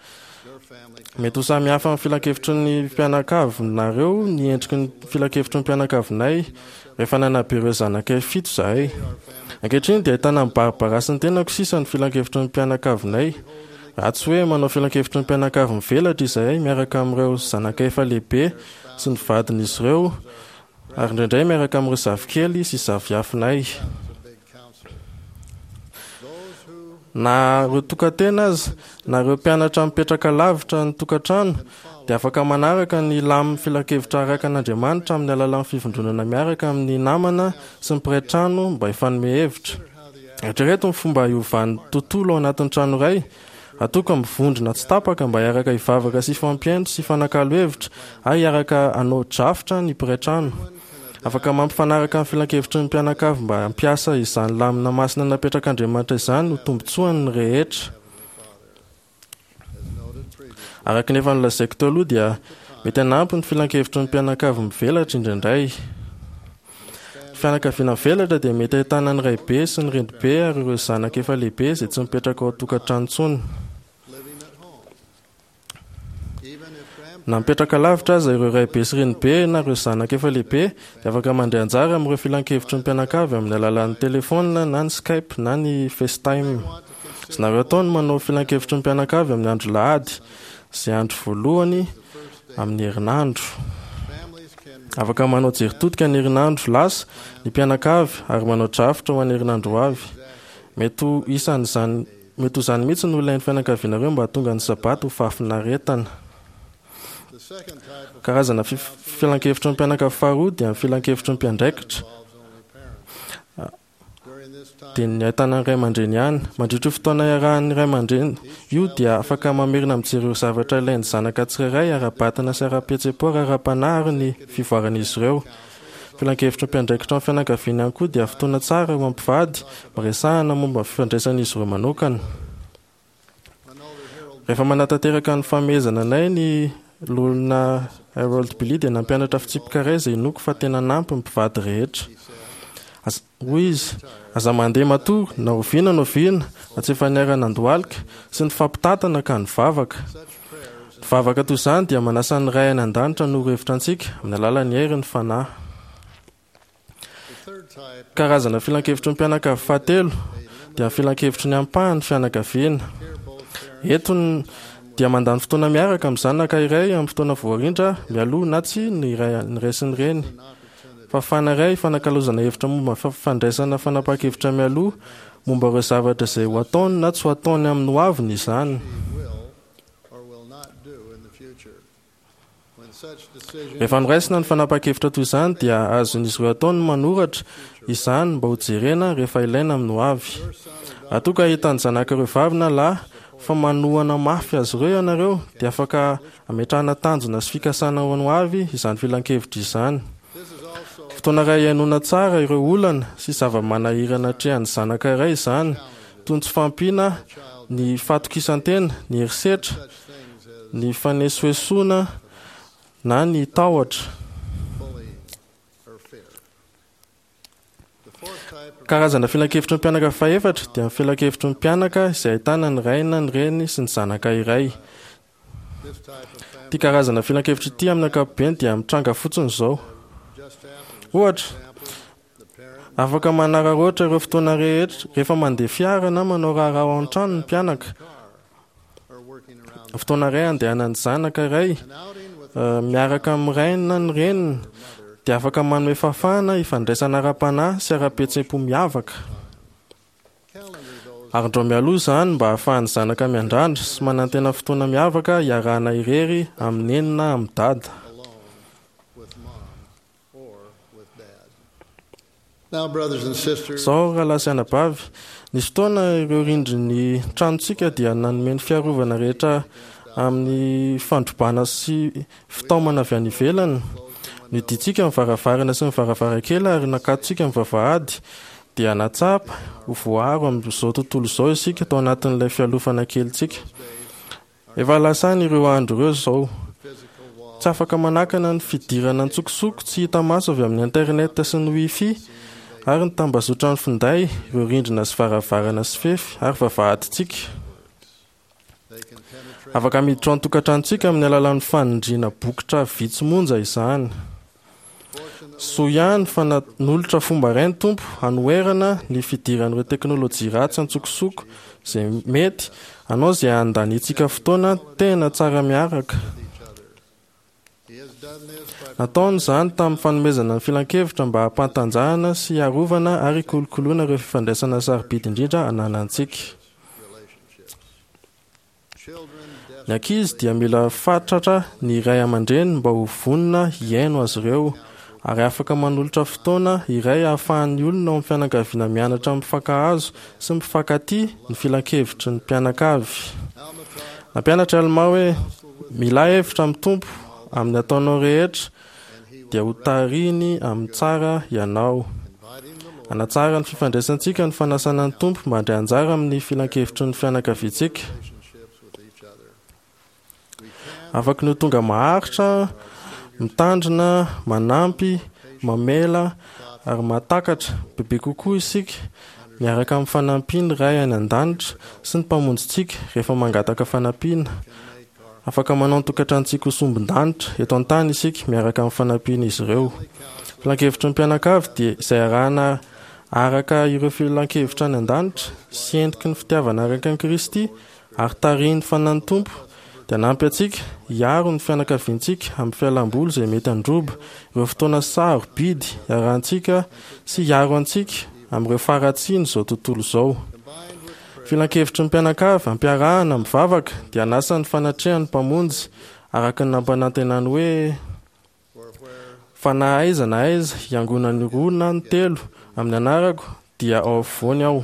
[SPEAKER 2] Mety ho samy hafa amin'ny filankevitry ny mpianakavinareo ny endriky ny filankevitry ny mpianakavinay rehefa nanabe ireo zanakay fito izahay. Ankehitriny dia ahitana an'i Barbara sy ny tenako sisa ny filankevitry ny mpianakavinay. Raha tsy hoe manao filankevitry ny mpianakavy mivelatra izahay miaraka amin'ireo zanakay efa lehibe sy ny vadin'izy ireo ary indraindray miaraka amin'ireo zafikely sy zafiafinay. Na ireo tokan-tena aza, na ireo mpianatra mipetraka lavitra ny tokantrano, dia afaka manaraka ny lamin'ny filankevitra araka an'Andriamanitra amin'ny alalan'ny fivondronana miaraka amin'ny namana sy ny mpiray trano mba hifanome hevitra. Eritrereto ny fomba hiovan'ny tontolo ao anatin'ny trano iray, raha toa ka mivondrona tsy tapaka mba hiaraka hivavaka sy hifampihaino sy hifanakalo hevitra ary hiaraka hanao drafitra ny mpiray trano. Afaka mampifanaraka ny filankevitry ny mpianakavy mba hampiasa izany lamina masina napetrak'Andriamanitra izany ho tombontsoany ny rehetra. Araka ny efa nolazaiko teo aloha dia mety hanampy ny filankevitry ny mpianakavy mivelatra indraindray. Fianakaviana mivelatra dia mety ahitana ny raibe sy ny renibe ary ireo zanaka efa lehibe izay tsy mipetraka ao an-tokantrano intsony. Na mipetraka lavitra aza ireo raibe sy renibe na ireo zanaka efa lehibe dia afaka mandray anjara amin'ireo filankevitry ny mpianakavy amin'ny alalan'ny telefaonina na ny Skype na ny FaceTime. Azonareo atao ny manao filankevitry ny mpianakavy amin'ny andro lahady, izay andro voalohany amin'ny herinandro. Afaka manao jery todika ny herinandro lasa ny mpianakavy ary manao drafitra ho an'ny herinandro ho avy. Mety ho isan'izany mety ho izany mihitsy no ilain'ny fianakavianareo mba hahatonga ny Sabata ho fahafinaretana. Karazana filankevitry ny mpianakavy faharoa dia ny filankevitry ny mpiandraikitra. Dia ny ahitana ny ray aman-dreny ihany. Mandritra io fotoana iarahan'ny ray aman-dreny io dia afaka mamerina mijery ireo zavatra ilain'ny zanaka tsirairay ara-batana sy ara-pihetseham-po ary ara-panahy ary ny fivoaran'izy ireo. Filankevitry ny mpiandraikitra ny fianakaviana ihany koa dia fotoana tsara ho an'ny mpivady mba resahana momba ny fifandraisan'izy ireo manokana. Rehefa manatanteraka ny famehezana anay ny Loholona Harold Billy dia nampianatra fitsipika iray izay inoako fa tena hanampy ny mpivady rehetra. Hoy izy, Aza mandeha matory na oviana na oviana raha tsy efa niara-nandohalika sy nifampitantana ka nivavaka. Ny vavaka toy izany dia manasa ny Ray any An-danitra hanoro hevitra antsika amin'ny alalan'ny herin'ny Fanahy. Karazana filankevitry ny mpianakavy fahatelo dia ny filankevitry ny ampahan'ny fianakaviana. Eto ny dia mandany fotoana miaraka amin'ny zanaka iray amin'ny fotoana voarindra mialoha na tsia ny ray sy ny reny. Fahafahana iray hifanakalozana hevitra momba ny fandraisana fanapahan-kevitra mialoha momba ireo zavatra izay ho ataony na tsy ho ataony amin'ny hoaviny izany. Rehefa noraisina ny fanapahan-kevitra toy izany dia azon'izy ireo atao ny manoratra izany mba hojerena rehefa ilaina amin'ny hoavy. Raha toa ka hitan'ny zanakareo vavy na lahy fa manohana mafy azy ireo ianareo dia afaka Ametrahana tanjona sy fikasana ho an'ny hoavy izany filankevitra izany. Fotoana iray hihainoana tsara ireo olana sy zava-manahirana atrehan'ny zanaka iray izany, toy ny tsy fahampiana ny fahatokisan-tena, ny herisetra, ny fanesoesoana na ny tahotra. Karazana filankevitry ny mpianaka fahefatra dia ny filankevitry ny mpianaka izay ahitana ny ray na ny reny sy ny zanaka iray. Ity karazana filankevitra ity amin'ny ankapobeny dia mitranga fotsiny izao. Ohatra, afaka manararaotra ireo fotoana rehetra rehefa mandeha fiara na manao raharaha ao an-trano ny mpianaka. Fotoana iray andehanan'ny zanaka iray miaraka amin'ny rainy na ny reniny dia afaka manome fahafahana hifandraisana ara-panahy sy ara-pihetseham-po miavaka. Arindrao mialoha izany mba hahafahan'ny zanaka miandrandra sy manantena fotoana miavaka hiarahana irery amin'i Neny na amin'i Dada. Izao, rahalahy sy anabavy, nisy fotoana ireo rindrin'ny tranontsika dia nanome ny fiarovana rehetra amin'ny fandrobana sy fitaomana avy any ivelany. Nidintsika ny varavarana sy ny varavarankely ary nakatontsika ny vavahady. Dia nahatsapa ho voaaro amin'izao tontolo izao isika tao anatin'ilay fialofana kelintsika. Efa lasa any ireo andro ireo izao. Tsy afaka manakana ny fidirana an-tsokosoko tsy hita maso avy amin'ny Internet sy ny Wi-Fi ary ny tambazotran'ny finday ireo rindrina sy varavarana sy fefy ary vavahadintsika. Afaka miditra ao an-tokantranontsika amin'ny alalan'ny fanindriana bokotra vitsy monja izany. Soa ihany fa nanolotra fomba iray ny Tompo hanoherana ny fidiran'ireo teknolojia ratsy an-tsokosoko izay mety hanao izay handaniantsika fotoana tena tsara miaraka. Nataony izany tamin'ny fanomezana ny filankevitra mba hampantanjahana sy hiarovana ary hikolokoloana ireo fifandraisana sarobidy indrindra ananantsika. Ny ankizy dia mila fatratra ny ray aman-dreny mba ho vonona hihaino azy ireo ary afaka manolotra fotoana iray ahafahan'ny olona ao amin'ny fianakaviana mianatra mifankahazo sy mifankatia ny filankevitry ny mpianakavy. Nampianatra i Almà hoe, Milà hevitra amin'ny Tompo amin'ny ataonao rehetra, dia hotarihiny amin'ny tsara ianao. Hanatsara ny fifandraisantsika ny fanasana ny Tompo mba handray anjara amin'ny filankevitry ny fianakaviantsika. Afaky ny ho tonga maharitra, mitandrina, manampy, mamela. ary mahatakatra bebe kokoa isika miaraka amin'ny fanampian'ny Ray any An-danitra sy ny Mpamonjintsika rehefa mangataka fanampiana. Afaka manao ny tokantranontsika ho sombin-danitra eto an-tany isika miaraka amin'ny fanampian'izy ireo. Filankevitry ny mpianakavy dia izay arahana araka ireo filankevitra any an-danitra sy endriky ny fitiavana araka an'i Kristy ary tarihin'ny Fanahin'ny Tompo dia hanampy antsika hiaro ny fianakaviantsika amin'ny fialam-boly izay mety handroba ireo fotoana sarobidy iarahantsika sy hiaro antsika amin'ireo faharatsian'izao tontolo izao. Filankevitry ny mpianakavy ampiarahana amin'ny vavaka dia hanasa ny fanatrehan'ny Mpamonjy araka ny nampanantenany hoe, Fa na aiza na aiza hiangonan'ny roa na ny telo amin'ny anarako dia ao afovoany aho.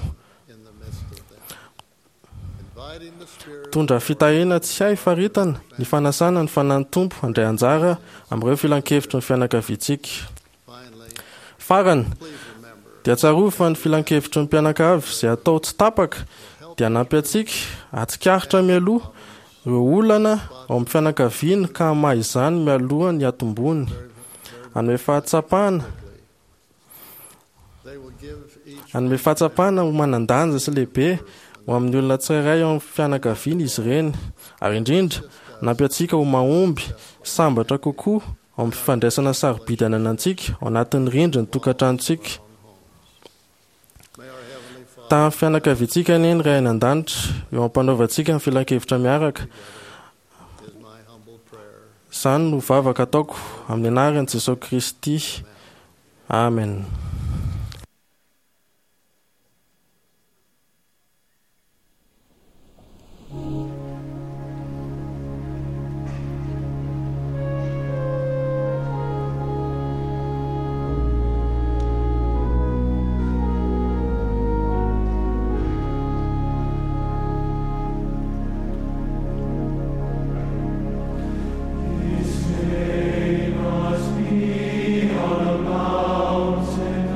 [SPEAKER 2] Mitondra fitahiana tsy hay faritana ny fanasana ny Fanahin'ny Tompo handray anjara amin'ireo filankevitry ny fianakaviantsika. Farany, dia tsarovy fa ny filankevitry ny mpianakavy izay atao tsy tapaka dia hanampy antsika hahatsikaritra mialoha ireo olana ao amin'ny fianakaviana ka hamaha izany mialoha ny hatombony. Hanome fahatsapana Hanome fahatsapana ho manan-danja sy lehibe ho amin'ny olona tsirairay ao amin'ny fianakaviana izy ireny, ary indrindra, hanampy antsika ho mahomby sy sambatra kokoa ao amin'ny fifandraisana sarobidy ananantsika ao anatin'ny rindrin'ny tokantranontsika. Tahan'ny fianakaviantsika anie ny Ray any An-danitra eo am-panaovantsika ny filankevitra miaraka. Izany no vavaka ataoko amin'ny anaran'i Jesoa Kristy. Amen.
[SPEAKER 15] His name must be on a mountain.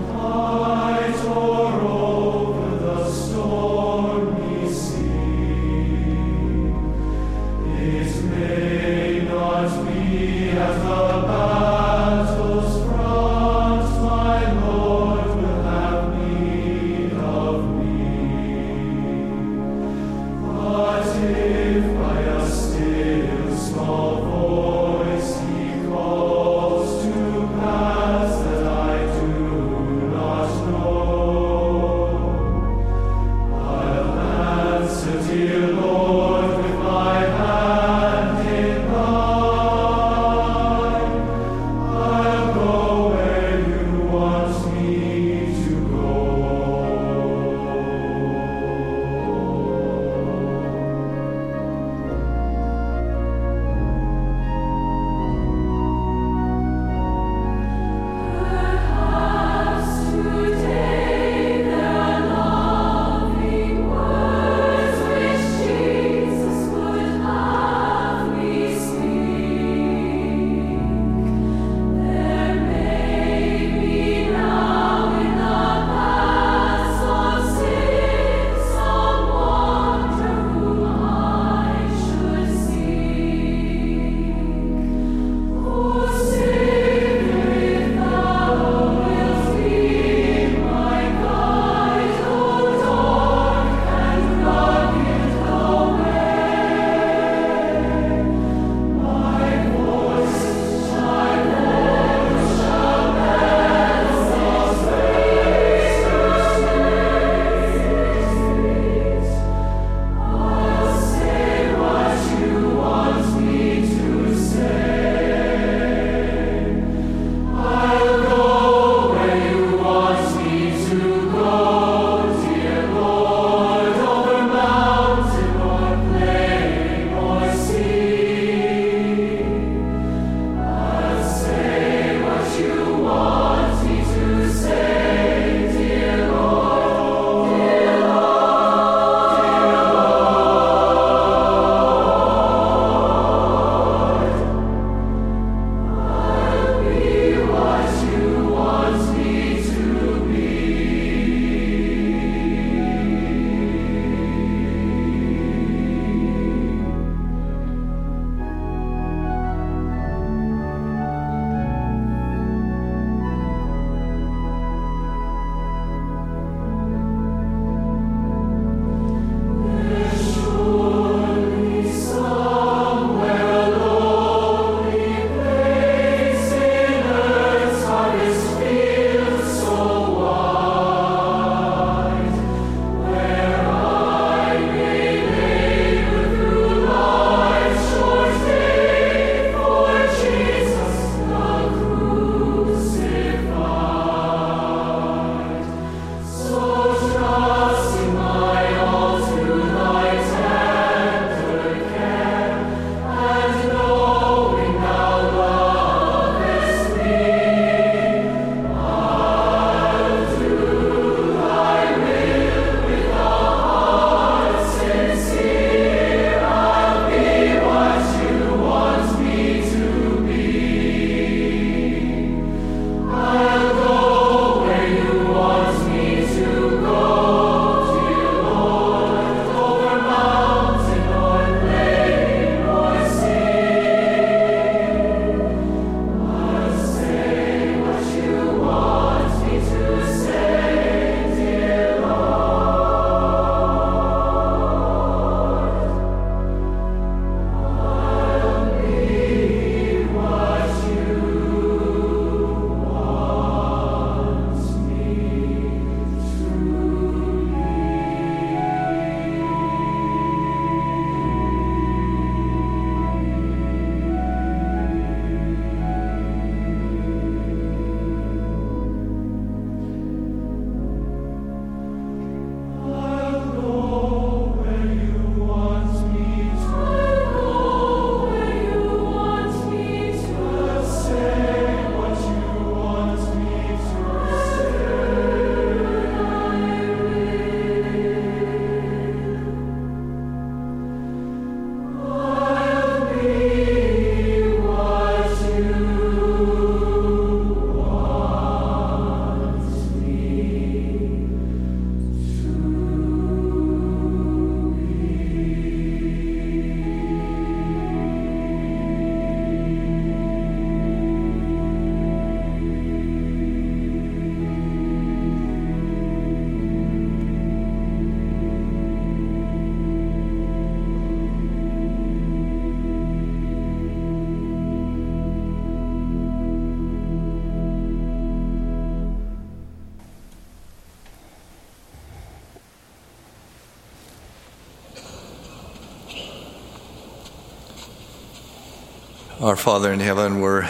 [SPEAKER 13] Our Father in heaven, we're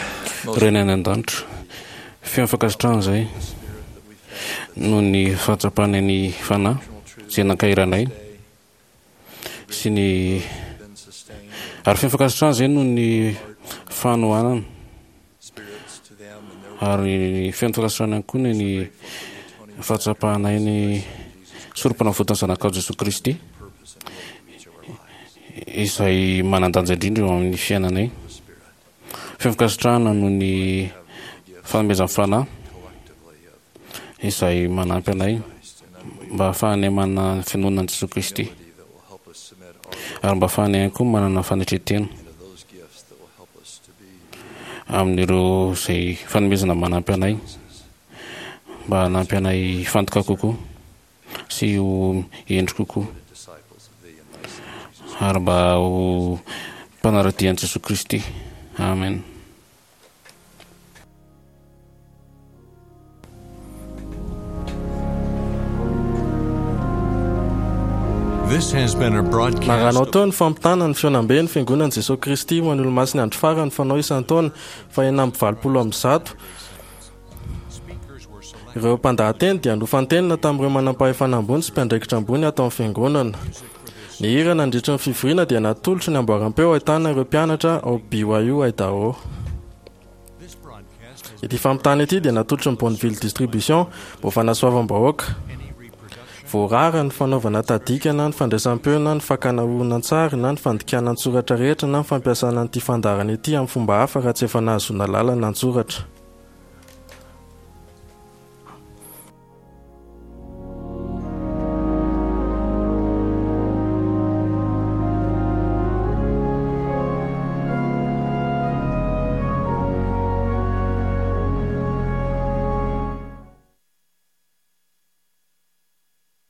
[SPEAKER 13] most
[SPEAKER 4] Rainay any an-danitra, feno fankasitrahana izahay noho ny fahatsapanay ny Fanahy izay nankahery anay sy ny ary feno fankasitrahana izahay noho ny fanohanana ary feno fankasitrahana ihany koa ny fahatsapanay ny sorompanavotan'ny Zanakao Jesoa Kristy izay manan-danja indrindra eo amin'ny fiainanay. Feno fankasitrahana noho ny fanomezan'ny Fanahy izay manampy anay mba hahafahanay manana ny finoana an'i Jesoa Kristy ary mba hahafahanay ihany koa manana fanetren-tena amin'ireo izay fanomezana manampy anay mba hanampy anay hifantoka kokoa sy ho hendry kokoa ary mba ho mpanara-dia an'i Jesoa Kristy. Amen.
[SPEAKER 1] This has been a broadcast
[SPEAKER 2] Narahanao teo ny fampitana ny fihaonambe ny Fiangonan'i Jesoa Kristy ho an'ny Olomasin'ny Andro Farany fanao isan-taona faha-186. Ireo mpandahateny dia nofantenina tamin'ireo manampahefana ambony sy mpiandraikitra ambony ato amin'ny Fiangonana. Ny hira nandritra ny fivoriana dia natolotry ny amboaram-peo ahitana ireo mpianatra ao BYU Idaho. Ity fampitana ity dia natolotry ny Bonneville Distribution mba ho fanasoavam-bahoaka. Voarara ny fanaovana tadika na ny fandraisam-peo na ny fakana horonantsary na ny fandikana an-tsoratra rehetra na ny fampiasana an'ity fandaharana ity amin'ny fomba hafa raha tsy efa nahazoana alalana an-tsoratra.